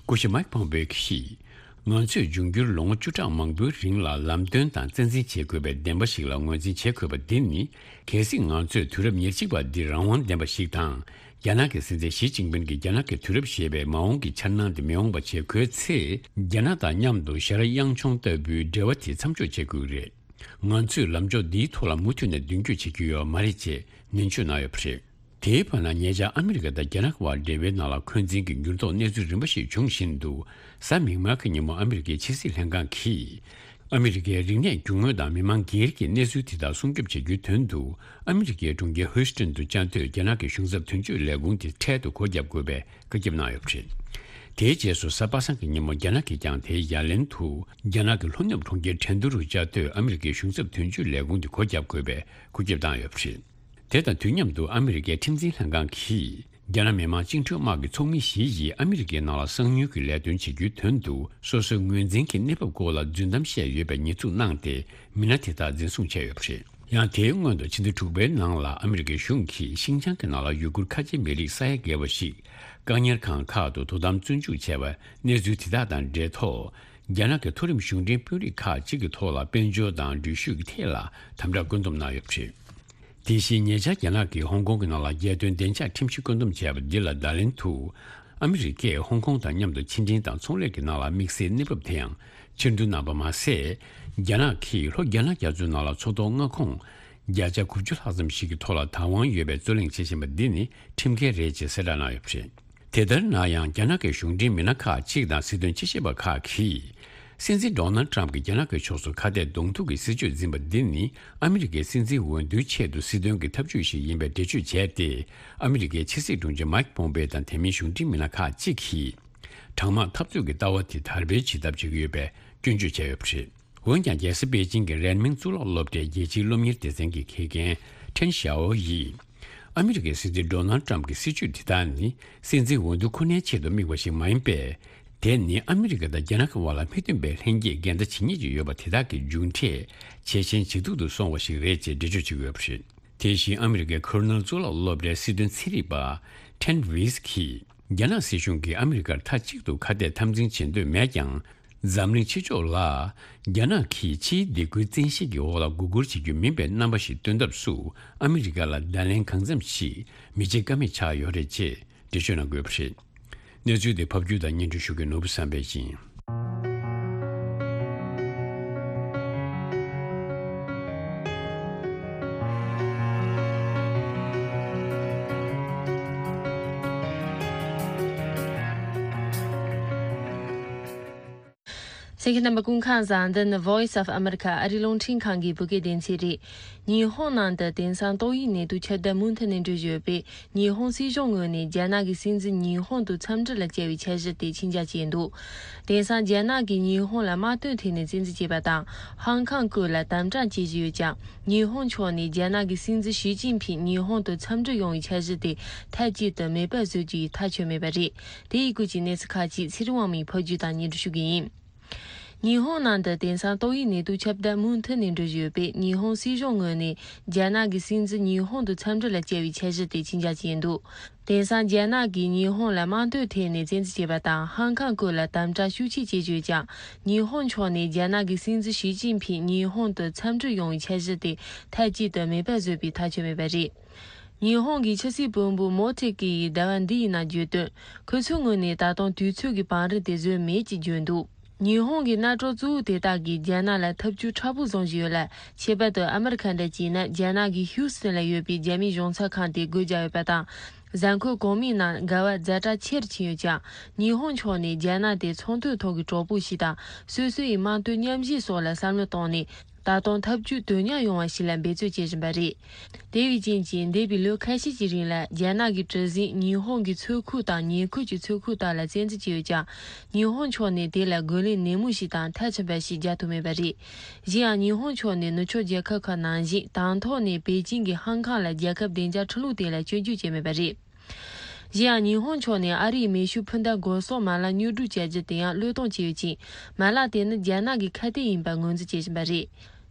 སྐུ་ཞབས་མཱིག་ཕོམ་པེ་གིས། ང་ཚོས་འབྱུང་འགྱུར་ལོ་ངོ་བཅུ་ཕྲག་མང་པོའི་རིང་ལ་ལམ་སྟོན་དང་རྩ་འཛིན་བྱེད་དགོས་པའི་བདེན་པ་ཞིག་ལ་ངོས་འཛིན་བྱེད་དགོས་པ་འདི་ནི། གལ་སྲིད་ང་ཚོས་དུས་རབས་ཉེར་གཅིག་པ་འདི་རང་དབང་ལྡན་པ་ཞིག་དང་། རྒྱ་ནག་གི་སྲིད་འཛིན་ཞི་ཅིན་ཕིན་གྱིས་རྒྱ་ནག་གི་དུས་རབས་ཞེས་པའི་མ་འོངས་ཀྱི་འཆར་སྣང་དེ་མི་འོང་བ་བྱེད་དགོས་ཚེ། རྒྱ་ནག་དང་མཉམ་དུ་ཞར་དབྱངས་མཆོང་ལྟ་བུའི་འབྲེལ་བ་དེ་མཚམས་འཇོག་བྱེད་དགོས་ཀྱི་རེད། ང་ཚོས་ལམ་ཕྱོགས་འདིའི་ཐོག་ལ་མུ་མཐུད་ནས་མདུན་སྐྱོད་བྱེད་ཀྱི་ཡོད་མ་རེད་ཅེས་ནན་བརྗོད་གནང་ཡོད་པ་རེད། དེའི་བར་ན་ཉེ་ཆར་ཨ་མི་རི་ཀ་དང་རྒྱ་ནག་དབར་འབྲེལ་བའི་ནང་ལ་འཁོན་འཛིན་གྱི་འགྱུར་ལྡོག་གནས་ཚུལ་རིམ་པ་ཞིག་འབྱུང་བཞིན་འདུག། གཟའ་མིག་དམར་གྱི་ཉིན་མོ་ཨ་མི་རི་ཀའི་ཕྱི་སྲིད་ལྷན་ཁང་གིས། ཨ་མི་རི་ཀའི་རིག་གནས་རྒྱུ་དངོས་དང་མི་མང་སྒེར་གྱི་གནས་ཚུལ་དེ་དག་སྲུང་སྐྱོབ་བྱེད་རྒྱུའི་དོན་དུ། ཨ་མི་རི་ཀའི་གྲོང་ཁྱེར་ཧུའུ་སི་ཏན་དུ་བཅའ་སྡོད་རྒྱ་ནག་གི་གཞུང་ཚབ་དོན་གཅོད་ལས་ཁུངས་དེ་འཕྲལ་དུ་སྒོ་བརྒྱབ་དགོས་པའི་བཀའ་ཁྱབ་གནང་ཡོད་པ་རེད། དེའི་རྗེས་སུ་གཟའ་པ་སངས་ཀྱི་ཉིན་མོ་རྒྱ་ནག་གིས་ཀྱང་དེའི་ཡ་ལན་དུ། རྒྱ་ནག་གི་ལྷོ་ནུབ་གྲོང་ཁྱེར་ཁྲེང་ཏུའུ་རུ་བཅའ་སྡོད་ཨ་མི་རི་ཀའི་གཞུང་ཚབ་དོན་གཅོད་ལས་ཁུངས་དེ་སྒོ་བརྒྱབ་དགོས་པའི་བཀའ་ཁྱབ་བཏང་ཡོད་པ་རེད། དེ་དང་དུས་མཉམ་དུ་ཨ་མི་རི་ཀའི་ཁྲིམས་འཛིན་ལྷན་ཁང་གིས། རྒྱ་ནག་མི་དམངས་བཅིངས་འགྲོལ་དམག་གི་ཚོགས་མི་བཞི་ཡིས་ཨ་མི་རི་ཀའི་ནང་ལ་གསང་མྱུལ་གྱི་ལས་དོན་བྱེད་རྒྱུའི་དོན་དུ་སོ་སོའི་ངོས་འཛིན་གྱི་གནས་བབ་སྐོར་ལ་རྫུན་གཏམ་བཤད་ཡོད་པའི་ཉེས་འཛུགས་གནང་སྟེ། མི་སྣ་དེ་དག་འཛིན་བཟུང་བྱས་ཡོད་པ་རེད། ཡང་དེའི་སྔོན་དུ་ཕྱི་ཟླ་དྲུག་པའི་ནང་ལ་ཨ་མི་རི་ཀའི་གཞུང་གིས་ཤིང་ཅང་གི་ནང་ལ་ཡུ་གུར་ཁ་ཆེ་མི་རིགས་ས་ཡ་བརྒལ་བ་ཞིག་བཀག་ཉར་ཁང་ཁག་ཏུ་དོ་དམ་བཙོན་འཇུག་བྱས་པའི་གནས་ཚུལ་དེ་དག་དང་འབྲེལ་ཐོག་རྒྱ་ནག་གི་མཐོ་རིམ་གཞུང་འབྲེལ་དཔོན་རིགས་ཁག་ཅིག་གི་ཐོག་ལ་དཔལ་འབྱོར་དང་འགྲུལ་བཞུད་ཀྱི་ཐད་ལ་དམ་དྲག་བཀོད་འདོམས་གནང་ཡོད་པ་རེད། དེ་བཞིན་ཉེ་ཆར་རྒྱ་ནག་གིས་ཧོང་ཀོང་གི་ནང་ལ་རྒྱལ་དོན་བདེ་འཇགས་ཁྲིམས་གཞི་བཀོད་འདོམས་བྱས་པ་འདི་ལ་བརྡ་ལན་དུ། ཨ་མི་རི་ཀས་ཧོང་ཀོང་དང་མཉམ་དུ་ཕྱི་འབྲེལ་དང་ཚོང་ལས་ཀྱི་ནང་ལ་དམིགས་བསལ་གནས་བབ་དེ་ཡང་ཕྱིར་འདོན་གནང་པ་མ་ཟད། རྒྱ་ནག་གིས་ལྷོ་རྒྱ་ནག་རྒྱ་མཚོའི་ནང་ལ་མཚོ་ཐོག་མངའ་ཁོངས་བརྒྱ་ཆ་དགུ་བཅུ་ལྷག་ཙམ་ཞིག་གི་ཐོག་ལ་བདག་དབང་ཡོད་པའི་རྩོད་གླེང་བྱེད་བཞིན་པ་འདི་ནི་ཁྲིམས་འགལ་རེད་ཅེས་གསལ་བསྒྲགས་གནང་ཡོད་པ་རེད། དེ་ལྟར་ན་ཡང་རྒྱ་ནག་གི་གཞུང་འབྲེལ་མི་སྣ་ཁག་ཅིག་དང་སྲིད་དོན་དཔྱད་ཞིབ་པ་ཁག་གིས། སྲིད་འཛིན་ཌོ་ནལ་ཊམ་གྱིས་རྒྱ་ནག་གི་ཕྱོགས་སུ་ཁ་གཏད་གདོང་ཐུག་གི་སྲིད་བྱུས་འཛིན་པ་འདི་ནི་ཨ་མི་རི་ཀའི་སྲིད་འཛིན་འོས་བསྡུའི་ཆེད་དུ་སྲིད་དོན་གྱི་ཐབས་ཇུས་ཤིག་ཡིན་པའི་འགྲེལ་བརྗོད་བྱས་ཏེ། ཨ་མི་རི་ཀའི་ཕྱི་སྲིད་དྲུང་ཆེ་མཱིག་པོམ་པེ་དང་དེ་མིན་གཞུང་འབྲེལ་མི་སྣ་ཁག་ཅིག་གིས། གྲང་དམག་འཐབ་རྩོད་ཀྱི་ལྟ་བ་དེ་དར་སྤེལ་བྱེད་ཐབས་བྱེད་ཀྱི་ཡོད་པའི་སྐྱོན་བརྗོད་བྱས་ཡོད་པ་རེད། འོན་ཀྱང་རྒྱལ་ས་པེ་ཅིང་གི་རན་མིང་གཙུག་ལག་སློབ་གྲྭའི་རྒྱལ་སྤྱིའི་སློབ་གཉེར་སྡེ་ཚན་གྱི་དགེ་རྒན་ཁྲེན་ཞའོ་ཡིས། ཨ་མི་རི་ཀའི་སྲིད་འཛིན་ཌོ་ནལ་ཊམ་གྱི་སྲིད་བྱུས་དེ་དག་ནི་སྲིད་འཛིན་འོས་བསྡུ་ཁོ་ནའི་ཆེད་དུ་དམིགས་པ་ཞིག་མ་ཡིན་པས། དེ་ནི་ཨ་མི་རི་ཀ་དང་རྒྱ་ནག་གི་དབར་ལ་མི་མཐུན་པའི་ལྷན་སྐྱེས་འགལ་ཟླ་ཇི་སྙེད་ཅིག་ཡོད་པ་དེ་དག་གི་མཇུག་འབྲས་ཇེ་ཞན་ཇེ་སྡུག་ཏུ་སོང་བ་ཞིག་རེད་ཅེས་འགྲེལ་བརྗོད་བྱེད་ཀྱི་ཡོད་པ་རེད། དེ་བཞིན་ཨ་མི་རི་ཀའི་ཁོར་ནེལ་གཙུག་ལག་སློབ་གྲྭའི་སྲིད་དོན་ཚན་རིག་པ་ཁྲེན་ཝིས་ཀྱིས། རྒྱ་ནག་སྲིད་གཞུང་གིས་ཨ་མི་རི་ཀར་མཐའ་གཅིག་ཏུ་ཁ་གཏད་འཐབ་འཛིང་བྱེད་འདོད་མེད་ཀྱང་། འཛམ་གླིང་ཕྱི་ཕྱོགས་ལ་རྒྱ་ནག་གིས་ཕྱིའི་སྡིགས་སྐུལ་བཙན་ཤེད་ཀྱི་འོག་ལ་མགོ་སྒུར་བྱེད་རྒྱུ་མིན་པའི་རྣམ་པ་ཞིག་སྟོན་ཐབས་སུ་ཨ་མི་རི་ཀ་ལ་བརྡ་ལན་གང་འཚམ་ཞིག་མི་བྱེད་ཀ་མེད་ཆགས་ཡོད་རེད་ཅེས་འགྲེལ་བརྗོད་གནང་དགོས་པ་རེད། གནས་ཚུལ་དེ་ཕབ་སྒྱུར་དང་སྙན་སྒྲོན་ཞུ་མཁན་ནོར་བུ་བསམ་འཕེལ་ཡིན། གསན་མཁན་རྣམ་པ་སྐུ་ཁམས་བཟང་། འདི་ནི་Voice of America ཨ་རིའི་རླུང་འཕྲིན་ཁང་གི་བོད་སྐད་སྡེ་ཚན་རེད། ཉི་ཧོང་ནང་དུ་དེང་སང་ཏོག་དབྱིབས་ནད་དུག་ཁྱབ་གདལ་མུ་མཐུད་ནས་འགྲོ་བཞིན་ཡོད་པས། ཉི་ཧོང་སྲིད་གཞུང་ངོས་ནས་རྒྱ་ནག་གི་སྲིད་འཛིན་ཉི་ཧོང་དུ་འཚམས་འདྲི་ལ་བཅར་བའི་འཆར་གཞི་དེ་ཕྱིར་འགྱངས་བྱས་འདུག། དེང་སང་རྒྱ་ནག་གིས་ཉི་ཧོང་ལ་དམག་དོན་ཐད་ནས་བཙན་འཛུལ་བྱས་པ་དང་། ཧང་ཀང་བཀོད་ལ་དམ་དྲག་བྱེད་བཞིན་ཡོད་ཀྱང་། ཉི་ཧོང་ཕྱོགས་ནས་རྒྱ་ནག་གི་སྲིད་འཛིན་ཞི་ཅིན་ཕིང་ཉི་ཧོང་དུ་འཚམས་འདྲི་ཡོང་བའི་འཆར་གཞི་དེ་མཐའ་གཅིག་ཏུ་མེད་པར་བཟོ་རྒྱུ་ཡིས་ཐག་ཆོད་མེད་པ་རེད། དེ་ཡི་སྐོར་གྱི་གནས་ཚུལ་ཁག་ཅིག་ཚེ་རིང་དབང་མོས་ཕབ་སྒྱུར་དང་སྙན་སྒྲོན་ཞུ་གི་ཡིན། ཉི་ཧོང་ནང་དུ་དེང་སང་ཏོག་དབྱིབས་ནད་དུག་ཁྱབ་གདལ་མུ་མཐུད་ནས་འགྲོ་བཞིན་ཡོད་པས། ཉི་ཧོང་སྲིད་གཞུང་ངོས་ནས་རྒྱ་ནག་གི་སྲིད་འཛིན་ཉི་ཧོང་དུ་འཚམས་འདྲི་ལ་བཅར་བའི་འཆར་གཞི་དེ་ཕྱིར་འགྱངས་བྱས་འདུག། དེང་སང་རྒྱ་ནག་གིས་ཉི་ཧོང་ལ་དམག་དོན་ཐད་ནས་བཙན་འཛུལ་བྱས་པ་དང་། ཧང་ཀང་བཀོད་ལ་དམ་དྲག་ཤུགས་ཆེ་བྱེད་ཀྱི་ཡོད་ཀྱང་། ཉི་ཧོང་ཕྱོགས་ནས་རྒྱ་ནག་གི་སྲིད་འཛིན་ཞི་ཅིན་ཕིང་ཉི་ཧོང་དུ་འཚམས་འདྲིར་ཡོང་བའི་འཆར་གཞི་དེ་མཐའ་གཅིག་ཏུ་མེད་པར་བཟོས་པའི་ཐག་ཆོད་མེད་པ་རེད། ཉི་ཧོང་གི་ཕྱི་སྲིད་བློན་པོ་མོ་ཏེ་ཀི་ཡིས་ཟླ་བ་འདི་ཡི་ནང་བརྗོད་དོན། ཁོ་ཚོའི་ངོས་ནས་ད་དུང་དུས་ཚོད་ཀྱི་བང་རིམ་དེ་བཟོས་མེད་ཅེས་བརྗོད་འདུག། ཉི་ཧོང་གི་གནམ་གྲུ་གཙོ་བོ་དེ་དག་གིས་རྒྱ་ནག་ལ་ཐབས་ཇུས་མཁྲེགས་པོ་བཟུང་བཞིན་ཡོད་ལ། ཁྱད་པར་དུ་ཨ་མི་རི་ཁ་འདྲ་བྱས་ན། རྒྱ་ནག་གི་ཧིའུ་སི་ཐན་ལ་ཡོད་པའི་རྒྱ་མིའི་གཞུང་ཚབ་ཁང་དེ་སྒོ་བརྒྱབ་ཡོད་པ་དང་། གཟའ་འཁོར་གོང་མའི་ནང་འགལ་བ་ཛ་དྲག་ཆེ་རུ་ཕྱིན་ཡོད་ཀྱང་། ཉི་ཧོང་ཕྱོགས་ནས་རྒྱ་ནག་དེ་ཚོང་དོན་ཐོག་གི་གྲོགས་པོ་ཞིག་དང་། སོ་སོ་ཡི་དམག་དོན་མཉམ་གཞི་སོགས་ལ་བསམ་བློ་བཏང་ནས། ད་དུང་ཐབས་ཇུས་དོན་མཉམ་ཡོང་བ་ཞིག་ལ་འབད་བརྩོན་བྱེད་བཞིན་པ་རེད། དེ་བས་རྐྱེན་གྱིས། འདས་པའི་ལོ་ཁ་ཤས་ཀྱི་རིང་ལ་རྒྱ་ནག་གི་གྲུ་གཟིངས་ཉི་ཧོང་གི་མཚོ་ཁུལ་དང་ཉེ་ཁུལ་གྱི་མཚོ་ཁུལ་དག་ལ་བཙན་འཛུལ་བྱས་ཡོད་ཀྱང་། ཉི་ཧོང་ཕྱོགས་ནས་དེ་ལ་རྒོལ་ལན་ནན་མོ་ཞིག་དང་མཐའ་ཕྱིན་པ་ཞིག་རྒྱག་ཐུབ་མེད་པ་རེད། གཞན་ཡང་། ཉི་ཧོང་ཕྱོགས་ནས་ནུབ་ཕྱོགས་རྒྱལ་ཁབ་ཁག་ནང་བཞིན། དང་ཐོག་ནས་པེ་ཅིང་གིས་ཧང་ཀང་ལ་རྒྱལ་ཁབ་བདེ་འཇགས་ཁྲི་ལོ་དེ་ལ་སྐྱོན་བརྗོད་བྱས་མེད་པ་རེད། གཞན་ཡང་། ཉི་ཧོང་ཕྱོགས་ནས་ཨ་རིའི་མེ་ཤུགས་འཕུར་མདའ་འགོག་སྲུང་མ་ལག་མྱུར་སྒྲུག་བྱ་རྒྱུ་དེ་ཡང་བློས་གཏོང་བྱས་ཡོད་ཅིང་། མ་ལག་དེ་ནི་རྒྱ་ནག་གི་ཁ་གཏད་ཡིན་པར་ངོས་འཛིན་བྱེད་བཞིན་པ་རེད།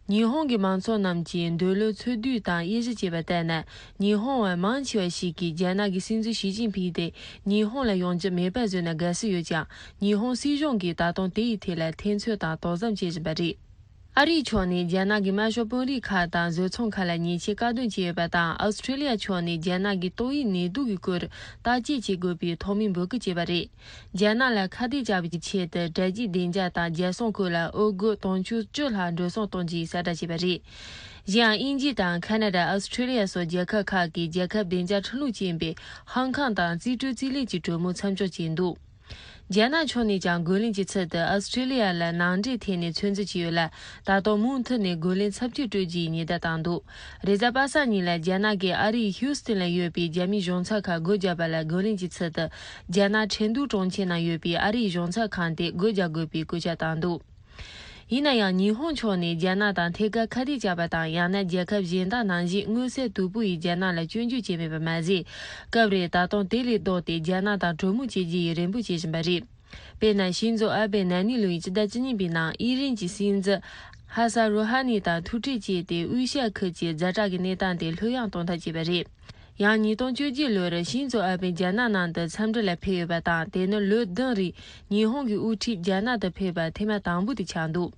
ཉི་ཧོང་གི་མང་ཚོགས་རྣམས་ཀྱིས་འདོད་བློ་ཚོད་བསྡུས་དང་དབྱེ་ཞིབ་བྱས་པ་ལྟར་ན། ཉི་ཧོང་བ་མང་ཆེ་བ་ཞིག་གིས་རྒྱ་ནག་གི་སྲིད་འཛིན་ཞི་ཅིན་ཕིང་དེ་ཉི་ཧོང་ལ་ཡོང་རྒྱུ་མེད་པ་བཟོས་ན་དགའ་བསུ་ཡོད་ཀྱང་། ཉི་ཧོང་སྲིད་གཞུང་གིས་ད་དུང་དེ་ཡི་ཐད་ལ་ཐེ་ཚོམ་དང་དོགས་ཟོན་བྱེད་བཞིན་པ་རེད། ཨ་རིའི་ཕྱོགས་ནས་རྒྱ་ནག་གི་དམར་ཤོག་དཔོན་རིགས་ཁག་དང་བཟོ་ཚོང་ཁག་ལ་ཉེས་ཆད་བཀག་སྡོམ་བྱས་ཡོད་པ་དང་། ཨོ་སི་ཁྲེ་ལི་ཡ་ཕྱོགས་ནས་རྒྱ་ནག་གི་ཏོག་དབྱིབས་ནད་དུག་གི་སྐོར་བརྟག་དཔྱད་བྱེད་དགོས་པའི་ཐོག་མའི་འབོད་སྐུལ་བྱས་པ་རེད། རྒྱ་ནག་ལ་ཁ་གཏད་བཅག་པའི་ཆེད་དུ་དྲ་རྒྱའི་བདེ་འཇགས་དང་རྒྱལ་སྲུང་ཁུལ་ལ་འོས་སྒོ་དུང་ཕྱུར་བཅུ་ལྷག་འགྲོ་སོང་གཏོང་རྒྱུའི་གསལ་བསྒྲགས་བྱས་པ་རེད། གཞན་ཡང་དབྱིན་ཇི་དང་ཁ་ན་ཌ། ཨོ་སི་ཁྲེ་ལི་ཡ་སོགས་རྒྱལ་ཁབ་ཁག་གིས་རྒྱལ་ཁབ་བདེ་འཇགས་ཁྲིམས་ལུགས་ཅན་པའི་ཧང་ཀང་དང་རྩིས་སྤྲོད་རྩིས་ལེན་གྱི་གྲོས་མོལ་མཚམས་འཇོག་བྱས་འདུག་རྒྱ་ནག་ཕྱོགས་ནས་ཀྱང་རྒོལ་ལན་གྱི་ཚུལ་དུ་ཨོ་སི་ཁྲེ་ལི་ཡ་ལ་ནང་འདྲེན་ཐད་ནས་ཚོད་འཛིན་བྱས་ཡོད་ལ། ད་དུང་མུ་མཐུད་ནས་རྒོལ་ལན་ཚབས་ཆེ་སྤྲོད་རྒྱུའི་ཉེན་བརྡ་བཏང་འདུག་རེས་གཟའ་པ་སངས་ཉིན་ལ་རྒྱ་ནག་གིས་ཨ་རིའི་ཧིའུ་སི་ཏན་ལ་ཡོད་པའི་རྒྱ་མིའི་གཞུང་ཚབ་ཁང་སྒོ་བརྒྱབ་པ་ལ་རྒོལ་ལན་གྱི་ཚུལ་དུ། རྒྱ་ནག་ཁྲེང་ཏུའུ་གྲོང་ཁྱེར་ནང་ཡོད་པའི་ཨ་རིའི་གཞུང་ཚབ་ཁང་དེ་སྒོ་རྒྱག་དགོས་པའི་སྐུལ་ལྕག་བཏང་འདུག་ཡིན་ན་ཡང་། ཉི་ཧོང་ཕྱོགས་ནས་རྒྱ་ནག་དང་ཐད་ཀར་ཁ་གཏད་བཅག་པ་དང་། ཡང་ན་རྒྱལ་ཁབ་གཞན་དག་ནང་བཞིན་མངོན་གསལ་དོད་པོ་ཡིས་རྒྱ་ནག་ལ་སྐྱོན་བརྗོད་བྱས་མེད་པ་མ་ཟད། སྐབས་རེར་ད་དུང་དེ་ལས་ལྡོག་སྟེ་རྒྱ་ནག་དང་གྲོས་མོལ་བྱེད་རྒྱུ་ཡི་རེ་འབོད་བྱེད་བཞིན་པ་རེད། དཔེར་ན། ཤིན་ཛོ་ཨ་བྷེ་ན་ནིང་ལོའི་ཕྱི་ཟླ་བཅུ་གཉིས་པའི་ནང་ཨི་རན་གྱི་སྲིད་འཛིན་ཧ་ས་རུ་ཧ་ནི་དང་ཐུག་འཕྲད་བྱས་ཏེ། དབུས་ཤར་ཁུལ་གྱི་ཛ་དྲག་གི་གནས་སྟངས་དེ་ལྷོད་ཡངས་གཏོང་ཐབས་བྱས་པ་རེད། ཡང་ཉིས་སྟོང་བཅོ་བརྒྱད་ལོར་ཤིན་ཛོ་ཨ་བྷེ་རྒྱ་ནག་ནང་དུ་འཚམས་འདྲི་ལ་ཕེབས་ཡོད་པ་དང་། དེ་ནི་ལོ་བདུན་རིང་ཉི་ཧོང་གི་དབུ་ཁྲིད་རྒྱ་ནག་ཏུ་ཕེབས་པ་ཐེངས་མ་དང་པོ་དེ་ཆགས་འདུག་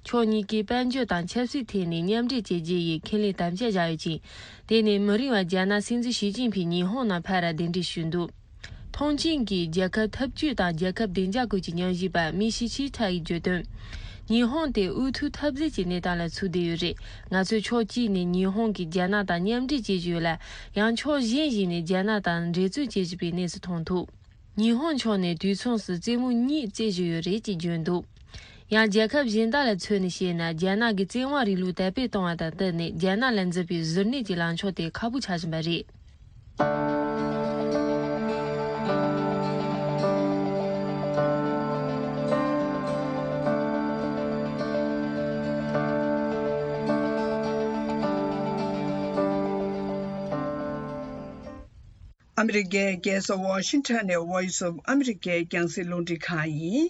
ཕྱོགས་གཉིས་ཀས་དཔལ་འབྱོར་དང་ཆབ་སྲིད་ཐད་ནས་མཉམ་འབྲེལ་བྱེད་རྒྱུ་ཡི་ཁས་ལེན་དམ་བཅའ་བཞག་ཡོད་ཅིང་། དེ་ནས་མུ་རིང་བར་རྒྱ་ནག་སྲིད་འཛིན་ཞི་ཅིན་ཕིང་ཉི་ཧོང་ནང་ཕར་གདན་འདྲེན་ཞུས་འདུག་མཐོང་མཆན་གྱིས་རྒྱལ་ཁབ་འཐབ་ཇུས་དང་རྒྱལ་ཁབ་བདེ་འཇགས་སྐོར་གྱི་སྙན་ཞུ་པ་མི་ཤི་ཆི་ཐ་ཡིས་བརྗོད་དོན། ཉི་ཧོང་དེ་འོས་ཐོབ་འཐབ་འཛིང་གི་གནས་སྟངས་ལ་ཚུད་བསྡད་ཡོད་རེད། ང་ཚོས་ཕྱོགས་གཅིག་ནས་ཉི་ཧོང་གིས་རྒྱ་ནག་དང་མཉམ་འབྲེལ་བྱེད་བཞིན་ཡོད་ལ། ཡང་ཕྱོགས་གཞན་ཞིག་ནས་རྒྱ་ནག་དང་འགྲན་རྩོད་བྱེད་བཞིན་པའི་གནས་སུ་མཐོང་ཐུབ། ཉི་ཧོང་ཕྱོགས་ནས་དུས་མཚུངས་སུ་རྩེད་མོ་གཉིས་རྩེ་བཞིན་ཡོད་རེད་ཅེས་བརྗོད་འདུག་ཡང་རྒྱལ་ཁབ་གཞན་དག་ལ་མཚོན་ནས་བཤད་ན། རྒྱ་ནག་གི་བཙན་དབང་རིང་ལུགས་དར་སྤེལ་གཏོང་བ་དང་བསྟུན་ནས་རྒྱ་ནག་ལ་འཛིན་པའི་གཟུར་གནས་ཀྱི་ལངས་ཕྱོགས་དེ་ཁག་པོ་ཆགས་བཞིན་པ་རེད། ཨ་མི་རི་ཀའི་རྒྱལ་ས་ཝ་ཤིང་ཊོན་ནས་Voice of America རྒྱང་སྲིང་རླུང་འཕྲིན་ཁང་ཡིན།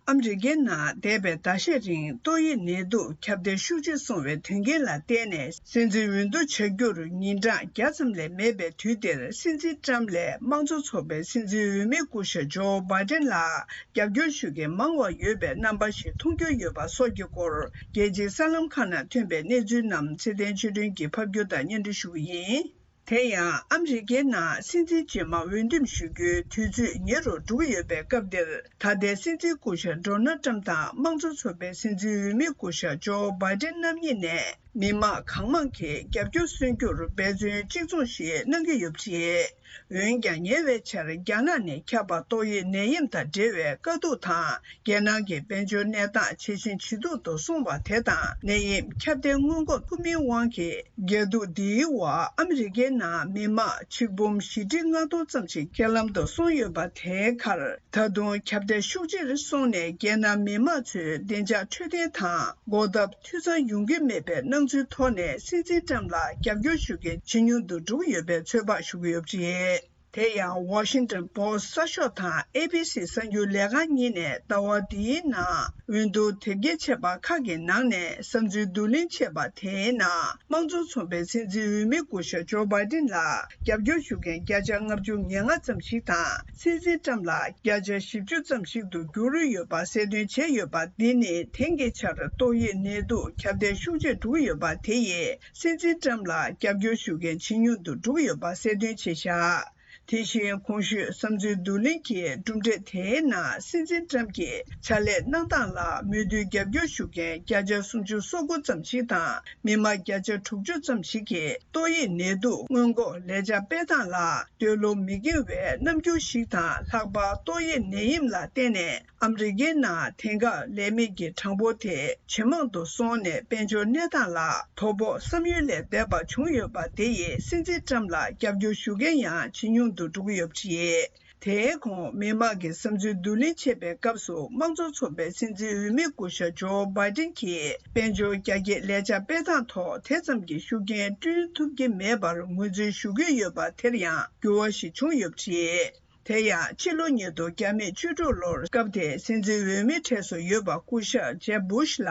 ཨ་མི་རི་ཀའི་ནང་འདས་པའི་ཟླ་ཤས་རིང་ཏོག་དབྱིབས་ནད་དུག་ཁྱབ་གདལ་ཤུགས་ཆེ་སོང་བའི་དོན་རྐྱེན་ལ་བརྟེན་ནས། སྲིད་འཛིན་འོས་བསྡུ་བྱ་རྒྱུར་ཉིན་གྲངས་བརྒྱ་ཙམ་ལས་མེད་པའི་དུས་འདིར། སྲིད་འཛིན་ཊམ་ལས་དམངས་གཙོ་ཚོགས་པའི་སྲིད་འཛིན་འོས་མིའི་སྐུ་ཞབས་ཇོ་བྷའི་ཌེན་ལ་རྒྱབ་སྐྱོར་ཞུ་མཁན་མང་བ་ཡོད་པའི་རྣམ་པ་ཞིག་མཐོང་རྒྱུ་ཡོད་པ་སོགས་ཀྱི་སྐོར། རྒྱལ་སྤྱིའི་གསར་ལམ་ཁག་ནང་ཐོན་པའི་གནས་ཚུལ་རྣམས་ཚེ་བརྟན་ཆོས་སྒྲོན་གྱིས་ཕབ་སྒྱུར་དང་སྙན་སྒྲོན་ཞུ་གི་ཡིན། དེ་ཡང་ཨ་མི་རི་ཀའི་ནང་སྲིད་འཛིན་རྗེས་མ་འོས་འདེམས་ཞུ་རྒྱུའི་དུས་ཚོད་ཉེ་རུ་འགྲོ་གི་ཡོད་པའི་སྐབས་འདིར། ད་ལྟའི་སྲིད་འཛིན་སྐུ་ཞབས་ཌོ་ནལ་ཊམ་དང་དམངས་གཙོ་ཚོགས་པའི་སྲིད་འཛིན་འོས་མི་སྐུ་ཞབས་ཇོ་བྷའི་ཌེན་རྣམ་གཉིས་ནས་མི་མང་གང་མང་གིས་རྒྱབ་སྐྱོར་སོན་རྒྱུར་འབད་བརྩོན་གཅིག་མཚུངས་ཤིག་གནང་གི་ཡོད་པ་རེད། འོན་ཀྱང་། ཉེ་བའི་ཆར་རྒྱ་ནག་ནས་ཁྱབ་པ་ཏོག་དབྱིབས་ནད་ཡམས་དང་འབྲེལ་བའི་དཀའ་སྡུག་དང་། རྒྱལ་ནང་གི་དཔལ་འབྱོར་གནས་སྟངས་ཇེ་ཞན་ཇེ་སྡུག་ཏུ་སོང་བ་དེ་དང་། ནད་ཡམས་ཁྱབ་གདལ་སྔོན་འགོག་ཐུབ་མིན་དབང་གིས། རྒྱ་སྡུག་འདིའི་འོག་ཨ་མི་རི་ཀའི་ནང་མི་མང་ཆིག་འབུམ་བཞི་ཁྲི་ལྔ་སྟོང་ཙམ་ཞིག་རྐྱེན་ལམ་དུ་སོང་ཡོད་པ་དེའི་ཁར། ད་དུང་ཁྱབ་གདལ་ཤུགས་ཆེར་སོང་ནས། རྒྱལ་ནང་མི་མང་ཚོའི་བདེ་འཇགས་འཕྲོད་བསྟེན་དང་། འགོག་ཐབས་འཐུས་ཚང་ཡོང་གི་མེད་པའི་སྣང་ཚུལ་ཐོག་ནས། སྲིད་འཛིན་ཊམ་ལ་རྒྱབ་སྐྱོར་ཞུ་མཁན་ཇེ་ཉུང་དུ་འགྲོ་གི་ཡོད་པའི་ཚོད་དཔག་ཞུ་གི་ཡོད་པ་རེད། དེ་ཡང་། ཝ་ཤིང་ཊོན་པོ་སི་གསར་ཤོག་དང་ཨེ་བི་སི་གསར་འགྱུར་ལས་ཁང་གཉིས་ནས་ཟླ་བ་འདིའི་ནང་། འོས་བསྡུ་དེབ་སྐྱེལ་ཆད་པ་ཁག་གི་ནང་ནས། བསམ་ཚུལ་བསྡུ་ལེན་བྱས་པ་དེའི་ནང་། དམངས་གཙོ་ཚོགས་པའི་སྲིད་འཛིན་འོས་མི་སྐུ་ཞབས་ཇོ་བྷའི་ཌེན་ལ་རྒྱབ་སྐྱོར་ཞུ་མཁན་བརྒྱ་ཆ་ལྔ་བཅུ་ང་ལྔ་ཙམ་ཞིག་དང་། སྲིད་འཛིན་ཊམ་ལ་བརྒྱ་ཆ་བཞི་བཅུ་ཙམ་ཞིག་ཏུ་འགྱུར་ཡོད་པ་གསལ་སྟོན་བྱས་ཡོད་པ། འདི་ནི་དེང་གི་ཆར་ཏོག་དབྱིབས་ནད་དུག་ཁྱབ་གདལ་ཤུགས་ཆེར་འགྲོ་གི་ཡོད་པ་དེ་ཡིས། སྲིད་འཛིན་ཊམ་ལ་རྒྱབ་སྐྱོར་ཞུ་མཁན་ཇེ་ཉུང་དུ་འགྲོ་གི་ཡོད་པ་གསལ་སྟོན་བྱས་བཞག་དེ་བཞིན། གོང་ཞུས་བསམ་ཚུལ་བསྡུ་ལེན་གྱི་གྲུབ་འབྲས་དེའི་ནང་། སྲིད་འཛིན་ཊམ་གྱི་ཕྱག་ལས་གནང་སྟངས་ལ་མོས་མཐུན་རྒྱབ་སྐྱོར་ཞུ་མཁན་བརྒྱ་ཆ་སུམ་ཅུ་སོ་དགུ་ཙམ་ཞིག་དང་། མི་མང་བརྒྱ་ཆ་དྲུག་ཅུ་ཙམ་ཞིག་གིས། ཏོག་དབྱིབས་ནད་དུག་སྔོན་འགོག་ལས་འཆར་སྤེལ་སྟངས་ལ་འདོད་བློ་མི་འགེངས་པའི་རྣམ་འགྱུར་ཞིག་དང་། ལྷག་པར་ཏོག་དབྱིབས་ནད་ཡམས་ལ་བརྟེན་ནས། ཨ་མི་རི་ཀའི་ནང་དེང་སྐབས་ལས་མེད་ཀྱི་གྲངས་འབོར་དེ་ཇེ་མང་དུ་སོང་ནས། དཔལ་འབྱོར་གནས་སྟངས་ལ་དོ་ཕོག་བསམ་ཡུལ་ལས་འདས་པ་བྱུང་ཡོད་པ་དེ་ཡིས། སྲིད་འཛིན་ཊམ་ལ་རྒྱབ་སྐྱོར་ཞུ་མཁན་ཡང་ཇེ་ཉུང་དུ་འགྲོ་གི་ཡོད་པ་རེད། དེའི་གོང་། མི་མང་གི་བསམ་ཚུལ་བསྡུ་ལེན་བྱེད་པའི་སྐབས་སུ། དམངས་གཙོ་ཚོགས་པའི་སྲིད་འཛིན་འོས་མི་སྐུ་ཞབས་ཇོ་བྷའི་ཌེན་གྱིས། དཔལ་འབྱོར་རྒྱ་སྐྱེད་ལས་འཆར་སྤེལ་སྟངས་ཐོག་དེ་ཙམ་གྱི་ཤུགས་རྐྱེན་བསྐྲུན་ཐུབ་ཀྱི་མེད་པར་ངོས་འཛིན་ཞུ་གི་ཡོད་པ་དེར་ཡང་འགྱུར་བ་ཞིག་བྱུང་ཡོད་པ་རེད། དེ་ཡང་ཕྱི་ལོ་ཉིས་སྟོང་བཅུ་དྲུག་ལོར་སྐབས་དེའི་སྲིད་འཛིན་འོས་མིའི་གྲས་སུ་ཡོད་པ་སྐུ་ཞབས་ཇེབ་བུཤ་ལ་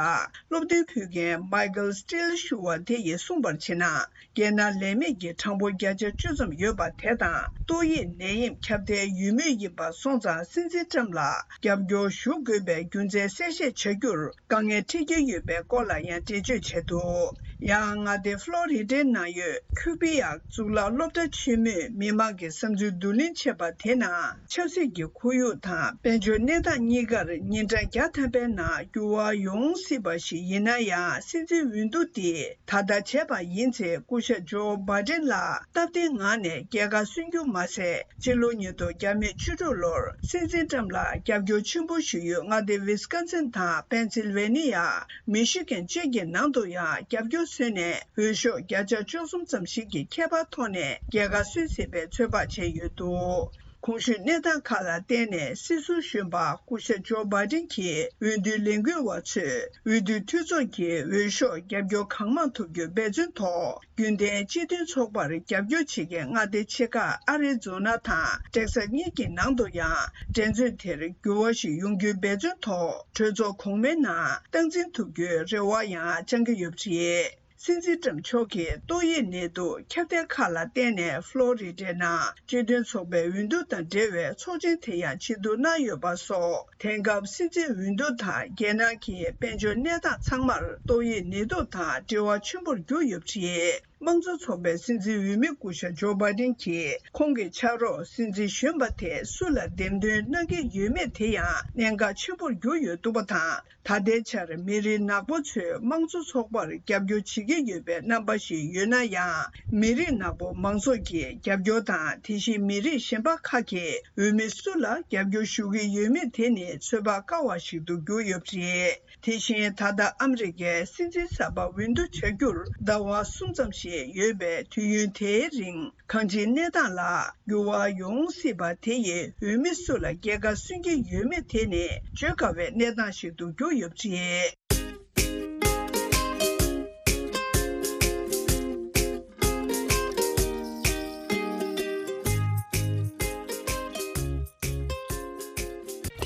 སློབ་སྟོན་ཕུལ་མཁན་མའི་ཀལ་སི་ཊིལ་ཞུ་བ་དེ་ཡིས་གསུངས་པར་བྱས་ན། རྒྱལ་ནང་ལས་མེད་ཀྱི་གྲངས་འབོར་བརྒྱ་ཆ་བཅུ་ཙམ་ཡོད་པ་དེ་དང་ཏོག་དབྱིབས་ནད་ཡམས་ཁྱབ་གདལ་ཡོད་མུས་ཡིན་པ་སོང་ཙང་སྲིད་འཛིན་ཏྲམ་ལ་རྒྱབ་སྐྱོར་ཞུ་དགོས་པའི་རྒྱུ་མཚན་གསལ་བཤད་བྱ་རྒྱུར་དཀའ་ངལ་འཕྲད་ཀྱི་ཡོད་པའི་སྐོར་ལ་ཡང་འགྲེལ་བརྗོད་བྱས་འདུག་ཡང་མངའ་སྡེ་ཕློ་རི་ཌའི་ནང་ཡོད་ཁུ་པི་ཡག་གཙུག་ལག་སློབ་གྲྭ་ཆེན་མོས་མི་མང་གི་བསམ་ཚུལ་བསྡུ་ལེན་བྱས་པ་དེ་ནང་ཆབ་སྲིད་ཀྱི་ཁོར་ཡུག་དང་དཔལ་འབྱོར་གནས་སྟངས་གཉིས་ཀར་ཉིན་གྲངས་བརྒྱ་ཐམ་པའི་ནང་འགྱུར་བ་ཡོང་སྲིད་པ་ཞིག་ཡིན་ན་ཡང་སྲིད་འཛིན་འོས་བསྡུ་དེ་ད་ལྟ་བྱས་པ་ཡིན་ཚེ་སྐུ་ཞབས་ཇོ་བྷའི་ཌེན་ལ་སྟབས་བདེའི་ངང་ནས་རྒྱལ་ཁ་སོན་རྒྱུ་མ་ཟད། ཕྱི་ལོ་ཉིས་སྟོང་བརྒྱ་མེད་བཅུ་དྲུག་ལོར་སྲིད་འཛིན་ཏྲམ་ལ་རྒྱབ་སྐྱོར་ཆེན་པོ་ཞུ་ཡུལ་མངའ་སྡེ་ཝི་སི་ཀོན་སིན་དང་པེན་སིལ་ཝེ་ནི་ཡ། མི་ཤི་གན་བཅས་ཀྱི་ནང་དུ་ཡང་རྒྱབ་སྐྱོར་སོན་ནས་འོས་ཤོག་བརྒྱ་ཆ་བཅུ་གསུམ་ཙམ་ཞིག་གི་ཁྱད་པར་ཐོག་ནས་རྒྱལ་ཁ་སོན་སྲིད་པའི་ཚོད་དཔག་བྱས་ཡོད་འདུག་གོང་ཞུས་གནས་སྟངས་ཁག་ལ་བརྟེན་ནས་སྲིད་ཟུར་གཞོན་པ་སྐུ་ཞབས་ཇོ་བྷའི་ཌེན་གྱིས་འོས་བསྡུའི་ལས་འགུལ་བ་ཚོས་འོས་བསྡུའི་འཐུས་ཚོགས་ཀྱི་འོས་ཤོག་རྒྱབ་སྐྱོར་གང་མང་ཐོབ་རྒྱུར་འབད་བརྩོན་ཐོག་རྒྱུན་ལྡན་སྤྱི་མཐུན་ཚོགས་པར་རྒྱབ་སྐྱོར་བྱེད་མཁན་མངའ་སྡེ་ཆེ་ཁག་ཨ་རི་ཛོ་ན་དང་ཏེག་སཱ་གཉིས་ཀྱི་ནང་དུ་ཡང་འགྲན་རྩོད་དེར་འགྱུར་བ་ཞིག་ཡོང་རྒྱུའི་འབད་བརྩོན་ཐོག་གྲོས་ཚོགས་གོང་མའི་ནང་སྟངས་འཛིན་ཐུབ་རྒྱུའི་རེ་བ་ཡང་བཅང་གི་ཡོད་པ་རེད། སྲིད་འཛིན་ཏྲམ་མཆོག་གིས་ཏོག་དབྱིབས་ནད་དུག་ཁྱབ་གདལ་ཁག་ལ་བརྟེན་ནས་ཕློ་རི་ཌའི་ནང་སྤྱི་མཐུན་ཚོགས་པའི་འོས་བསྡུ་དང་འབྲེལ་བའི་ཚོགས་ཆེན་དེ་ཡང་ཆེད་བསྡུ་གནང་ཡོད་པ་སོགས། དེང་སྐབས་སྲིད་འཛིན་འོས་བསྡུ་དང་རྒྱལ་ནང་གི་དཔལ་འབྱོར་གནས་སྟངས་ཚང་མར་ཏོག་དབྱིབས་ནད་དུག་དང་འབྲེལ་བ་ཆེན་པོར་གྱུར་ཡོད་པ་རེད། དམངས་གཙོ་ཚོགས་པའི་སྲིད་འཛིན་འོས་མི་སྐུ་ཞབས་ཇོ་བྷའི་ཌེན་གྱིས་ཁོང་གི་ཕྱག་རོགས་སྲིད་འཛིན་གཞོན་པ་དེ་སུ་ལ་འདེམས་ཐོན་གནང་གི་ཡོད་མེད་དེ་ཡང་གནད་འགག་ཆེན་པོར་གྱུར་ཡོད་འདུག་པ་དང་། ད་ལྟའི་ཆར་མི་རིགས་ནག་པོ་ཚོས་དམངས་གཙོ་ཚོགས་པར་རྒྱབ་སྐྱོར་བྱེད་ཀྱི་ཡོད་པའི་རྣམ་པ་ཞིག་ཡོད་ན་ཡང་། མི་རིགས་ནག་པོ་མང་ཚོགས་ཀྱི་རྒྱབ་སྐྱོར་དང་དེ་བཞིན་མི་རིགས་གཞན་པ་ཁག་གིས་འོས་མི་སུ་ལ་རྒྱབ་སྐྱོར་ཞུ་གི་ཡོད་མེད་དེ་ནི་ཚོད་དཔག་དཀའ་བ་ཞིག་ཏུ་གྱུར་ཡོད་པ་རེད། དེ་བཞིན་ད་ལྟ་ཨ་མི་རི་ཀའི་སྲིད་འཛིན་གསར་པ་འོས་བསྡུ་བྱ་རྒྱུར་ཟླ་བ་གསུམ་ཙམ་ཞིག་ཡོད་པའི་དུས་ཡུན་དེའི་རིང་གང་ཅིའི་གནས་སྟངས་ལ་འགྱུར་བ་ཡོང་སྲིད་པ་དེ་ཡིས་འོས་མི་སུ་ལ་རྒྱལ་ཁ་སོན་གྱི་ཡོད་མེད་དེ་ནི་བརྗོད་དཀའ་བའི་གནས་སྟངས་ཤིག་ཏུ་གྱུར་ཡོད་པ་རེད།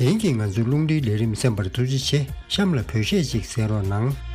དེང་གི་ང་ཚོའི་རླུང་འཕྲིན་ལས་རིམ་གསན་པར་ཐུགས་རྗེ་ཆེ། གཤམ་ལ་བོད་གཞས་ཅིག་གསན་རོགས་གནང་།